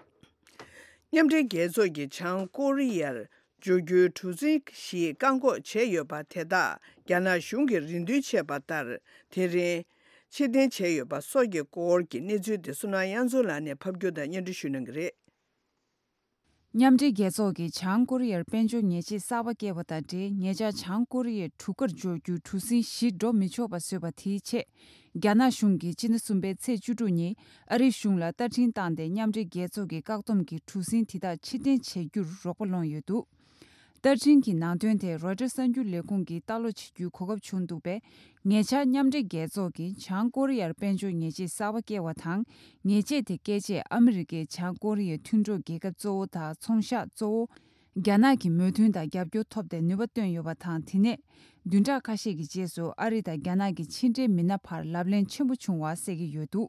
མཉམ་འབྲེལ་རྒྱལ་ཚོགས་ཀྱིས་བྱང་ཀོ་རི་ཡར་འབྱོར་རྒྱུའི་གྲུ་གཟིངས་ཤིག་བཀག་འགོག་བྱས་ཡོད་པ་དེ་དག་རྒྱ་ནག་གཞུང་གིས་རེ་འདུན་བྱས་པ་ལྟར། དེ་རིང་ཕྱིར་འཐེན་བྱས་ཡོད་པ་སོགས་ཀྱི་སྐོར་གྱི་གནས་ཚུལ་དེ་བསོད་ནམས་དབྱངས་འཛོམས་ལགས་ནས་ཕབ་སྒྱུར་དང་སྙན་སྒྲོན་ཞུ་གནང་གི་རེད། མཉམ་འབྲེལ་རྒྱལ་ཚོགས་ཀྱིས་བྱང་ཀོ་རི་ཡར་དཔལ་འབྱོར་ཉེས་ཆད་གསར་པ་བཀལ་བ་དང་འབྲེལ། ཉེ་ཆར་བྱང་ཀོ་རི་ཡའི་གྲུ་ཁར་འབྱོར་རྒྱུའི་གྲུ་གཟིངས་ཞིག་འགྲོ་མི་ཆོག་པ་བཟོས་པ་དེའི་ཆེད། རྒྱ་ནག་གཞུང་གིས་སྤྱི་ཟླ་གསུམ་པའི་ཚེས་བཅུ་དྲུག་ཉིན་ཨ་རིའི་གཞུང་ལ་བརྡ་འཕྲིན་བཏང་སྟེ། མཉམ་འབྲེལ་རྒྱལ་ཚོགས་ཀྱི་བཀག་སྡོམ་གྱི་གྲུ་གཟིངས་དེ་དག་ཕྱིར་འཐེན་བྱེད་རྒྱུར་རོགས་པ་སློང་ཡོད་འདུག། བརྡ་འཕྲིན་གྱི་ནང་དོན་དེ་རོའི་ཊར་གསར་འགྱུར་ལས་ཁུངས་ཀྱིས་ལྟ་ཀློག་བྱེད་རྒྱུའི་གོ་སྐབས་བྱུང་འདུག་པས། ཉེ་ཆར་མཉམ་འབྲེལ་རྒྱལ་ཚོགས་ཀྱིས་བྱང་ཀོ་རི་ཡར་དཔལ་འབྱོར་ཉེས་ཆད་གསར་པ་བཀལ་བ་དང་། ཉེས་ཆད་དེ་བཀལ་རྗེས་ཨ་མི་རི་ཀས་བྱང་ཀོ་རི་ཡའི་མཐུན་གྲོགས་རྒྱལ་ཁབ་གཙོ་བོ་དང་ཚོང་ཤག་གཙོ་བོ་རྒྱ་ནག་གི་མོས་མཐུན་དང་རྒྱབ་སྐྱོར་ཐོབ་སྟེ་ནུས་པ་བཏོན་ཡོད་པ་དང་། དེ་ནས་བདུན་ཕྲག་ཁ་ཤས་ཀྱི་རྗེས་སུ་ཨ་རི་དང་རྒྱ་ནག་གི་ཕྱི་འབྲེལ་མི་སྣ་བར་ལབ་གླེང་ཆེན་པོ་བྱུང་བ་གསལ་གྱི་ཡོད་འདུག།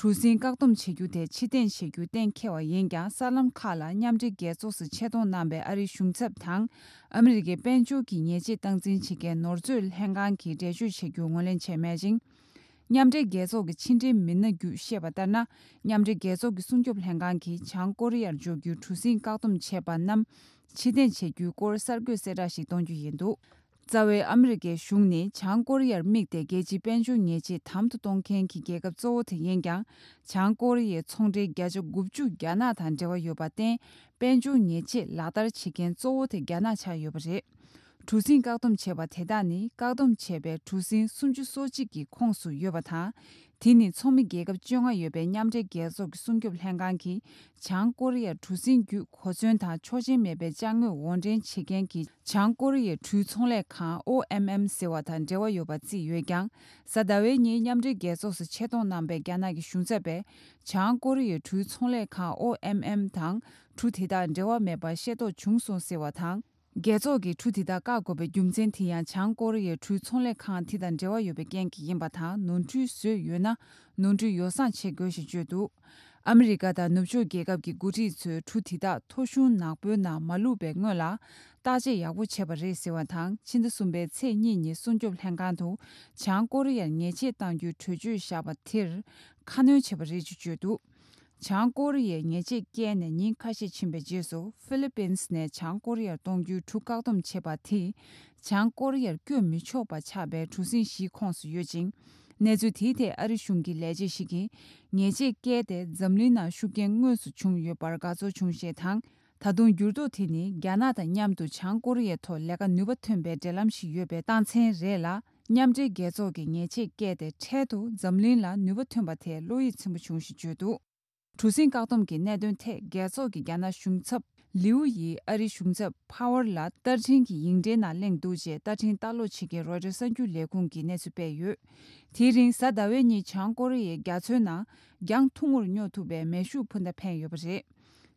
གྲུ་གཟིངས་བཀག་སྡོམ་བྱེད་རྒྱུ་དེ་ཕྱིར་འཐེན་བྱེད་རྒྱུ་གཏན་འཁེལ་བ་ཡིན་ཀྱང་། གསར་ལམ་ཁག་ལ་མཉམ་འབྲེལ་རྒྱལ་ཚོགས་སུ་ཆེད་གཏོང་གནང་པའི་ཨ་རིའི་གཞུང་ཚབ་དང་། ཨ་མི་རི་ཀའི་དཔལ་འབྱོར་གྱི་ཉེས་ཆད་སྟངས་འཛིན་བྱེད་མཁན་ནོར་མཛོད་ལྷན་ཁང་གིས་འགྲེལ་བརྗོད་བྱེད་རྒྱུ་ངོས་ལེན་བྱས་མེད་ཅིང་། མཉམ་འབྲེལ་རྒྱལ་ཚོགས་ཀྱི་ཕྱི་འབྲེལ་མི་སྣ་བརྒྱུད་བཤད་པ་ལྟར་ན། མཉམ་འབྲེལ་རྒྱལ་ཚོགས་ཀྱི་སྲུང་སྐྱོབ་ལྷན་ཁང་གིས་བྱང་ཀོ་རི་ཡར་འབྱོར་རྒྱུའི་གྲུ་གཟིངས་བཀག་སྡོམ་བྱས་པ་རྣམས་ཕྱིར་འཐེན་བྱེད་རྒྱུའི་སྐོར་གསར་འགོད་གསལ་བསྒྲགས་ཤིག་གཏོང་རྒྱུ་ཡིན་འདུག། རྩ་བའི་ཨ་མི་རི་ཀའི་གཞུང་ནི་བྱང་ཀོ་རི་ཡར་དམིགས་ཏེ་རྒྱལ་སྤྱིའི་དཔལ་འབྱོར་ཉེས་ཆད་དམ་དུ་གཏོང་མཁན་གྱི་རྒྱལ་ཁབ་གཙོ་བོ་དེ་ཡིན་ཀྱང་། བྱང་ཀོ་རི་ཡའི་ཚོང་འབྲེལ་བརྒྱ་ཆ་དགུ་བཅུ་རྒྱ་ནག་དང་འབྲེལ་བ་ཡོད་པར་བརྟེན། དཔལ་འབྱོར་ཉེས་ཆད་ལག་བསྟར་བྱེད་མཁན་གཙོ་བོ་དེ་རྒྱ་ནག་ཆགས་ཡོད་པ་རེད། གྲུ་གཟིངས་བཀག་སྡོམ་བྱས་པ་དེ་དག་ནི་བཀག་སྡོམ་བྱས་པའི་གྲུ་གཟིངས་སུམ་ཅུ་སོ་གཅིག་གི་ཁོངས་སུ་ཡོད་པ་དང་། དེ་ནི་ཚོགས་མི་རྒྱལ་ཁབ་བཅོ་ལྔ་ཡོད་པའི་མཉམ་འབྲེལ་རྒྱལ་ཚོགས་ཀྱི་སྲུང་སྐྱོབ་ལྷན་ཁང་གིས་བྱང་ཀོ་རི་ཡར་གྲུ་གཟིངས་བརྒྱུད་གོ་མཚོན་དང་ཆོག་མཆན་མེད་པའི་ཅ་དངོས་དབོར་འདྲེན་བྱེད་མཁན་གྱི་བྱང་ཀོ་རི་ཡའི་གྲུའི་ཚོང་ལས་ཁང་ཨོ་ཨེམ་ཨེམ་ཟེར་བ་དང་འབྲེལ་བ་ཡོད་པ་བརྩིས་ཡོད་ཀྱང་། གཟའ་ཟླ་བའི་ཉིན་མཉམ་འབྲེལ་རྒྱལ་ཚོགས་སུ་ཆེད་གཏོང་གནང་པའི་རྒྱ་ནག་གི་གཞུང་ཚབ་པས་བྱང་ཀོ་རི་ཡའི་གྲུའི་ཚོང་ལས་ཁང་ཨོ་ཨེམ་ཨེམ་དང་གྲུ་དེ་དག་འབྲེལ་བ་མེད་པ་ཤེས་རྟོགས་བྱུང་སོང་ཟེར་བ་དང་། རྒྱལ་ཚོགས་ཀྱིས་གྲུ་དེ་དག་བཀག་དགོས་པའི་རྒྱུ་མཚན་དེ་ཡང་བྱང་ཀོ་རི་ཡའི་གྲུའི་ཚོང་ལས་ཁང་དེ་དང་འབྲེལ་བ་ཡོད་པའི་རྐྱེན་གྱིས་ཡིན་པ་དང་། ནོར་འཁྲུལ་བཟོས་ཡོད་ན་ནོར་འཁྲུལ་ཡོ་བསྲང་བྱེད་དགོས་ཞེས་བརྗོད་འདུག། ཨ་མི་རི་ཀ་དང་ནུབ་ཕྱོགས་རྒྱལ་ཁབ་ཀྱི་འགོ་ཁྲིད་ཚོས་གྲུ་དེ་དག་ཐོ་གཞུང་ནག་པོའི་ནང་མ་བླུགས་པའི་སྔོན་ལ་བརྟག་དཔྱད་ཡག་པོ་བྱས་པ་རེད་ཟེར་བ་དང་། ཕྱི་ཟླ་གསུམ་པའི་ཚེས་གཉིས་ཉིན་སྲུང་སྐྱོབ་ལྷན་ཁང་དུ་བྱང་ཀོ་རི་ཡར་ཉེས་ཆད་གཏང་རྒྱུའི་གྲོས་ཆོད་བཞག་པ་དེར་ཁ་སྣོན་བྱས་པ་རེད་ཅེས་བརྗོད་འདུག། བྱང་ཀོ་རི་ཡས་ཉེས་ཆད་བཀལ་ནས་ཉིན་ཁ་ཤས་ཕྱིན་པའི་རྗེས་སུ། ཧྥི་ལི་པིན་སི་ནས་བྱང་ཀོ་རི་ཡར་གཏོང་རྒྱུའི་གྲུ་བཀག་སྡོམ་བྱས་པ་དེས་བྱང་ཀོ་རི་ཡར་བསྐྱོད་མི་ཆོག་པ་ཆགས་པའི་གྲུ་གཟིངས་བཞིའི་ཁོངས་སུ་ཡོད་ཅིང་། གནས་ཚུལ་དེའི་ཐད་ཨ་རི་གཞུང་གི་ལས་བྱེད་ཞིག་གིས། ཉེས་ཆད་བཀལ་ཏེ་འཛམ་གླིང་ནང་ཤུགས་རྐྱེན་དངོས་སུ་བྱུང་ཡོད་པར་དགའ་ཚོར་བྱུང་ཞེས་དང་། ད་དུང་འགྱུར་ལྡོག་དེ་ནི་རྒྱ་ནག་དང་མཉམ་དུ་བྱང་ཀོ་རི་ཡའི་ཐོག་ལས་ཀ་ནུས་པ་ཐོན་པའི་འབྲེལ་ལམ་ཞིག་ཡོད་པའི་རྟགས་མཚན་རེད་ལ། མཉམ་འབྲེལ་རྒྱལ་ཚོགས་ཀྱིས་ཉེས་ཆད་བཀལ་ཏེ་འཕྲལ་དུ་འཛམ་གླིང་ལ་ནུས་པ་ཐོན་པ་དེ་བློ་ཡིད་ཚིམ་པོ་བྱུང་ཞེས་བརྗོད་འདུག། གྲུ་གཟིངས་བཀག་སྡོམ་གྱི་གནད་དོན་ཐད་རྒྱལ་ཚོགས་ཀྱི་རྒྱ་ནག་གཞུང་ཚབ་ལིའུ་ཡིས་ཨ་རིའི་གཞུང་ཚབ་ཕ་ཝར་ལ་བསྟར་འཕྲིན་གྱི་ཡིག་འབྲེལ་ནང་གླེང་འདུག་ཅེས་བསྟར་འཕྲིན་ལྟ་ཀློག་བྱེད་མཁན་རོའི་ཊར་གསར་འགྱུར་ལས་ཁུངས་ཀྱིས་གནས་ཚུལ་སྤེལ་ཡོད། དེའི་རིང་གཟའ་ཟླ་བའི་ཉིན་བྱང་ཀོ་རི་ཡའི་རྒྱ་མཚོའི་ནང་གྱང་ཐུང་ངུར་སྙོ་ཐུབ་པའི་མེ་ཤུགས་འཕུར་མདའ་འཕེན་ཡོད་པ་རེད།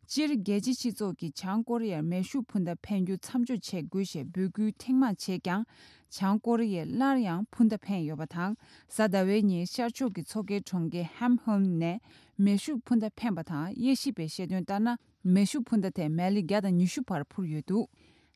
སྤྱིར་རྒྱལ་སྤྱིའི་སྤྱི་ཚོགས་ཀྱིས་བྱང་ཀོ་རི་ཡར་མེ་ཤུགས་འཕུར་མདའ་འཕེན་རྒྱུ་མཚམས་འཇོག་བྱེད་དགོས་ཞེས་འབོད་སྐུལ་ཐེངས་མང་བྱས་ཀྱང་། བྱང་ཀོ་རི་ཡས་སླར་ཡང་འཕུར་མདའ་འཕེན་ཡོད་པ་དང་། གཟའ་ཟླ་བའི་ཉིན་ཤར་ཕྱོགས་ཀྱི་མཚོ་ཁའི་གྲོང་ཁྱེར་ཧམ་ཧོན་ནས་མེ་ཤུགས་འཕུར་མདའ་འཕེན་པ་དང་། དབྱེ་ཞིབ་པས་བཤད་དོན་ལྟར་ན། མེ་ཤུགས་འཕུར་མདའ་དེ་མལ་ལེ་བརྒྱ་དང་ཉི་ཤུ་བར་འཕུར་ཡོད་འདུག།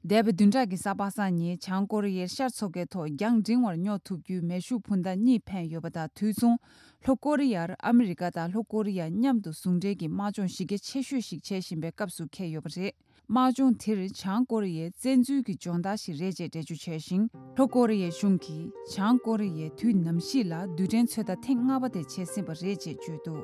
འདས་པའི་བདུན་ཕྲག་གི་གཟའ་པ་སངས་ཉིན་བྱང་ཀོ་རི་ཡའི་ཤར་མཚོ་ཁའི་ཐོག་གྱང་འབྲིང་བར་སྙོ་ཐུབ་རྒྱུའི་མེ་ཤུགས་འཕུར་མདའ་གཉིས་འཕེན་ཡོད་པ་དང་། དུས་མཚུངས་ལྷོ་ཀོ་རི་ཡར་ཨ་མི་རི་ཀ་དང་ལྷོ་ཀོ་རི་ཡ་མཉམ་དུ་ཟུང་འབྲེལ་གྱི་དམག་སྦྱོང་གཞི་རྒྱ་ཆེ་ཤོས་ཤིག་བྱེད་བཞིན་པའི་སྐབས་སུ་འཁེལ་ཡོད་པ་རེད། དམག་སྦྱོང་དེར་བྱང་ཀོ་རི་ཡའི་བཙན་འཛུལ་གྱི་སྦྱོང་བརྡར་ཞིག་རེད་ཅེས་འགྲེལ་བརྗོད་བྱས་ཤིང་། ལྷོ་ཀོ་རི་ཡའི་གཞུང་གིས་བྱང་ཀོ་རི་ཡའི་དུས་ནམ་གཤིས་ལ་རྡུལ་ཕྲན་ཚོད་ལྟ་ཐེངས་ལྔ་པ་དེ་བྱས་ཟིན་པ་རེད་ཅེས་བརྗོད་འདུག།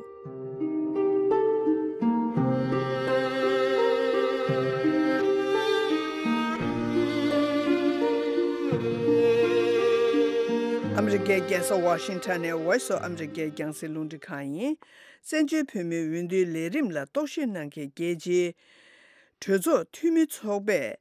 ཨ་མི་རི་ཀའི་རྒྱལ་ས་ཝ་ཤིང་ཊོན་ནས་Voice of America རྒྱང་སྲིང་རླུང་འཕྲིན་ཁང་ཡིན། བཙན་བྱོལ་བོད་མིའི་འོས་བསྡུའི་ལས་རིམ་ལ་རྟོག་ཞིབ་གནང་མཁན་རྒྱལ་སྤྱིའི་གྲོས་ཚོགས་འཐུས་མི་ཚོགས་པས།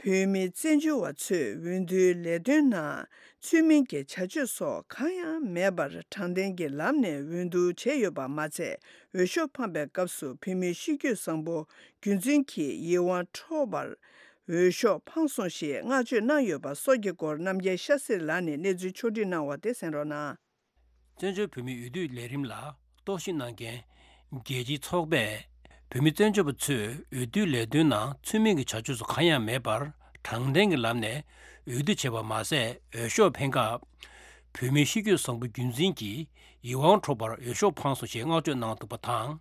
བོད་མི་བཙན་བྱོལ་བ་ཚོས་འོས་བསྡུའི་ལས་དོན་ནང་ཚུལ་མིན་གྱི་བྱ་སྤྱོད་སོགས་གང་ཡང་མེད་པར་དྲང་བདེན་གྱི་ལམ་ནས་འོས་བསྡུ་བྱས་ཡོད་པ་མ་ཚད། འོས་ཤོག་འཕངས་པའི་སྐབས་སུ་བོད་མིའི་གཤིས་རྒྱུད་བཟང་པོ་རྒྱུན་འཛིན་གྱིས་ཡིད་དབང་འཕྲོག་པར་འོས་ཤོག་འཕངས་སོང་ཞེས་བསྔགས་བརྗོད་གནང་ཡོད་པ་སོགས་ཀྱི་སྐོར་རྣམ་རྒྱལ་ཤ་སྟག་ལགས་ནས་གནས་ཚུལ་ཕྱོགས་སྒྲིག་གནང་བ་དེ་གསན་རོགས་གནང་། བཙན་བྱོལ་བོད་མིའི་འོས་བསྡུའི་ལས་རིམ་ལ་རྟོག་ཞིབ་གནང་མཁན་རྒྱལ་སྤྱིའི་ཚོགས་པས། བོད་མི་བཙན་བྱོལ་བ་ཚོས་འོས་བསྡུའི་ལས་དོན་ནང་ཚུལ་མིན་གྱི་བྱ་སྤྱོད་སོགས་གང་ཡང་མེད་པར་དྲང་བདེན་གྱི་ལམ་ནས་འོས་བསྡུ་བྱས་པ་མ་ཟད། འོས་ཤོག་འཕེན་སྐབས་བོད་མིའི་གཤིས་རྒྱུད་བཟང་པོ་རྒྱུན་འཛིན་གྱིས་ཡིད་དབང་འཕྲོག་པར་འོས་ཤོག་འཕངས་སོང་ཞེས་བསྔགས་བརྗོད་གནང་འདུག་པ་དང་།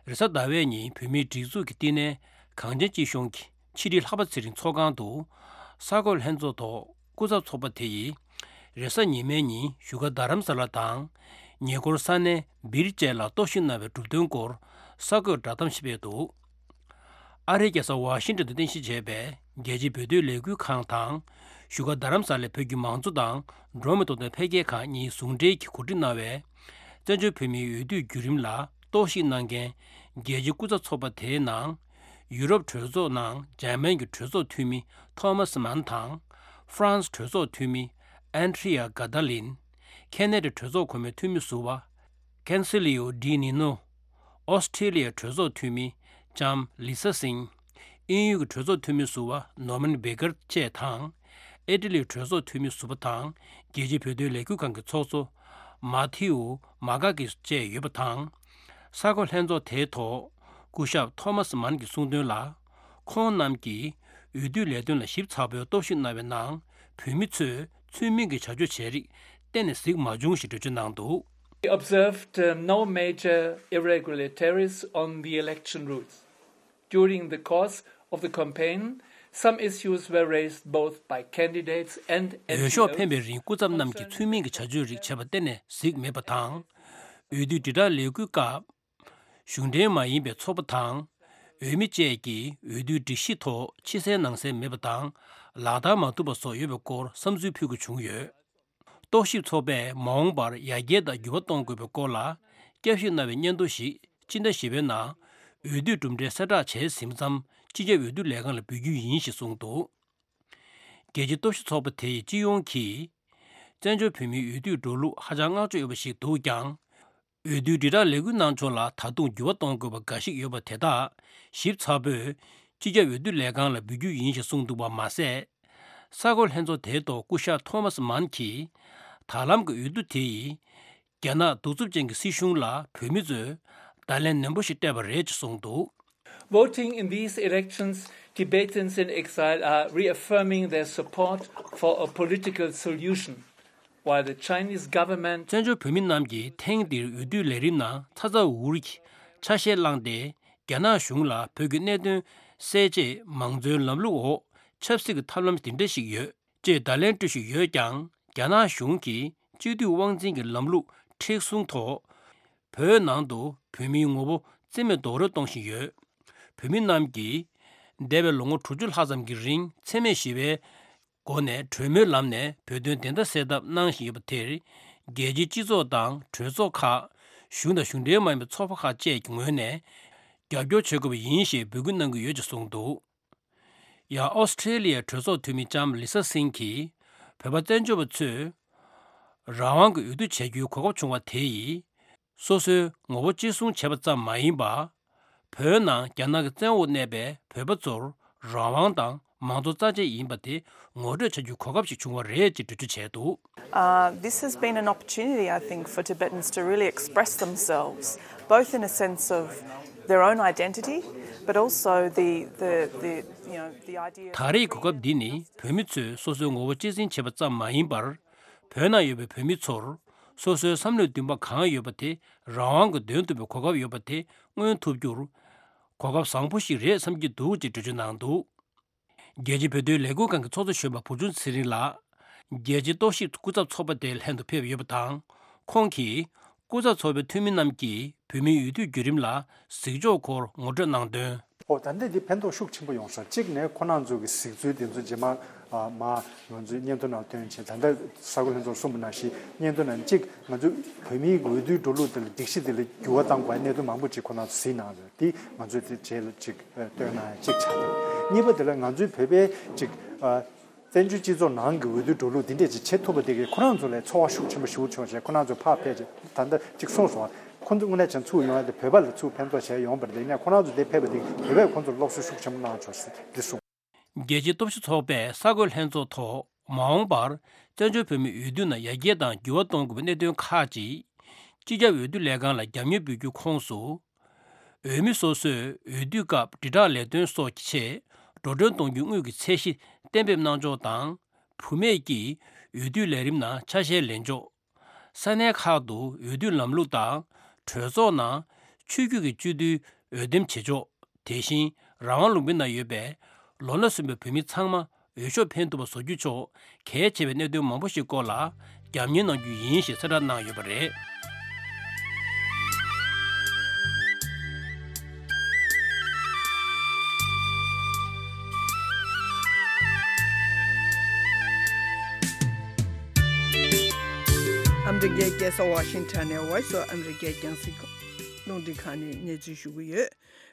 རེས་གཟའ་ཟླ་བའི་ཉིན་བོད་མིའི་སྒྲིག་འཛུགས་ཀྱི་བསྟི་གནས་གངས་ཅན་སྐྱིད་གཤོངས་ཀྱི་ཕྱི་དྲིལ་ལྷག་པ་ཚེ་རིང་ཚོགས་ཁང་དུ་གསར་འགོད་ལྷན་ཚོགས་ཐོག་སྐུ་ཚབ་ཚོགས་པ་དེ་ཡིས་རེས་གཟའ་ཉི་མའི་ཉིན་བཞུགས་སྒར་རྡ་རམ་ས་ལ་དང་ཉེ་འཁོར་ས་གནས་སྦིར་བཅས་ལ་རྟོག་ཞིབ་གནང་བའི་གྲུབ་དོན་སྐོར་གསར་འགོད་བསྒྲགས་གཏམ་ཞིག་སྤེལ་འདུག། ཨ་རིའི་རྒྱལ་ས་ཝ་ཤིང་ཊོན་དུ་རྟེན་གཞི་བྱས་པའི་རྒྱལ་སྤྱིའི་བོད་དོན་ལས་འགུལ་ཁང་དང་བཞུགས་སྒར་རྡ་རམ་ས་ལའི་བོད་ཀྱི་མང་གཙོ་དང་འགྲོ་བ་མིའི་ཐོབ་ཐང་འཕེལ་རྒྱས་ཁང་གཉིས་ཟུང་འབྲེལ་གྱིས་གོ་སྒྲིག་གནང་བའི་བཙན་བྱོལ་བོད་མིའི་འོས་བསྡུའི་བརྒྱུད་རིམ་ལ་རྟོག་ཞིབ་གནང་མཁན་རྒྱལ་སྤྱིའི་སྐུ་ཚབ་ཚོགས་པ་དེའི་ནང་ཡུ་རོབ་གྲོས་ཚོགས་ནང་འཇར་མན་གྱི་གྲོས་ཚོགས་འཐུས་མི་ཐོ་མཱ་སི་མཱན་དང་། ཧྥ་རན་སི་གྲོས་ཚོགས་འཐུས་མི་ཨན་ཌི་རི་ཡ་གྷ་ད་ལིན། ཁེ་ན་ཌའི་གྲོས་ཚོགས་གོང་མའི་འཐུས་མི་ཟུར་པ་ཀན་སི་ལི་ཡོ་ཌི་ནི་ནོ། ཨོ་སི་ཁྲི་ལི་ཡའི་གྲོས་ཚོགས་འཐུས་མི་ལྕམ་ལི་ས་སིང་། དབྱིན་ཡུལ་གྱི་གྲོས་ཚོགས་འཐུས་མི་ཟུར་པ་ནོར་མན་སྦེ་ཀར་བཅས་དང་། ཨི་ཊ་ལིའི་གྲོས་ཚོགས་འཐུས་མི་ཟུར་པ་དང་རྒྱལ་སྤྱིའི་བོད་དོན་ལས་འགུལ་ཁང་གི་ཚོགས་གཙོ་ མ་ཐེའུ་མ་ག་གིས་བཅས་ཡོད་པ་དང་། ས་གོ་ལྷན་ཚོགས་དེའི་ཐོག་སྐུ་ཞབས་ཐོ་མཱས་མཱན་གྱིས་གསུངས་དོན་ལ། ཁོང་རྣམས་ཀྱིས་འོས་བསྡུ་ལས་དོན་ལ་ཞིབ་ཚགས་པོའི་རྟོག་ཞིབ་གནང་བའི་ནང་། བོད་མི་ཚོས་ཚུལ་མིན་གྱི་བྱ་སྤྱོད་བྱས་རིགས་གཏན་ནས་གཟིགས་མ་བྱུང་ཞེས་འགྲེལ་བརྗོད་གནང་འདུག We observed, uh, no major irregularities on the election routes. During the course of the campaign, some issues were raised both by candidates and འོས་ཤོག་འཕེན་པའི་རིང་སྐུ་ཚབ་རྣམས་ཀྱིས་ཚུལ་མིན་གྱི་བྱ་སྤྱོད་རིགས་བྱས་པ་གཏན་ནས་གཟིགས་མེད་པ་དང་། འོས་བསྡུའི་དྲིལ་བསྒྲགས་ལས་འགུལ་སྐབས། གཞུང་འབྲེལ་མ་ཡིན་པའི་ཚོགས་པ་དང་། འོས་མི་བཅས་ཀྱིས་འོས་བསྡུའི་སྒྲིག་གཞི་ཐོག་ཕྱི་གསལ་ནང་གསལ་མེད་པ་དང་། ལག་བསྟར་མ་ཐུབ་པ་སོགས་ཡོད་པའི་སྐོར་བསམ་ཚུལ་ཕུལ་དགོས་བྱུང་ཡོད། རྟོག་ཞིབ་ཚོགས་པས་མ་འོངས་པར་ཡར་རྒྱས་དང་འགྱུར་བ་གཏོང་དགོས་པའི་སྐོར་ལ་བསྐྱར་ཞིབ་གནང་བའི་སྙན་ཐོ་ཞིག་སྤྱི་ཟླ་བཞི་པའི་ནང་འོས་བསྡུའི་གྲུབ་འབྲས་གསལ་བསྒྲགས་བྱས་ཟིན་པ་ཙམ་སྤྱི་ཁྱབ་འོས་བསྡུ་ལས་ཁང་ལ་འབུལ་རྒྱུ་ཡིན་ཞེས་གསུངས་འདུག་རྒྱལ་སྤྱིའི་རྟོག་ཞིབ་ཚོགས་པ་དེ་ཡི་སྤྱི་ཡོངས་ཀྱིས། བཙན་བྱོལ་བོད་མིའི་འོས་བསྡུའི་འགྲོ་ལུགས་ཧ་ཅང་བསྔགས་བརྗོད་ཡོད་པ་ཞིག་འདུག་ཀྱང་། འོས་བསྡུའི་དྲིལ་བསྒྲགས་ལས་འགུལ་གནང་ཕྱོགས་ལ་ད་དུང་འགྱུར་བ་གཏོང་དགོས་པ་འགའ་ཞིག་ཡོད་པ་དེ་དག་ཞིབ་ཚགས་པོས་སྤྱི་ཁྱབ་འོས་བསྡུ་ལས་ཁང་ལ་འབུལ་རྒྱུ་ཡིན་ཞེས་གསུངས་འདུག་པ་མ་ཟད། ས་གོ་ལྷན་ཚོགས་དེའི་ཐོག་སྐུ་ཞབས་ཐོ་མཱས་མཱན་གྱིས། ད་ལམ་གྱི་འོས་བསྡུ་དེ་ཡིས། རྒྱ་ནག་གདུག་རྩུབ་ཅན་གྱི་སྲིད་གཞུང་ལ་བོད་མི་ཚོས་བརྡ་ལན་ནན་པོ་ཞིག་སྤྲད་པ་རེད་ཅེས་གསུངས་འདུག Voting in these elections, Tibetans in exile are reaffirming their support for a political solution, while the Chinese government བཙན་བྱོལ་བོད་མི་རྣམས་ཀྱིས་ཐེངས་འདིར་འོས་བསྡུའི་ལས་རིམ་ནང་ཚ་ཚ་འུར་འུར་གྱིས་ཆ་ཤས་བླངས་ཏེ། རྒྱ་ནག་གཞུང་ལ་བོད་ཀྱི་གནད་དོན་སེལ་ཆེད་མང་གཙོའི་ལམ་ལུགས་འོག་ཆབ་སྲིད་ཀྱི་ཐབས་ལམ་འདི་འདྲ་ཞིག་ཡོད། ཅེས་བརྡ་ལན་སྤྲོད་བཞིན་ཡོད་ཀྱང་། རྒྱ་ནག་གཞུང་གིས་གཅིག་སྡུད་དབང་འཛིན་གྱི་ལམ་ལུགས་མཁྲེགས་བཟུང་ཐོག་བོད་ནང་དུ་བོད་མིའི་ངོ་བོ་རྩིས་མེད་རྡོག་རོལ་གཏོང་བཞིན་ཡོད། བོད་མི་རྣམས་ཀྱིས་འདས་པའི་ལོ་ངོ་དྲུག་ཅུ་ལྷག་ཙམ་གྱི་རིང་འཚེ་མེད་ཞི་བའི་སྒོ་ནས་གྲོས་མོལ་ལམ་ནས་བོད་དོན་བདེན་མཐའ་གསལ་ཐབས་གནང་བཞིན་ཡོད་པ་དེར། རྒྱལ་སྤྱིའི་སྤྱི་ཚོགས་དང་གྲོས་ཚོགས་ཁག་གཞུང་དང་གཞུང་འབྲེལ་མ་ཡིན་པའི་ཚོགས་པ་ཁག་བཅས་ཀྱི་ངོས་ནས་རྒྱབ་སྐྱོར་བྱེད་དགོས་པ་ཡིན་ཞེས་འབོད་སྐུལ་གནང་གི་ཡོད་ཅེས་གསུངས་འདུག་ཡང་ཨོ་སི་ཁྲེ་ལི་ཡའི་གྲོས་ཚོགས་འཐུས་མི་ལྕམ་ལི་ས་སིང་གིས། བོད་པ་བཙན་བྱོལ་བ་ཚོས་རང་དབང་གི་འོས་བསྡུ་བྱ་རྒྱུའི་གོ་སྐབས་བྱུང་བ་དེ་ཡིས། སོ་སོའི་ངོ་བོ་གཅེས་སྲུང་བྱས་པ་ཙམ་མ་ཡིན་པར། བོད་ནང་རྒྱ་ནག་གི་བཙན་འོག་གནས་པའི་བོད་པ་ཚོར་རང་དབང་དང་མང་གཙོ་རྩ་ཆེན་ཡིན་པ་དེ་ངོ་སྤྲོད་བྱ་རྒྱུའི་གོ་སྐབས་ཤིག་བྱུང་བ་རེད་ཅེས་འགྲེལ་བརྗོད་བྱས་འདུག Uh, this has been an opportunity, I think, for Tibetans to really express themselves, both in a sense of their own identity, but also the, the, the, you know, the idea ད་རེས་གོ་སྐབས་འདི་ནི་བོད་མི་ཚོས་སོ་སོའི་ངོ་བོ་གཅེས་འཛིན་བྱེད་པ་ཙམ་མ་ཡིན་པར། བོད་ནང་ཡོད་པའི་བོད་མི་ཚོར་སོ་སོའི་བསམ་བློའི་འདུན་པ་གང་ཡོད་པ་དེ་རང་དབང་གིས་འདོན་ཐུབ་པའི་གོ་སྐབས་ཡོད་པ་དེ་མངོན་ཐུབ་རྒྱུར་གོ་སྐབས་བཟང་པོ་ཞིག་རེད་བསམ་གྱི་འདུག་ཅེས་འགྲེལ་བརྗོད་གནང་འདུག་རྒྱལ་སྤྱིའི་བོད་དོན་ལས་འགུལ་ཁང་གི་ཚོགས་གཙོ་གཞོན་པ་བུ་ཆུང་ཚེ་རིང་ལགས། རྒྱལ་སྤྱིའི་རྟོག་ཞིབ་སྐུ་ཚབ་ཚོགས་པ་དེ་ལྷན་དུ་ཕེབས་ཡོད་པ་དང་། ཁོང་གིས་སྐུ་ཚབ་ཚོགས་པའི་འཐུས་མི་རྣམས་ཀྱིས་བོད་མིའི་འོས་བསྡུའི་བརྒྱུད་རིམ་ལ་གཟིགས་ཕྱོགས་སྐོར་ངོ་སྤྲོད་གནང་དོན། ཨོ་ད་ལྟ་འདི་ཕན་ཐོགས་ཤུགས་ཆེན་པོ་ཡོང་སོང་། གཅིག་ནས་ཁོ་རང་ཚོ་གི་གཟིགས་ཚུལ་དེ་ཚོ་རྗེས་མ་ཨ་མ་ང་ཚོའི་སྙན་ཐོ་ནང་བཏོན་བྱས། ད་ལྟ་ས་གོ་ལྷན་ཚོགས་གསུངས་པ་ནང་བཞིན་སྙན་ཐོ་ནང་གཅིག་ང་ཚོ་བོད་མིའི་འོས་བསྡུའི་འགྲོ་ལུགས་དེ་ལ་སྒྲིག་གཞི་དེ་ལ་འགྱུར་བ་བཏང་དགོས་གནད་དོན་མང་པོ་ཅིག་ཁོ་རང་ཚོ་གཟིགས་གནང་རེད། དེ་ང་ཚོས་དེ་རྗེས་ལ་ཅིག་ཨ་བཏོན་གནང་ཡ་གཅིག་ཆགས་འདུག་གཉིས་པ་དེ་ལ་ང་ཚོའི་བོད་པའི་ཅིག་ཨ་བཙན་བྱོལ་སྤྱི་ཚོགས་ནང་གི་འོས་བསྡུའི་འགྲོ་ལུགས་འདི་འདྲས་ཅིག་བྱེད་ཐུབ་པ་དེ་གིས་ཁོ་རང་ཚོ་ལ་ཚོར་བ་ཤུགས་ཆེན་པོ་ཞེ་པོ་བྱུང་བྱས། ཁོ་རང་ཚོ་ཕར་ཕེབས་བྱས་ད་ལྟ་ཅིག་གསུངས་སོང་། ཁོ་ཚོ་དངོས་གནས་བྱས་ཚུར་ཡོང་ཡ་དེ་བོད་པ་ལ་ཚུར་ཕན་ཐོགས་བྱས་ཡོང་བ་རེད། ཡིན་ནའི་ཁོ་རང་ཚོ་དེ་ཕེབས་པ་དེ་གིས་བོད་པས་ཁོ་ཚོར་སློབ་གསོ་ཤུགས་ཆེན་པོ་གནང་བྱུང་ཟེར་འདི་གསུངས། རྒྱལ་སྤྱིའི་རྟོག་ཞིབ་ཚོགས་པས་ས་གོ་ལྷན་ཚོགས་ཐོག་མ་འོངས་པར་བཙན་བྱོལ་བོད་མིའི་འོས་བསྡུ་ནང་ཡར་རྒྱས་དང་འགྱུར་བ་གཏོང་དགོས་པའི་གནད་དོན་ཁག་ཅིག་སྤྱི་ཁྱབ་འོས་བསྡུ་ལས་ཁང་ལ་རྒྱབ་གཉེར་འབུལ་རྒྱུའི་ཁོངས་སུ། འོས་མི་སོ་སོས་འོས་བསྡུའི་སྐབས་དྲིལ་བསྒྲགས་ལས་དོན་སོགས་ཀྱི་ཆེད་འགྲོ་གྲོན་གཏོང་རྒྱུའི་དངུལ་གྱི་ཚད་གཞི་གཏན་འབེབས་གནང་ཕྱོགས་དང་། བུད་མེད་ཀྱིས་འོས་བསྡུའི་ལས་རིམ་ནང་ཆ་ཤས་ལེན་ཕྱོགས། ས་གནས་ཁག་ཏུ་འོས་བསྡུའི་ལམ་ལུགས་དང་། གྲོས་ཚོགས་ནང་ཆོས་བརྒྱུད་ཀྱི་སྤྱི་འཐུས་འོས་འདེམས་བྱེད་ཕྱོགས། དེ་བཞིན་རང་དབང་ལུང་པའི་ནང་ཡོད་པའི་ལོ་ན་སོན་པའི་བོད་མི་ཚང་མ་འོས་ཤོག་འཕེན་ཐུབ་པ་བཟོ་རྒྱུ་ཕྱོགས་གལ་ཆེ་བའི་གནད་དོན་མང་པོ་ཞིག་སྐོར་ལ་རྒྱབ་གཉེར་གནང་རྒྱུ་ཡིན་ཞེས་གསལ་བསྒྲགས་གནང་ཡོད་པ་རེད། ཨ་མི་རི་ཀའི་རྒྱལ་ས་ཝ་ཤིང་ཊོན་ནས་Voice of America རྒྱང་སྲིང་རླུང་འཕྲིན་ཁང་ནས་གནས་ཚུལ་ཞུ་གི་ཡོད།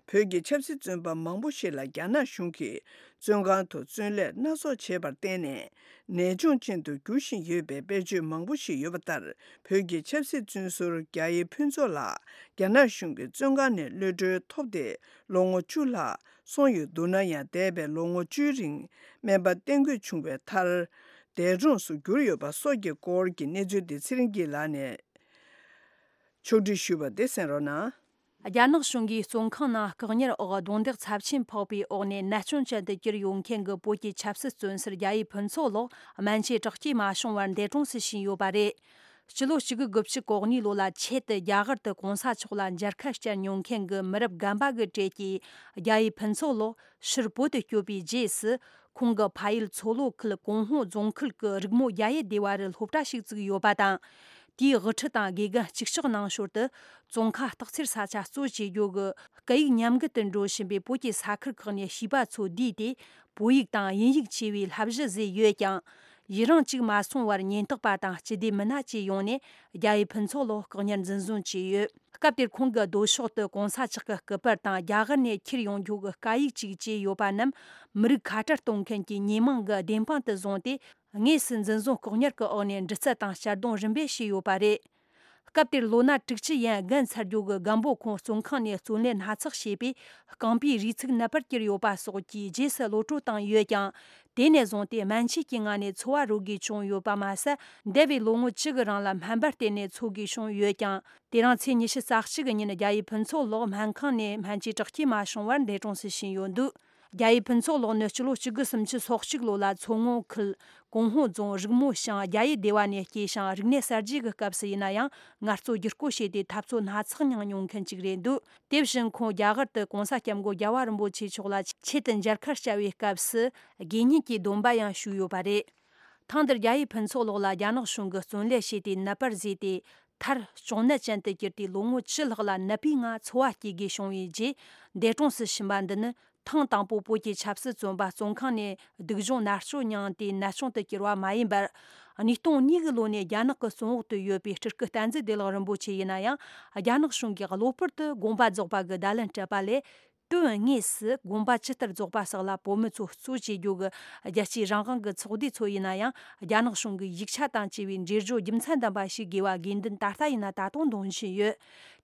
བོད་ཀྱི་ཆབ་སྲིད་བཙོན་པ་མང་པོ་ཞིག་ལ་རྒྱ་ནག་གཞུང་གིས་བཙོན་ཁང་དུ་བཙོན་ལས་སྣ་ཚོགས་བྱས་པར་བརྟེན་ནས་ནད་བྱུང་ཅན་དུ་འགྱུར་བཞིན་ཡོད་པའི་དཔེར་བརྗོད་མང་པོ་ཞིག་ཡོད་པ་ལྟར། བོད་ཀྱི་ཆབ་སྲིད་བཙོན་ཟུར་རྒྱ་ཡེ་ཕུན་ཚོགས་ལགས་རྒྱ་ནག་གཞུང་གི་བཙོན་ཁང་ནས་གློད་གྲོལ་ཐོབ་སྟེ་ལོ་ངོ་བཅུ་ལྷག་སོང་ཡོད་འདུག་ན་ཡང་། འདས་པའི་ལོ་ངོ་བཅུའི་རིང་སྨན་པ་བསྟེན་དགོས་བྱུང་བའི་མཐར། འདས་གྲོངས་སུ་གྱུར་ཡོད་པ་སོགས་ཀྱི་སྐོར་གྱི་གནས་ཚུལ་དེ་ཚེ་རིང་སྐྱིད་ལགས་ནས་ ཕྱོགས་སྒྲིག་ཞུས་པ་དེ་གསན་རོགས་གནང་། རྒྱ་ནག་གཞུང་གིས་བཙོན་ཁང་ནང་བཀག་ཉར་འོག་རྡུང་རྡེག་ཚབས་ཆེན་ཕོག་པའི་འོག་ནས་ནད་སྐྱོན་ཅན་དུ་གྱུར་ཡོད་མཁན་གྱི་བོད་ཀྱི་ཆབ་སྲིད་བཙོན་ཟུར་རྒྱ་ཡེ་ཕུན་ཚོགས་ལགས་སྨན་བཅོས་དྲག་སྐྱེད་མ་བྱུང་བར་འདས་གྲོངས་སུ་ཕྱིན་ཡོད་པ་རེད། སྤྱི་ལོ་གཅིག་དགུ་དགུ་བཅུ་གོ་གཉིས་ལོ་ལ་ཆེད་དུ་རྒྱ་གར་དུ་གོང་ས་མཆོག་ལ་མཇལ་ཁ་བསྐྱལ་མྱོང་མཁན་གྱི་མི་རབས་རྒན་པ་གི་གྲས་ཀྱིས་རྒྱ་ཡེ་ཕུན་ཚོགས་ལགས་ཕྱིར་བོད་དུ་བསྐྱོད་པའི་རྗེས་སུ། ཁོང་གི་ཕ་ཡུལ་མཚོ་ལྷོ་ཁུལ་ཀོང་ཧོ་རྫོང་ཁུལ་གྱི་རིག་མོ་རྒྱ་ཡེ་སྡེ་བ་རུ་སློབ་གྲྭ་ཞིག་བཙུགས་ཡོད་པ་དང་། དེའི་དབུ་ཁྲིད་དང་དགེ་རྒན་གཅིག་ལྕོགས་གནང་ཞོར་དུ། ཙོང་ཁ་སྟག་འཚེར་ས་ཆ་གཙོ་བྱེད་རྒྱུ་གི་སྐད་ཡིག་ཉམས་རྒུད་དུ་འགྲོ་བཞིན་པའི་བོད་ཀྱི་ས་ཁུལ་ཁག་ནས་བྱིས་པ་ཚོ་བསྡུས་ཏེ། བོད་ཡིག་དང་དབྱིན་ཡིག་བཅས་པའི་བསླབ་གཞི་བཟོས་ཡོད་ཀྱང་། ཡུན་རིང་གཅིག་མ་སོང་བར་ཉེན་རྟོག་པ་དང་སྤྱི་བདེ་མི་སྣ་བཅས་ཡོང་ནས་རྒྱ་ཡེ་ཕུན་ཚོགས་ལགས་བཀག་ཉར་འཛིན་བཟུང་བྱས་ཡོད། སྐབས་དེར་ཁོང་གི་ལྡོག་ཕྱོགས་དུ་གོང་ས་མཆོག་གི་སྐུ་པར་དང་རྒྱ་གར་ནས་ཁྱེར་ཡོང་རྒྱུ་གི་སྐད་ཡིག་ཅིག་བཅས་ཡོད་པ་རྣམས་མི་རིགས་ཁ་བྲལ་གཏོང་མཁན་གྱི་ཉེས་མིང་གི་བདེན་དཔང་དུ་བཟུང་སྟེ། དངོས་སུ་འཛིན་བཟུང་བཀག་ཉར་གྱི་འོག་ནས་འདྲི་རྩད་དང་གཅར་རྡུང་རིམ་པས་བྱས་ཡོད་པ་རེད། སྐབས་དེར་ལོ་ན་དྲུག་ཅུ་ཡན་རྒན་ཚར་རྒྱུ་གི་རྒན་པོ་ཁོང་བཙོན་ཁང་ནས་བཙོན་ལས་སྣ་ཚོགས་བྱས་པས་རྐང་པའི་རུས་ཚིགས་ནད་པར་གྱུར་ཡོད་པ་སོགས་ཀྱི་རྗེས་སུ་གློད་བཀྲོལ་བཏང་ཡོད་ཀྱང་། དེ་ནས་བཟུང་སྟེ་སྨན་བཅོས་ཀྱི་ངང་ནས་འཚོ་བ་རོལ་དགོས་བྱུང་ཡོད་པ་མ་ཟད། འདས་པའི་ལོ་ངོ་བཅུ་གི་རིང་ལ་སྨན་པ་བསྟེན་ནས་འཚོ་དགོས་བྱུང་ཡོད་ཀྱང་། དེ་རིང་ཚེས་ཉི་ཤུ་རྩ་གཅིག་གི་ཉིན་རྒྱ་ཡེ་ཕུན་ཚོགས་ལགས་སྨན་ཁང་ནས་སྨན་བཅོས་དྲག་སྐྱེད་མ་བྱུང་བར་འདས་གྲོངས་སུ་ཕྱིན་ཡོད་འདུག་རྒྱ་ཡེ་ཕུན་ཚོགས་ལགས་ནི་སྤྱི་ལོ་གཅིག་དགུ་སུམ་ཅུ་སོ་གཅིག་ལོ་ལ་མཚོ་སྔོན་ཁུལ་ཀོང་ཧོ་རྫོང་རིག་མོ་ཞང་རྒྱ་ཡེ་སྡེ་བ་ནས་སྐྱེས་ཤིང་། རིག་གནས་གསར་བརྗེ་གི་སྐབས་སུ་ཡིན་ན་ཡང་ངལ་རྩོལ་བསྒྱུར་བཀོད་བྱས་ཏེ་འཐབ་རྩོད་སྣ་ཚོགས་མྱངས་མྱོང་མཁན་ཅིག་རེད་འདུག་དེ་བཞིན་ཁོང་རྒྱ་གར་དུ་གོང་ས་སྐྱབས་མགོན་རྒྱལ་བ་རིན་པོ་ཆེ་མཆོག་ལ་ཆེད་དུ་མཇལ་ཁ་བསྐྱལ་བའི་སྐབས་སུ་དགེ་བསྙེན་གྱི་སྡོམ་པ་ཡང་ཞུས་ཡོད་པ་རེད། ཐེངས་འདིར་རྒྱ་ཡེ་ཕུན་ཚོགས་ལགས་ལ་རྒྱ་ནག་གཞུང་གིས་བཙོན་ལས་བྱས་ཏེ་ནད་པར་བཟོས་ཏེ། མཐར་གཅོང་ནད་ཅན་དུ་གྱུར་ཏེ་ལོ་ངོ་བཅུ་ལྷག་ལ་ནད་པའི་ངང་འཚོ་བ་སྐྱེལ་དགོས་བྱུང་བའི་རྗེས་འདས་གྲོངས་སུ་ཕྱིན་པ་འདི་ནི། ཐེངས་དང་པོ་བོད་ཀྱི་ཆབ་སྲིད་བཙོན་པ་བཙོན་ཁང་ནས་སྡུག་སྦྱོང་མནར་གཅོད་མྱངས་ཏེ་ནད་གཅོང་དུ་གྱུར་བ་མ་ཡིན་པར། ཉིས་སྟོང་གཉིས་ཀྱི་ལོ་ནས་རྒྱ་ནག་གི་བཙོན་འོག་ཏུ་ཡོད་པའི་སྤྲུལ་སྐུ་བསྟན་འཛིན་བདེ་ལེགས་རིན་པོ་ཆེ་ཡིན་ན་ཡང་། རྒྱ་ནག་གཞུང་གིས་གློ་བུར་དུ་དགོངས་པ་རྫོགས་པ་གི་བརྡ་ལན་སྤྲད་པ་ལས། དོན་དངོས་སུ་དགོངས་པ་ཇི་ལྟར་རྫོགས་པ་སོགས་ལ་བོད་མི་ཚོ་གཙོ་བྱེད་རྒྱུ་གི་རྒྱལ་སྤྱིའི་རང་དབང་གི་ཚོགས་སྡེ་ཚོ་ཡིན་ན་ཡང་རྒྱ་ནག་གཞུང་གི་ཡིག་ཆ་དང་བཅས་པའི་འགྲེལ་བརྗོད་རྒྱུ་མཚན་ལྡན་པ་ཞིག་དགོས་པ་དགོས་འདུན་ད་ལྟ་ཡིན་ན་ད་དུང་འདོན་བཞིན་ཡོད།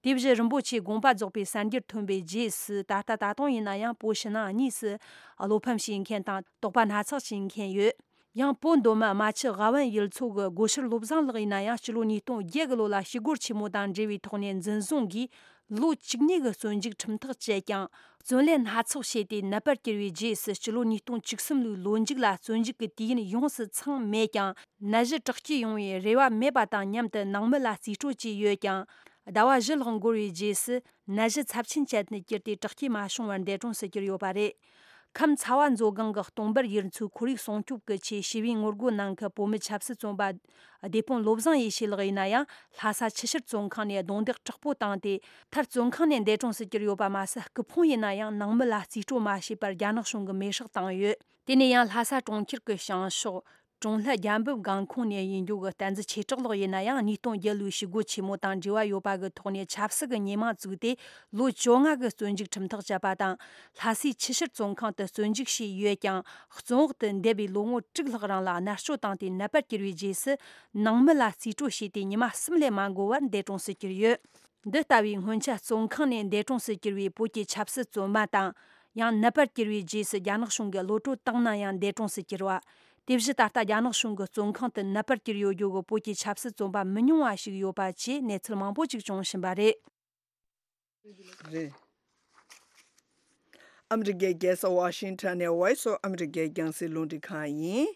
དེ་བཞིན་རིན་པོ་ཆེ་དགོངས་པ་རྫོགས་པའི་གསར་འགྱུར་ཐོན་པའི་རྗེས་སུ་ད་ལྟ་ད་དུང་ཡིན་ན་ཡང་བོད་ཕྱི་ནང་གཉིས་སུ་བློ་ཕམ་བྱེད་མཁན་དང་དོགས་པ་སྣ་ཚོགས་བྱེད་མཁན་ཡོད། ཡང་བོད་མདོ་སྨད་རྨ་ཆུ་ཝ་ཝན་ཡུལ་ཚོ་གི་སྒོ་ཕྱིར་བློ་བཟང་ལགས་ཡིན་ན་ཡང་སྤྱི་ལོ་ཉིས་སྟོང་བརྒྱད་གི་ལོ་ལ་ཞི་རྒོལ་ཆེན་མོ་དང་འབྲེལ་བའི་ཐོག་ནས་འཛིན་བཟུང་གིས་ལོ་བཅུ་གཉིས་ཀྱི་བཙོན་འཇུག་ཁྲིམས་ཐག་བཅད་ཀྱང་། བཙོན་ལས་སྣ་ཚོགས་བྱས་ཏེ་ནད་པར་གྱུར་བའི་རྗེས་སུ་སྤྱི་ལོ་ཉིས་སྟོང་བཅུ་གསུམ་ལོའི་ལོ་མཇུག་ལ་བཙོན་འཇུག་གི་དུས་ཡུན་ཡོངས་སུ་ཚང་མེད་ཀྱང་། ནད་གཞི་དྲག་སྐྱེད་ཡོང་བའི་རེ་བ་མེད་པ་དང་མཉམ་དུ་ནང་མི་ལ་རྩིས་སྤྲོད་བྱས་ཡོད་ཀྱང་། ཟླ་བ་བཞི་ལྷག་འགོར་བའི་རྗེས་སུ་ནད་གཞི་ཚབས་ཆེན་ཅན་དུ་གྱུར་ཏེ་དྲག་སྐྱེད་མ་བྱུང་བར་འདས་གྲོངས་སུ་གྱུར་ཡོད་པ་རེད། ཁམས་ཚ་བ་མཛོད་སྒང་གི་སྟོང་འབར་ཡུལ་ཚོའི་ཁོར་ཡུག་སྲུང་སྐྱོབ་ཀྱི་ཆེད་ཞི་བའི་ངོ་རྒོལ་གནང་མཁན་བོད་མི་ཆབ་སྲིད་བཙོན་པ་སྡེ་དཔོན་བློ་བཟང་ཡེ་ཤེས་ལགས་ཡིན་ན་ཡང་། ལྷ་ས་ཆུ་ཤུར་བཙོན་ཁང་ནས་རྡུང་རྡེག་དྲག་པོ་བཏང་སྟེ། མཐར་བཙོན་ཁང་ནས་འདས་གྲོངས་སུ་གྱུར་ཡོད་པ་མ་ཟད། སྐུ་ཕུང་ཡིན་ན་ཡང་ནང་མི་ལ་རྩིས་སྤྲོད་མ་བྱས་པར་རྒྱ་ནག་གཞུང་གིས་མེ་སྲེག་བཏང་ཡོད། དེ་ནས་ཡང་ལྷ་ས་གྲོང་ཁྱེར་གྱི་བྱང་ཕྱོགས། ཀྲུང་ལྷ་རྒྱལ་འབུམ་སྒང་ཁོངས་ནས་ཡིན་རྒྱུ་གི་བསྟན་འཛིན་ཆོས་གྲགས་ལགས་ཡིན་ན་ཡང་། ཉིས་སྟོང་བརྒྱད་ལོའི་ཞི་རྒོལ་ཆེན་མོ་དང་འབྲེལ་བ་ཡོད་པ་གི་ཐོག་ནས་ཆབ་སྲིད་ཀྱི་ཉེས་མིང་བཙུགས་ཏེ་ལོ་བཅོ་ལྔ་གི་བཙོན་འཇུག་ཁྲིམས་ཐག་བཅད་པ་དང་། ལྷ་སའི་ཆུ་ཤུར་བཙོན་ཁང་དུ་བཙོན་འཇུག་བྱས་ཡོད་ཀྱང་། བཙོན་འོག་ཏུ་འདས་པའི་ལོ་ངོ་དྲུག་ལྷག་རིང་ལ་མནར་གཅོད་བཏང་སྟེ་ནད་པར་གྱུར་བའི་རྗེས་སུ། ནང་མི་ལ་རྩིས་སྤྲོད་བྱས་ཏེ་ཉི་མ་གསུམ་ལས་མ་འགོར་བར་འདས་གྲོངས་སུ་གྱུར་ཡོད། འདི་ལྟ་བུའི་སྔོན་ཆད་བཙོན་ཁང་ནས་འདས་གྲོངས་སུ་གྱུར་བའི་བོད་ཀྱི་ཆབ་སྲིད་བཙོན་པ་དང་། ཡང་ནད་པར་གྱུར་བའི་རྗེས་སུ་རྒྱ་ནག་གཞུང་གིས་གློད་བཀྲོལ་བཏང་ན་ཡང་འདས་གྲོངས་སུ་གྱུར་བ། དེ་བཞིན་ད་ལྟ་རྒྱ་ནག་གཞུང་གི་བཙོན་ཁང་དུ་ནད་པར་གྱུར་ཡོད་རྒྱུ་གི་བོད་ཀྱི་ཆབ་སྲིད་བཙོན་པ་མི་ཉུང་བ་ཞིག་ཡོད་པ་བཅས་གནས་ཚུལ་མང་པོ་ཅིག་བྱུང་བཞིན་པ་རེད། རེད། ཨ་མི་རི་ཀའི་རྒྱལ་ས་ཝ་ཤིང་ཊོན་ནས་ཝོ་ཡིས་ཨོཕ་ཨ་མི་རི་ཀའི་རྒྱང་སྲིང་རླུང་འཕྲིན་ཁང་ཡིན།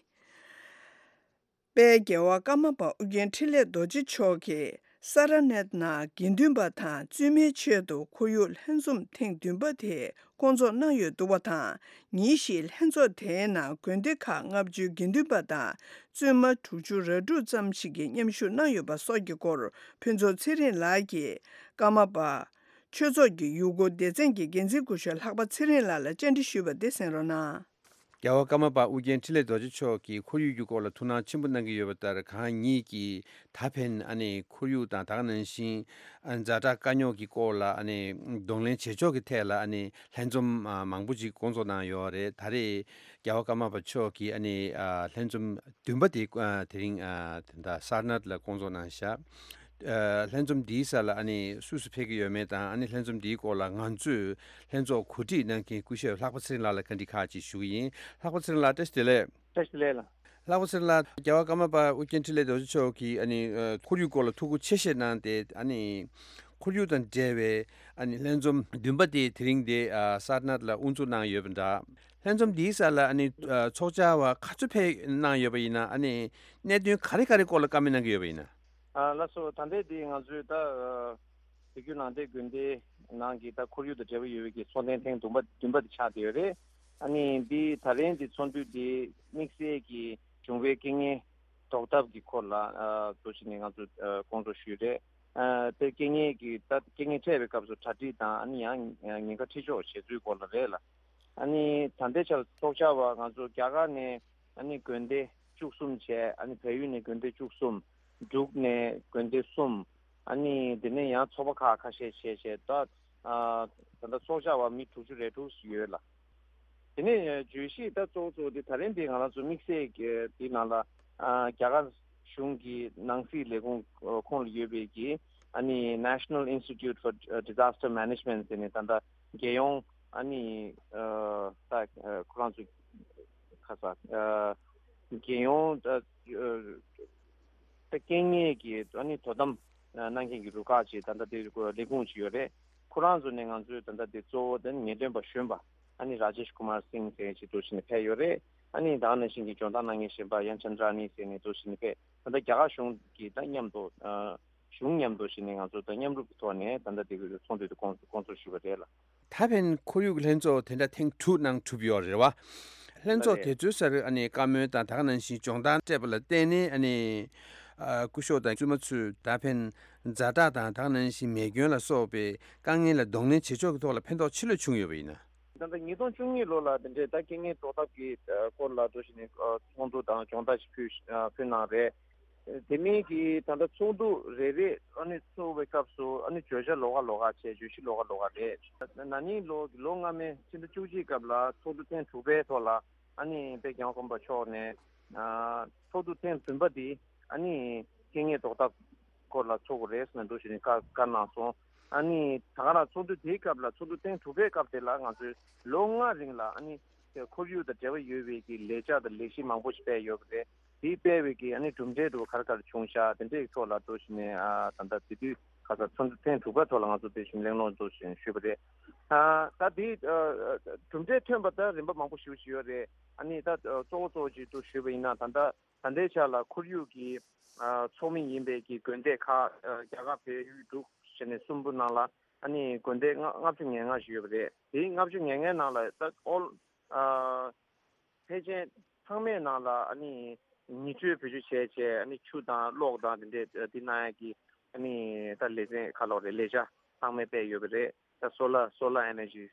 དཔལ་རྒྱལ་བ་ཀརྨ་པ་ཨུ་རྒྱན་འཕྲིན་ལས་རྡོ་རྗེ་མཆོག་གིས་ས་ར་ནཱཐ་ནང་དགེ་འདུན་པ་དང་བཙུན་མའི་ཆེད་དུ་ཁོར་ཡུག་ལྷན་འཛོམས་ཐེངས་བདུན་པ་དེ་སྐོང་ཚོགས་གནང་ཡོད་འདུག་པ་དང་། ཉིན་ཞིག་ལྷན་ཚོགས་དེའི་ནང་དགོན་སྡེ་ཁག་ལྔ་བཅུའི་དགེ་འདུན་པ་དང་བཙུན་མ་དྲུག་ཅུ་རེ་དྲུག་ཙམ་ཞིག་གིས་མཉམ་ཞུགས་གནང་ཡོད་པ་སོགས་ཀྱི་སྐོར་ཕུན་ཚོགས་ཚེ་རིང་ལགས་ཀྱིས་ཀརྨ་པ་ཆོས་ཚོགས་ཀྱི་ཡུལ་སྐོར་སྡེ་ཚན་གྱི་འགན་འཛིན་སྐུ་ཞབས་ལྷག་པ་ཚེ་རིང་ལགས་ལ་བཅར་འདྲི་ཞུས་པ་དེ་གསན་རོགས་གནང་། རྒྱལ་བ་ཀརྨ་པ་ཨུ་རྒྱན་འཕྲིན་ལས་རྡོ་རྗེ་མཆོག་གིས་ཁོར་ཡུག་གི་སྐོར་ལ་ཐུགས་སྣང་ཆེན་པོ་གནང་གི་ཡོད་པ་ལྟར། གང་ཉིད་ཀྱིས་ད་ཕན་ཨ་ནི་ཁོར་ཡུག་དང་། ད་ག་ནང་བཞིན་ཛ་དྲག་དཀའ་རྙོག་གི་སྐོར་ལ་ཨ་ནི་གདོང་ལེན་བྱེད་ཕྱོགས་ཀྱི་ཐད་ལ་ཨ་ནི་ལྷན་འཛོམས་མང་པོ་ཅིག་སྐོང་ཚོགས་གནང་ཡོད་རེད། ད་རེས་རྒྱལ་བ་ཀརྨ་པ་མཆོག་གིས་ཨ་ནི་ལྷན་འཛོམས་བདུན་པ་དེ་དེ་རིང་ད་ལྟ་སར་ནཱཐ་ལ་སྐོང་ཚོགས་གནང་བཞག་ལྷན་འཛོམས་འདིའི་སར་ལ་ཨ་ནི་སུ་སུ་ཕེབས་ཀྱི་ཡོད་མེད་དང་། ཨ་ནི་ལྷན་འཛོམས་འདིའི་སྐོར་ལ་ང་ཚོས་ལྷན་ཚོགས་གོ་སྒྲིག་གནང་མཁན་སྐུ་ཞབས་ལྷག་པ་ཚེ་རིང་ལགས་ལ་བཀའ་འདྲི་ཁག་ཅིག་ཞུ་གི་ཡིན། ལྷག་པ་ཚེ་རིང་ལགས། བཀྲ་ཤིས་བདེ་ལེགས། བཀྲ་ཤིས་བདེ་ལེགས་ལགས། ལྷག་པ་ཚེ་རིང་ལགས། རྒྱལ་བ་ཀརྨ་པ་ཨོ་རྒྱན་འཕྲིན་ལས་རྡོ་རྗེ་མཆོག་གིས་ཨ་ནི་ཨ་ཁོར་ཡུག་སྐོར་ལ་ཐུགས་ཁུར་ཆེ་བཞེས་གནང་སྟེ། ཨ་ནི་ཁོར་ཡུག་དང་འབྲེལ་བའི་ཨ་ནི་ལྷན་འཛོམས་བདུན་པ་དེ་དེ་རིང་དེ་ཨ་སར་ནཱཐ་ལ་དབུ་འཛུགས་གནང་ཡོད་པ་འདྲ། ལྷན་འཛོམས་འདིའི་སར་ལ་ཨ་ནི་ཨ་ཚོགས་བཅར་བ་ག་ཚོད་ཕེབས་གནང་ཡོད་པ་ཡིན་ན། ཨ་ནི་གནད་དོན་ག་རེ་ག་རེ་སྐོར་ལ་བཀའ་མོལ་གནང་གི་ཡོད་པ་ཡིན་ན། ཨ་ལགས་སོ། ད་ལྟའི་འདི་ང་ཚོའི་ད་ཨ་བོད་བརྒྱུད་ནང་བསྟན་དགོན་སྡེ་ནང་གི་ད་ཁོར་ཡུག་དང་འབྲེལ་བ་ཡོད་པའི་གི་ཚོགས་ཐེངས་ཐེངས་བདུན་པ་བདུན་པ་དེ་ཆགས་བསྡད་ཡོད་རེད། ཨ་ནི་འདི་ད་རིང་འདི་ཚོགས་འདུ་འདི་དམིགས་བསལ་གྱི་བྱུང་བའི་རྐྱེན་ངན་ཟློག་ཐབས་ཀྱི་སྐོར་ལ་ཨ་འདུག་བྱས་ནས་ང་ཚོ་ཨ་སྐོང་ཚོགས་ཞུས་རེད། ཨ་དེ་རྐྱེན་ངན་གྱི་ད་རྐྱེན་ངན་འཕྲད་པའི་སྐབས་སུ་གྲ་སྒྲིག་དང་། ཨ་ནི་ཡང་ཉེན་ཁ་འཁྲི་གཅོག་བྱེད་ཚུལ་སྐོར་ལ་རེད་ལ། ཨ་ནི་ད་ལྟའི་ཆར་ཚོགས་བཅར་བ་ང་ཚོ་རྒྱ་གར་ནས་ཨ་ནི་དགོན་སྡེ་བཅུ་གསུམ་བྱས། ཨ་ནི་བལ་ཡུལ་ནས་དགོན་སྡེ་བཅུ་གསུམ། འབྲུག་ནས་དགོན་སྡེ་གསུམ། ཨ་ནི་དེ་ནས་ཡང་ཚོགས་པ་ཁག་ཁ་ཤས་བྱས་བྱས། ད་ཨ་ད་ལྟ་ཚོགས་བཅར་བ་མི་དྲུག་ཅུ་རེ་དྲུག་ཡོད་ལ། དེ་ནས་བརྗོད་གཞི་ད་གཙོ་བོ་གཙོ་བོ་དེ་ད་རིང་འདི་ང་རང་ཚོ་དམིགས་བསལ་གྱི་འདི་ནང་ལ་ཨ་རྒྱ་གར་གཞུང་གི་ནང་སྲིད་ལས་ཁུངས་ཁོངས་ལ་ཡོད་པའི་གི་ཨ་ནི་National Institute for Disaster Management ཟེར་ནས་ད་ལྟ་རྒྱལ་ཡོངས་ཨ་ནི་ཨ་ད་ཁོ་རང་ཚོ་ཁ་ས་ཨ་རྒྱལ་ཡོངས་ཨ་ཨ་ད་རྐྱེན་ངན་གྱི་ཨ་ནི་དོ་དམ་གནང་མཁན་གྱི་རུ་ཁག་ཅིག་ད་ལྟ་དེ་ལས་ཁུངས་ཅིག་ཡོད་རེད། ཁོ་རང་ཚོ་ནས་ང་ཚོའི་ད་ལྟ་དེ་གཙོ་བོ་དེ་ངེས་སྟོན་པ་གཞོན་པ་ཨ་ནི་Rajesh Kumar Singh ཟེར་མཁན་ཅིག་འདུག་བྱས་ནས་ཕེབས་ཡོད་རེད། ཨ་ནི་ད་ག་ནང་བཞིན་གྱི་སྦྱོང་བརྡར་གནང་མཁན་གཞན་པ་ཡང་ཅན་དྲ་ནི་ཟེར་ནས་འདུག་བྱས་ནས་ཕེབས། ད་ལྟ་རྒྱ་གར་གཞུང་གིས་ད་མཉམ་དུ་ཨ་གཞུང་མཉམ་དུ་བྱས་ནས་ང་ཚོ་ད་མཉམ་རུབ་ཀྱི་ཐོག་ནས་ད་ལྟ་དེ་གི་ཚོགས་འདུ་དེ་སྐོང་སྐོང་ཚོགས་ཞུས་པ་རེད་ལ། ད་ཕན་ཁོར་ཡུག་ལྷན་ཚོགས་དེ་འདྲ་ཐེངས་དྲུག་ནང་གྲུབ་ཡོད་རེད་བ། ལྷན་ཚོགས་ལགས་རེད། དེ་ཚོའི་སར་ཨ་ནི་བཀའ་མོལ་དང་ད་ག་ནང་བཞིན་སྦྱོང་བརྡར་སྤྲད་པ་ལ་བརྟེན་ནས། ཨ་ནི་ཨ་སྐུ་ཞབས་དང་བཙུན་མ་ཚོས་ད་ཕན་ཛ་དྲག་དང་ད་ག་ནང་བཞིན་མེ་སྐྱོན་ལ་སོགས་པའི་དཀའ་ངལ་ལ་གདོང་ལེན་བྱེད་ཕྱོགས་ཀྱི་ཐོག་ལ་ཕན་ཐོགས་ཆེ་ལོས་བྱུང་ཡོད་པ་ཡིན་ན། ད་ལྟ་ཉིས་སྟོང་བཅུ་གཉིས་ལོ་ལ་དེ་འདྲའི་ད་རྐྱེན་ངན་ཟློག་ཐབས་ཀྱི་ཨ་སྐོར་ལ་འདུག་བྱས་ནས་ཨ་ཚོགས་འདུ་དང་སྦྱོང་བརྡར་ཞིག་ཕུལ་ཨ་ཕུལ་གནང་རེད། དེ་མིན་གྱི་ད་ལྟ་ཚོགས་འདུ་རེ་རེ་ཨ་ནི་ཚོགས་པའི་སྐབས་སུ་ཨ་ནི་བརྗོད་བྱ་ལོགས་ཀ་ལོགས་ཀ་བྱས། བརྗོད་གཞི་ལོགས་ཀ་ལོགས་ཀ་རེད། ན་ནིང་ལོ་ལོ་སྔ་མའི་ཕྱི་ཟླ་བཅུ་གཅིག་སྐབས་ལ་ཚོགས་འདུ་ཐེངས་དྲུག་པའི་ཐོག་ལ་ཨ་ནི་དཔལ་རྒྱལ་བ་ཀརྨ་པ་མཆོག་ནས་ཨ་ཚོགས་འདུ་ཐེངས་བདུན་པ་འདི་ཨ་ནི་རྐྱེན་ངན་ཟློག་ཐབས་སྐོར་ལ་ཚོགས་དགོས་རེད་ཟེར་ནས་འདུག་བྱས་ནས་བཀའ་བཀའ་གནང་སོང་། ཨ་ནི་ད་ག་རང་ཚོགས་འདུ་དེའི་སྐབས་ལ་ཚོགས་འདུ་ཐེངས་དྲུག་པའི་སྐབས་དེ་ལ་ང་ཚོས་ལོ་ལྔ་རིང་ལ་ཨ་ནི་ཁོར་ཡུག་དང་འབྲེལ་བ་ཡོད་པའི་གི་ལས་འཆར་དང་ལས་གཞི་མང་པོ་ཞིག་སྤེལ་ཡོད་པ་རེད། དེའི་སྤེལ་བའི་གི་ཨ་ནི་གྲུབ་འབྲས་འདྲ་བོ་ག་རེ་ག་རེ་བྱུང་ཤག་དེ་འདྲའི་ཐོག་ལ་འདུག་བྱས་ནས་ཨ་ད་ལྟ་དེ་དུས་ཁ་སང་ཚོགས་འདུ་ཐེངས་དྲུག་པའི་ཐོག་ལ་ང་ཚོ་དེ་བཞིན་གླེང་སློང་འདུག་བྱས་ནས་ཞུས་པ་རེད། ཨ་ད་དེ་ཨ་གྲུབ་འབྲས་ཐོན་པ་ད་རིམ་པ་མང་པོ་ཞེ་པོ་ཅིག་ཡོད་རེད། ཨ་ནི་ད་ཨ་གཙོ་བོ་གཙོ་བོ་ཅིག་འདུག་ཞུས་པ་ཡིན་ན། ད་ལྟ་ད་ལྟའི་ཆ་ལ་ཁོར་ཡུག་གི་ཨ་ཚོགས་མི་ཡིན་པའི་གི་དགོན་སྡེ་ཁག་ཨ་རྒྱ་གར་བལ་ཡུལ་འབྲུག་བྱས་ནས་གསུམ་པོ་ནང་ལ་ཨ་ནི་དགོན་སྡེ་ལྔ་ལྔ་བཅུ་ང་ལྔ་ཞིག་ཡོད་པ་རེད། དེའི་ལྔ་བཅུ་ང་ལྔའི་ནང་ལ་ད་ཨོལ་ཨ་ཕལ་ཆེར་ཚང་མའི་ནང་ལ་ཨ་ནི་ཉི་དྲོད་བེད་སྤྱོད་བྱས་བྱས་ཨ་ནི་ཆུ་དང་གློག་དང་དེ་འདྲས་འདི་གནང་ཡག་གི་ཨ་ནི་ད་ལེ་ཚན་ཁ་ལོག་རེད། ལས་འཆར་ཚང་མས་སྤེལ་ཡོད་པ་རེད། ད་solar solar energy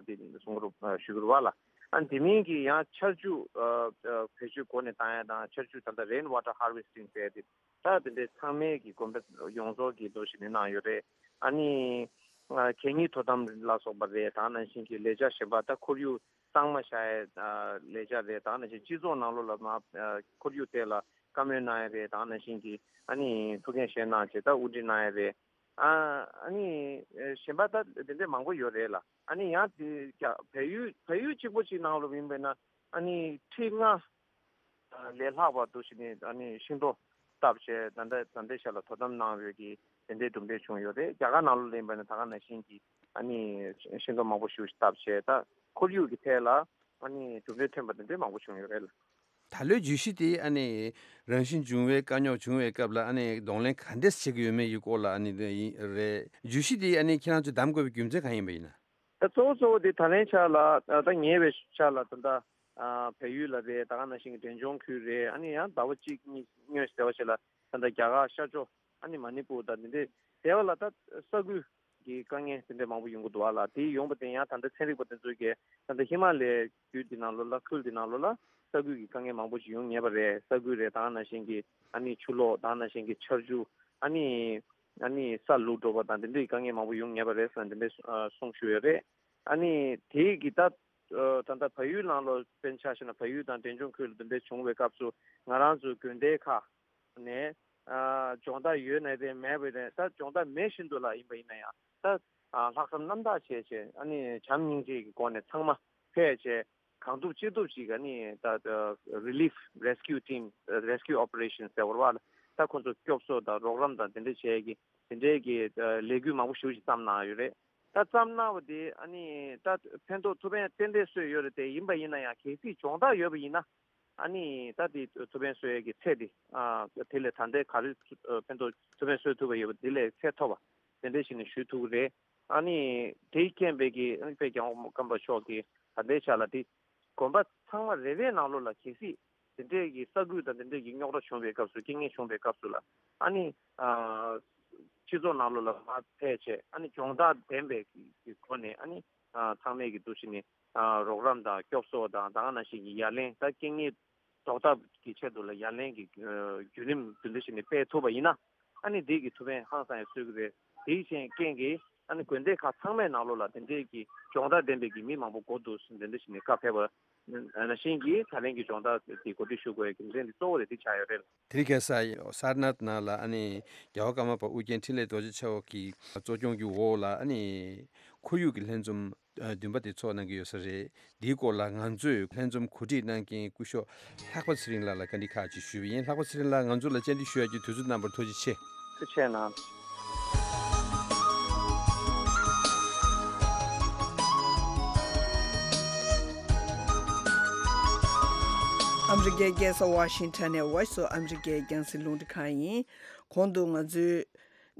འདི་གསུང་གི་རུ་ཞུ་གི་རུ་བ་ལ། ཨ་དེ་མིན་གྱི་ཡང་ཆར་ཆུ་བེད་སྤྱོད་སྒོ་ནས་བཏང་ཡག་དང་། ཆར་ཆུ་ད་ལྟ་rain water harvesting ཟེར་ཏེ་ད་དེ་འདྲས་ཚང་མས་ཀྱི་དགོན་པ་ཡོངས་རྫོགས་ཀྱི་འདུག་བྱས་ནས་གནང་ཡོད་རེད། ཨ་ནི་གད་སྙིགས་དོ་དམ་ལ་སོགས་པ་རེད། ད་ནང་བཞིན་གྱི་ལས་འཆར་གཞན་པ་ད་ཁོར་ཡུག་གཙང་མ་བཞག་ཡས་ལས་འཆར་རེད། ད་ནང་བཞིན་སྤྱི་ཚོགས་ནང་ལོགས་ལ་མ་ཁོར་ཡུག་ཐད་ལ་བཀའ་མོལ་གནང་ཡས་རེད། ད་ནང་བཞིན་གྱི་ཨ་ནི་ཐུགས་འགན་བཞེས་གནང་བྱས་ད་དབུ་ཁྲིད་གནང་ཡས་རེད། ཨ་ཨ་ནི་གཞན་པ་ད་དེ་འདྲས་མང་པོ་ཡོད་རེད་ལ། ཨ་ནི་ཡང་དེ་བལ་ཡུལ་བལ་ཡུལ་གཅིག་པོ་གཅིག་ནང་ལོགས་ཡིན་པས་ན་ཨ་ནི་ཁྲི་ལྔ་ལས་ལྷག་པ་འདུག་བྱས་ནས་ཨ་ནི་ཤིང་ཏོག་བཏབ་བྱས་ད་ལྟ་ད་ལྟའི་ཆ་ལ་དོ་དམ་གནང་ཡོད་ཀྱི་དེ་འདྲའི་གྲུབ་འབྲས་བྱུང་ཡོད་རེད། རྒྱ་གར་ནང་ལོགས་ལ་ཡིན་པ་ན་ད་ག་ནང་བཞིན་གྱི་ཨ་ནི་ཤིང་ཏོག་མང་པོ་ཞིག་བཏབ་བྱས་ད་ཁོར་ཡུག་གི་ཐད་ལ་ཨ་ནི་གྲུབ་འབྲས་ཐོན་པ་དེ་འདྲའི་མང་པོ་བྱུང་ཡོད་རེད། ད་ལོའི་བརྗོད་གཞི་དེ་ཨ་ནི་རང་བཞིན་བྱུང་བའི་དཀའ་རྙོག་བྱུང་བའི་སྐབས་ལ་ཨ་ནི་གདོང་ལེན་ག་འདྲས་བྱེད་ཀྱི་ཡོད་མེད་ཀྱི་སྐོར་ལ་ཨ་ནི་རེད། བརྗོད་གཞི་དེ་ཨ་ནི་ཁྱེད་རང་ཚོས་བདམས་དགོས་པའི་རྒྱུ་མཚན་གང་ཡིན་པ་ཡིན་ན། ད་གཙོ་བོ་གཙོ་བོ་དེ་ད་ལན་ཆ་ལ་ད་ཉེ་བའི་ཆ་ལ་ད་ལྟ་ཨ་བལ་ཡུལ་ལ་རེད། ད་ག་ནང་བཞིན་གྱི་འབྲས་ལྗོངས་ཁུལ་རེད། ཨ་ནི་ཡང་ཟླ་བ་གཅིག་གཉིས་སྔོན་ཟེར་བ་ཞིག་ལ་ད་ལྟ་རྒྱ་གར་ཤར་ཕྱོགས་ཨ་ནི་མ་ནི་པུར་དང་དེ་འདྲའི་ཟེར་བ་ལ་ད་ས་ཁུལ་གྱི་དཀའ་ངལ་དེ་འདྲ་མང་པོ་ཡོང་གི་འདུག་ཨ་ལ། དེ་ཡོང་པ་དེ་ཡང་ད་ལྟ་ཚན་རིག་པ་དེ་ཚོས་ཀྱིས་ད་ལྟ་ཧི་མ་ལའི་རྒྱུད་འདི་ནང་ལོགས་ལ་ཁུལ་འདི་ནང་ལོགས་ལ་ས་ཁུལ་གྱི་དཀའ་ངལ་མང་པོ་ཞིག་ཡོང་ངེས་པ་རེད། ས་ཁུལ་རེད། ད་ག་ནང་བཞིན་གྱི་ཨ་ནི་ཆུ་ལོག་ད་ག་ནང་བཞིན་གྱི་ཆར་ཆུ་ཨ་ནི་ཨ་ནི་ས་ལུག་འགྲོ་བ་དང་དེ་འདྲའི་དཀའ་ངལ་མང་པོ་ཡོང་ངེས་པ་རེད་ཟེར་ནས་དེ་འདྲའི་གསུང་ཞུས་ཡོད་རེད། ཨ་ནི་དེའི་གི་ད་ད་ལྟ་བལ་ཡུལ་ནང་ལོགས་དཔེར་ན་ཆ་བཞག་ན་བལ་ཡུལ་དང་འབྲས་ལྗོངས་ཁུལ་ལ་དེ་འདྲའི་བྱུང་བའི་སྐབས་སུ་ང་རང་ཚོའི་དགོན་སྡེ་ཁག་ནས་ཨ་སྦྱོང་བརྡར་ཡོད་ནའི་རེད་མེད་པའི་རེད། ད་སྦྱོང་བརྡར་མེད་བཞིན་དུ་ལ་ཡིན་པ་ཡིན་ན་ཡང་ད་ཨ་ལྷག་བསམ་རྣམ་དག་བྱས་བྱས་ཨ་ནི་བྱམས་སྙིང་རྗེ་གི་སྒོ་ནས་ཚང་མ་ཕེབས་བྱས། གང་ཐུབ་ཅི་ཐུབ་ཅིག་ཨ་ནི་ད་ད་Relief Rescue Team Rescue Operation ཟེར་བ་རེད་བ། ད་ཁོ་ཚོ་སྐྱོབ་གསོ་དང་རོགས་རམ་དང་དེ་འདྲ་བྱེད་ཀྱི་དེ་འདྲའི་གི་ལས་འགུལ་མང་པོ་ཞེ་པོ་ཅིག་བརྩམས་གནང་ཡོད་རེད། ད་བརྩམས་གནང་བ་དེ་ཨ་ནི་ད་ཕན་ཐོགས་ཐུབ་ཕན་ཏན་ཏན་སོས་ཡོད་རེད་དེ། ཡིན་པ་ཡིན་ན་ཡང་གལ་སྲིད་སྦྱོང་བརྡར་ཡོད་པ་ཡིན་ན། ཨ་ནི་ད་དེ་ཐུབ་ཕན་གསོ་ཡས་ཀྱི་ཚད་དེ་ཨ་དེ་ལས་ད་ལྟའི་ག་རེ་ཨ་ཕན་ཐོགས་ཐུབ་ཕན་གསོ་ཐུབ་པ་ཡོད་པ་དེ་ལས་ཚད་མཐོ་བ་དེ་འདྲ་ཞིག་ནས་ཞུ་ཐུབ་ཀྱི་རེད། ཨ་ནི་དེའི་རྐྱེན་པས་ཀྱི་ཨ་ནི་དཔལ་རྒྱལ་བ་སྐུ་ངོ་ཀརྨ་པ་མཆོག་གིས་ད་ལྟའི་ཆ་ལ་དེ་དགོན་པ་ཚང་མ་རེ་རེའི་ནང་ལོགས་ལ་གལ་སྲིད་དེ་འདྲའི་གི་ས་ཁུལ་དང་དེ་འདྲའི་གི་རྙོག་དྲ་བྱུང་བའི་སྐབས་སུ་རྐྱེན་ངན་བྱུང་བའི་སྐབས་སུ་ལ་ཨ་ནི་ཨ་སྤྱི་ཚོགས་ནང་ལོགས་ལ་མར་ཕེབས་བྱས་ཨ་ནི་སྦྱོང་བརྡར་ལྡན་པའི་གི་སྒོ་ནས་ཨ་ནི་ཨ་ཚང་མས་ཀྱི་འདུ་ཤེས་ནས། ཨ་རོགས་རམ་དང་སྐྱོབ་གསོ་དང་ད་ག་ནང་བཞིན་གྱི་ཡ་ལན། ད་རྐྱེན་ངན་ཟློག་ཐབས་ཀྱི་ཆེད་དུ་ལ་ཡ་ལན་གྱི་ཨ་བརྒྱུད་རིམ་དེ་འདྲ་ཞིག་ནས་སྤེལ་ཐུབ་པ་ཡིན་ན་ཨ་ནི་དེ་གི་ཐུབ་ཕན་ཧང་སང་ཡང་གསོས་ཀྱི་རེད། དེའི་རྐྱེན་གྱིས་ཨ་ནི་དགོན་སྡེ་ཁག་ཚང་མའི་ནང་ལོགས་ལ་དེ་འདྲའི་གི་སྦྱོང་བརྡར་ལྡན་པའི་གི་མི་མང་པོ་འགོ་འདུག་ཟིན་དེ་འདྲ་ཞིག་ནས་བཀའ་ཕེབས་པ་ནང་བཞིན་གྱི་ད་ལན་གྱི་སྦྱོང་བརྡར་དེ་གོ་སྒྲིག་ཞུ་དགོས་ཡ་གི་རེ་འདུན་གཙོ་བོ་རེད། དེ་ཆགས་ཡོད་རེད། དེ་རིང་ཁ་སང་སར་ནཱཐ་ནང་ལ་ཨ་ནི་རྒྱལ་བ་ཀརྨ་པ་ཨོ་རྒྱན་འཕྲིན་ལས་རྡོ་རྗེ་ཆེན་པོ་གི་གཙོ་སྐྱོང་གི་འོག་ལ་ཨ་ནི་ཁོར་ཡུག་གི་ལྷན་འཛོམས་ཨ་བདུན་པ་དེ་ཚོགས་གནང་གི་ཡོད་ས་རེད། འདིའི་སྐོར་ལ་ང་ཚོས་ལྷན་འཛོམས་གོ་སྒྲིག་གནང་མཁན་སྐུ་ཞབས་ལྷག་པ་ཚེ་རིང་ལགས་ལ་བཀའ་འདྲི་ཁག་ཅིག་ཞུས་པ་ཡིན། ལྷག་པ་ཚེ་རིང་ལགས་ང་ཚོ་ལ་བཅར་འདྲི་ཞུ་ཡག་གི་དུས་ཚོད་གནང་བར་ཐུགས་རྗེ་ཆེ། ཐུགས་རྗེ་ཆེ་གནང་། ཨ་མི་རི་ཀའི་རྒྱལ་ས་ཝ་ཤིང་ཊོན་ནས་Voice of America རྒྱང་སྲིང་རླུང་འཕྲིན་ཁང་ཡིན། གོང་དུ་ང་ཚོས་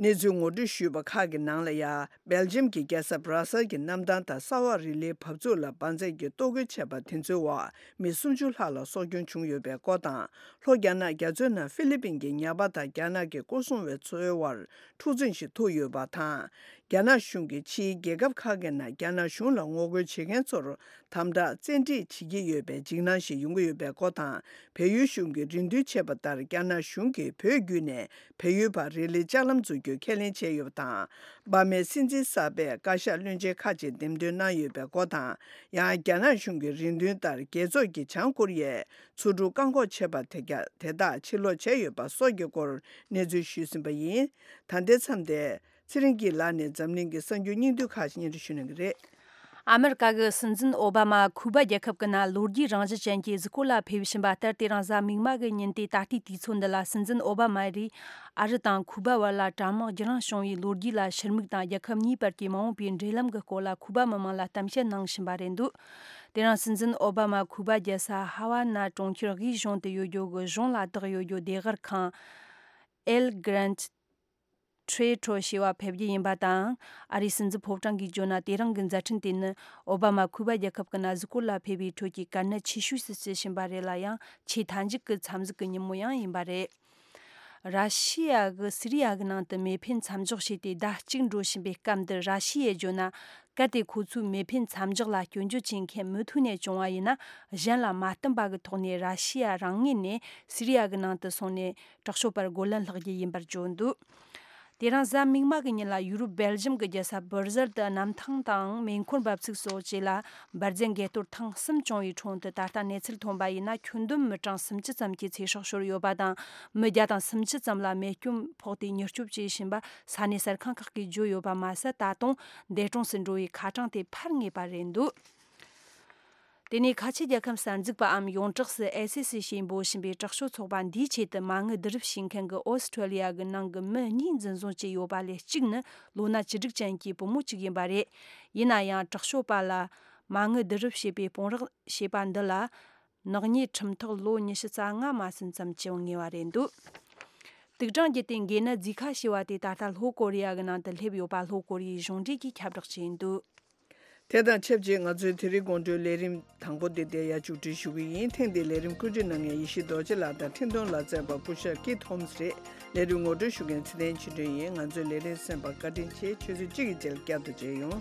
གནས་ཚུལ་ངོ་སྤྲོད་ཞུས་པ་ཁག་གི་ནང་ལ་ཡ། སྦེལ་ཇམ་གྱི་རྒྱལ་ས་བྷ་ར་སལ་གྱི་གནམ་ཐང་དང་ས་འོག་རི་ལིའི་བབས་ཚུགས་ལ་འབར་རྫས་ཀྱིས་གཏོར་རྒོལ་བྱས་པ་དེ་ཚོའི་འོག་མི་སུམ་ཅུ་ལྷག་ལ་སྲོག་སྐྱོན་བྱུང་ཡོད་པའི་སྐོར་དང་། ལྷོ་རྒྱ་ནག་རྒྱ་མཚོའི་ནང་ཧྥི་ལི་པིན་གྱི་ཉ་པ་དང་རྒྱ་ནག་གི་སྐོར་སྲུང་བའི་ཚོའི་དབར་འཁྲུག་འཛིང་ཞིག་ཐུག་ཡོད་པ་དང་། རྒྱ་ནག་གཞུང་གིས་ཕྱིའི་རྒྱལ་ཁབ་ཁག་གི་ནང་རྒྱ་ནག་གཞུང་ལ་ངོ་རྒོལ་བྱེད་མཁན་ཚོར་དམ་དྲག་བཙན་ཁྲིད་བྱེད་ཀྱི་ཡོད་པའི་འཇིགས་སྣང་ཞིག་ཡོང་གི་ཡོད་པའི་སྐོར་དང་། བལ་ཡུལ་གཞུང་གིས་རེ་འདུན་བྱས་པ་ལྟར་རྒྱ་ནག་གཞུང་གིས་བོད་བརྒྱུད་ནས་བལ་ཡུལ་བར་རེ་ལིའི་ལྕགས་ལམ་འཛུགས་རྒྱུའི་ཁས་ལེན་བྱས་ཡོད་པ་དང་། འབར་མའི་སྲིད་འཛིན་གསར་པས་བཀའ་ཤག་བློན་ཆེན་ཁག་ཅིག་འདེམས་ཐོན་གནང་ཡོད་པའི་སྐོར་དང་། ཡང་རྒྱ་ནག་གཞུང་གི་རེ་འདུན་ལྟར་རྒྱལ་ཚོགས་ཀྱིས་བྱང་ཀོ་རི་ཡའི་མཚོ་གྲུ་བཀག་འགོག་བྱས་པ་དེ་ག་དེ་དག་ཕྱིར་སློག་བྱས་ཡོད་པ་སོགས་ཀྱི་སྐོར་གནས་ཚུལ་ཞུས་ཟིན་པ་ཡིན། ད་ལྟའི་མཚམས་དེ། ཚེ་རིང་སྐྱིད་ལགས་ནས་འཛམ་གླིང་གི་གསར་འགྱུར་སྙིང་བསྡུས་ཁག་ཅིག་སྙན་སྒྲོན་ཞུ་གནང་གི་རེད། ཨ་མེ་རི་ཀ་གི་སྲིད་འཛིན་ཨོ་བྷ་མ་ཁུ་པ་རྒྱལ་ཁབ་ཀྱི་ནང་ལོ་རྒྱུས་རང་བཞིན་ཅན་གྱི་གཟིགས་སྐོར་ལ་ཕེབས་བཞིན་པ་ལྟར། དེ་རིང་གཟའ་མིག་དམར་གྱི་ཉིན་ཏེ་ད་ལྟའི་དུས་ཚོད་འདི་ལ་སྲིད་འཛིན་ཨོ་བྷ་མ་རེས་ཨ་རི་དང་ཁུ་པ་བར་ལ་དྲག་དམག་བརྒྱུད་རང་བྱུང་བའི་ལོ་རྒྱུས་ལ་ཕྱིར་མིག་དང་། རྒྱལ་ཁབ་གཉིས་བར་གྱི་མ་འོངས་པའི་འབྲེལ་ལམ་གྱི་སྐོར་ལ་ཁུ་པ་མི་མང་ལ་གཏམ་བཤད་གནང་བཞིན་པ་རེད་འདུག་དེ་རིང་སྲིད་འཛིན་ཨོ་བྷ་མ་ཁུ་པ་རྒྱལ་ས་ཧ་ཝ་ན་གྲོང་ཁྱེར་དབུས་གཞུང་དུ་ཡོད་རྒྱུ་གི་གཞུང་ལ་བདག་ཡོད་རྒྱུ་བདེ་སྒར་ཁང་། El Grand Teatro ཞེས་པར་ཕེབས་རྒྱུ་ཡིན་པ་དང་། ཨ་རིའི་སྲིད་འཛིན་ཕོ་བྲང་གིས་བརྗོད་ན། དེ་རིང་གི་མཛད་འཕྲིན་དེ་ནི་ཨོ་བྷ་མ་ཁུ་པ་རྒྱལ་ཁབ་ཀྱི་ནང་གཟིགས་སྐོར་ལ་ཕེབས་པའི་ཁྲོད་ཀྱི་དཀའ་གནད་ཆེ་ཤོས་སུ་བརྩི་བཞིན་པ་རེད་ལ། ཡང་ཆེས་མཐའ་མཇུག་གི་འཚམས་གཟིགས་ཀྱི་ཉིན་མོ་ཡང་ཡིན་པ་རེད། ར་ཤི་ཡ་གིས་སི་རི་ཡ་གི་ནང་དུ་མེ་འཕེན་མཚམས་འཇོག་བྱས་ཏེ་ཟླ་གཅིག་འགྲོ་བཞིན་པའི་སྐབས་འདིར། ར་ཤི་ཡས་བརྗོད་ན། གལ་ཏེ་ཁོ་ཚོས་མེ་འཕེན་མཚམས་འཇོག་ལ་སྐྱོན་བརྗོད་བྱེད་མཁན་མུ་མཐུད་ནས་བྱུང་བ་ཡིན་ན། གཞན་ལ་མ་བསྟུན་པ་གི་ཐོག་ནས་ར་ཤི་ཡ་རང་ངོས་ནས་སི་རི་ཡ་གི་ནང་དུ་སོང་ནས་དྲག་སྤྱོད་པར་རྒོལ་ལན་སློག་རྒྱུ་ཡིན་པར་བརྗོད་འདུག་དེ་རིང་གཟའ་མིག་དམར་གྱི་ཉིན་ལ་ཡུ་རོབ་སྦེལ་ཇམ་གྱི་རྒྱལ་ས་སྦུར་ཟལ་དུ་གནམ་ཐང་དང་མེ་འཁོར་འབབ་ཚུགས་སོགས་བཅས་ལ་འབར་རྫས་འགས་གཏོར་ཐེངས་གསུམ་བྱུང་བའི་ཁྲོད་དུ། ད་ལྟ་གནས་ཚུལ་ཐོན་པ་ཡིན་ན། ཁྱོན་བསྡོམས་མི་གྲངས་སུམ་ཅུ་ཙམ་གྱི་ཚེ་སྲོག་ཤོར་ཡོད་པ་དང་། མི་བརྒྱ་དང་སུམ་ཅུ་ཙམ་ལ་རྨས་སྐྱོན་ཕོག་སྟེ་མྱུར་སྐྱོབ་བྱེད་བཞིན་པ་ས་གནས་གསར་ཁང་ཁག་གིས་བརྗོད་ཡོད་པ་མ་ཟད། ད་དུང་འདས་གྲོངས་སུ་འགྲོ་བའི་ཁ་གྲངས་དེ་འཕར་ངེས་པ་རེད་འདུག་དེ་ནས་ཁ་ཆེ་རྒྱལ་ཁབ་གསར་འཛུགས་པའམ་ཡོངས་གྲགས་སུ་ཨེ་སི་སི་ཞེས་འབོད་བཞིན་པའི་དྲག་སྤྱོད་ཚོགས་པ་འདིའི་ཆེད་དུ་མ་དངུལ་བསྡུ་རུབ་བྱེད་མཁན་གྱི་ཨོ་སི་ཁྲུ་ལི་ཡ་གི་ནང་གི་མི་གཉིས་འཛིན་བཟུང་བྱས་ཡོད་པ་ལས། གཅིག་ནི་ལོ་ན་བཅུ་དྲུག་ཅན་གྱི་བུ་མོ་གཅིག་ཡིན་པ་རེད། ཡིན་ན་ཡང་དྲག་སྤྱོད་པ་ལ་མ་དངུལ་བསྡུ་རུབ་བྱེད་པའི་དཔུང་རོགས་བྱས་པ་འདི་ལ། ནག་ཉེས་ཁྲིམས་ཐག་ལོ་ཉི་ཤུ་རྩ་ལྔ་མ་ཟིན་ཙམ་བཅད་ངེས་པ་རེད་འདུག་དུག་སྦྲང་རྒྱུ་དེ་འགོས་ནད་ཛི་ཁ་ཞེས་པ་དེ་ད་ལྟ་ལྷོ་ཀོ་རི་ཡ་གི་ནང་དུ་སླེབས་ཡོད་པ་ལྷོ་ཀོ་རི་ཡའི་གཞུང་འབྲེལ་གྱིས་ཁྱབ་བསྒྲགས་བྱས་འདུག་དེ་དང་ཆབས་ཅིག་ང་ཚོའི་དེ་རིང་དགོང་དྲོའི་ལས་རིམ་དང་པོ་དེ་འདིར་ཡར་མཇུག་སྒྲིལ་ཞུ་གི་ཡིན། ཐེངས་འདིའི་ལས་རིམ་བཀོད་སྒྲིག་གནང་མཁན་ཡེ་ཤེས་རྡོ་རྗེ་ལགས་དང་འཕྲིན་གཏོང་ལག་རྩལ་པ་སྐུ་ཞབས་ཀི་ཐོམ་སི་རེད། ལས་རིམ་ངོ་སྤྲོད་ཞུ་མཁན་ཚེ་བརྟན་ཆོས་སྒྲོན་ཡིན། ང་ཚོའི་ལས་རིམ་གསན་པར་བཀའ་དྲིན་ཆེ། ཆུ་ཚོད་གཅིག་གི་རྗེས་ལ་བསྐྱར་དུ་མཇལ་ཡོང་།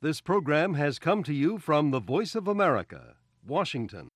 This program has come to you from the Voice of America, Washington.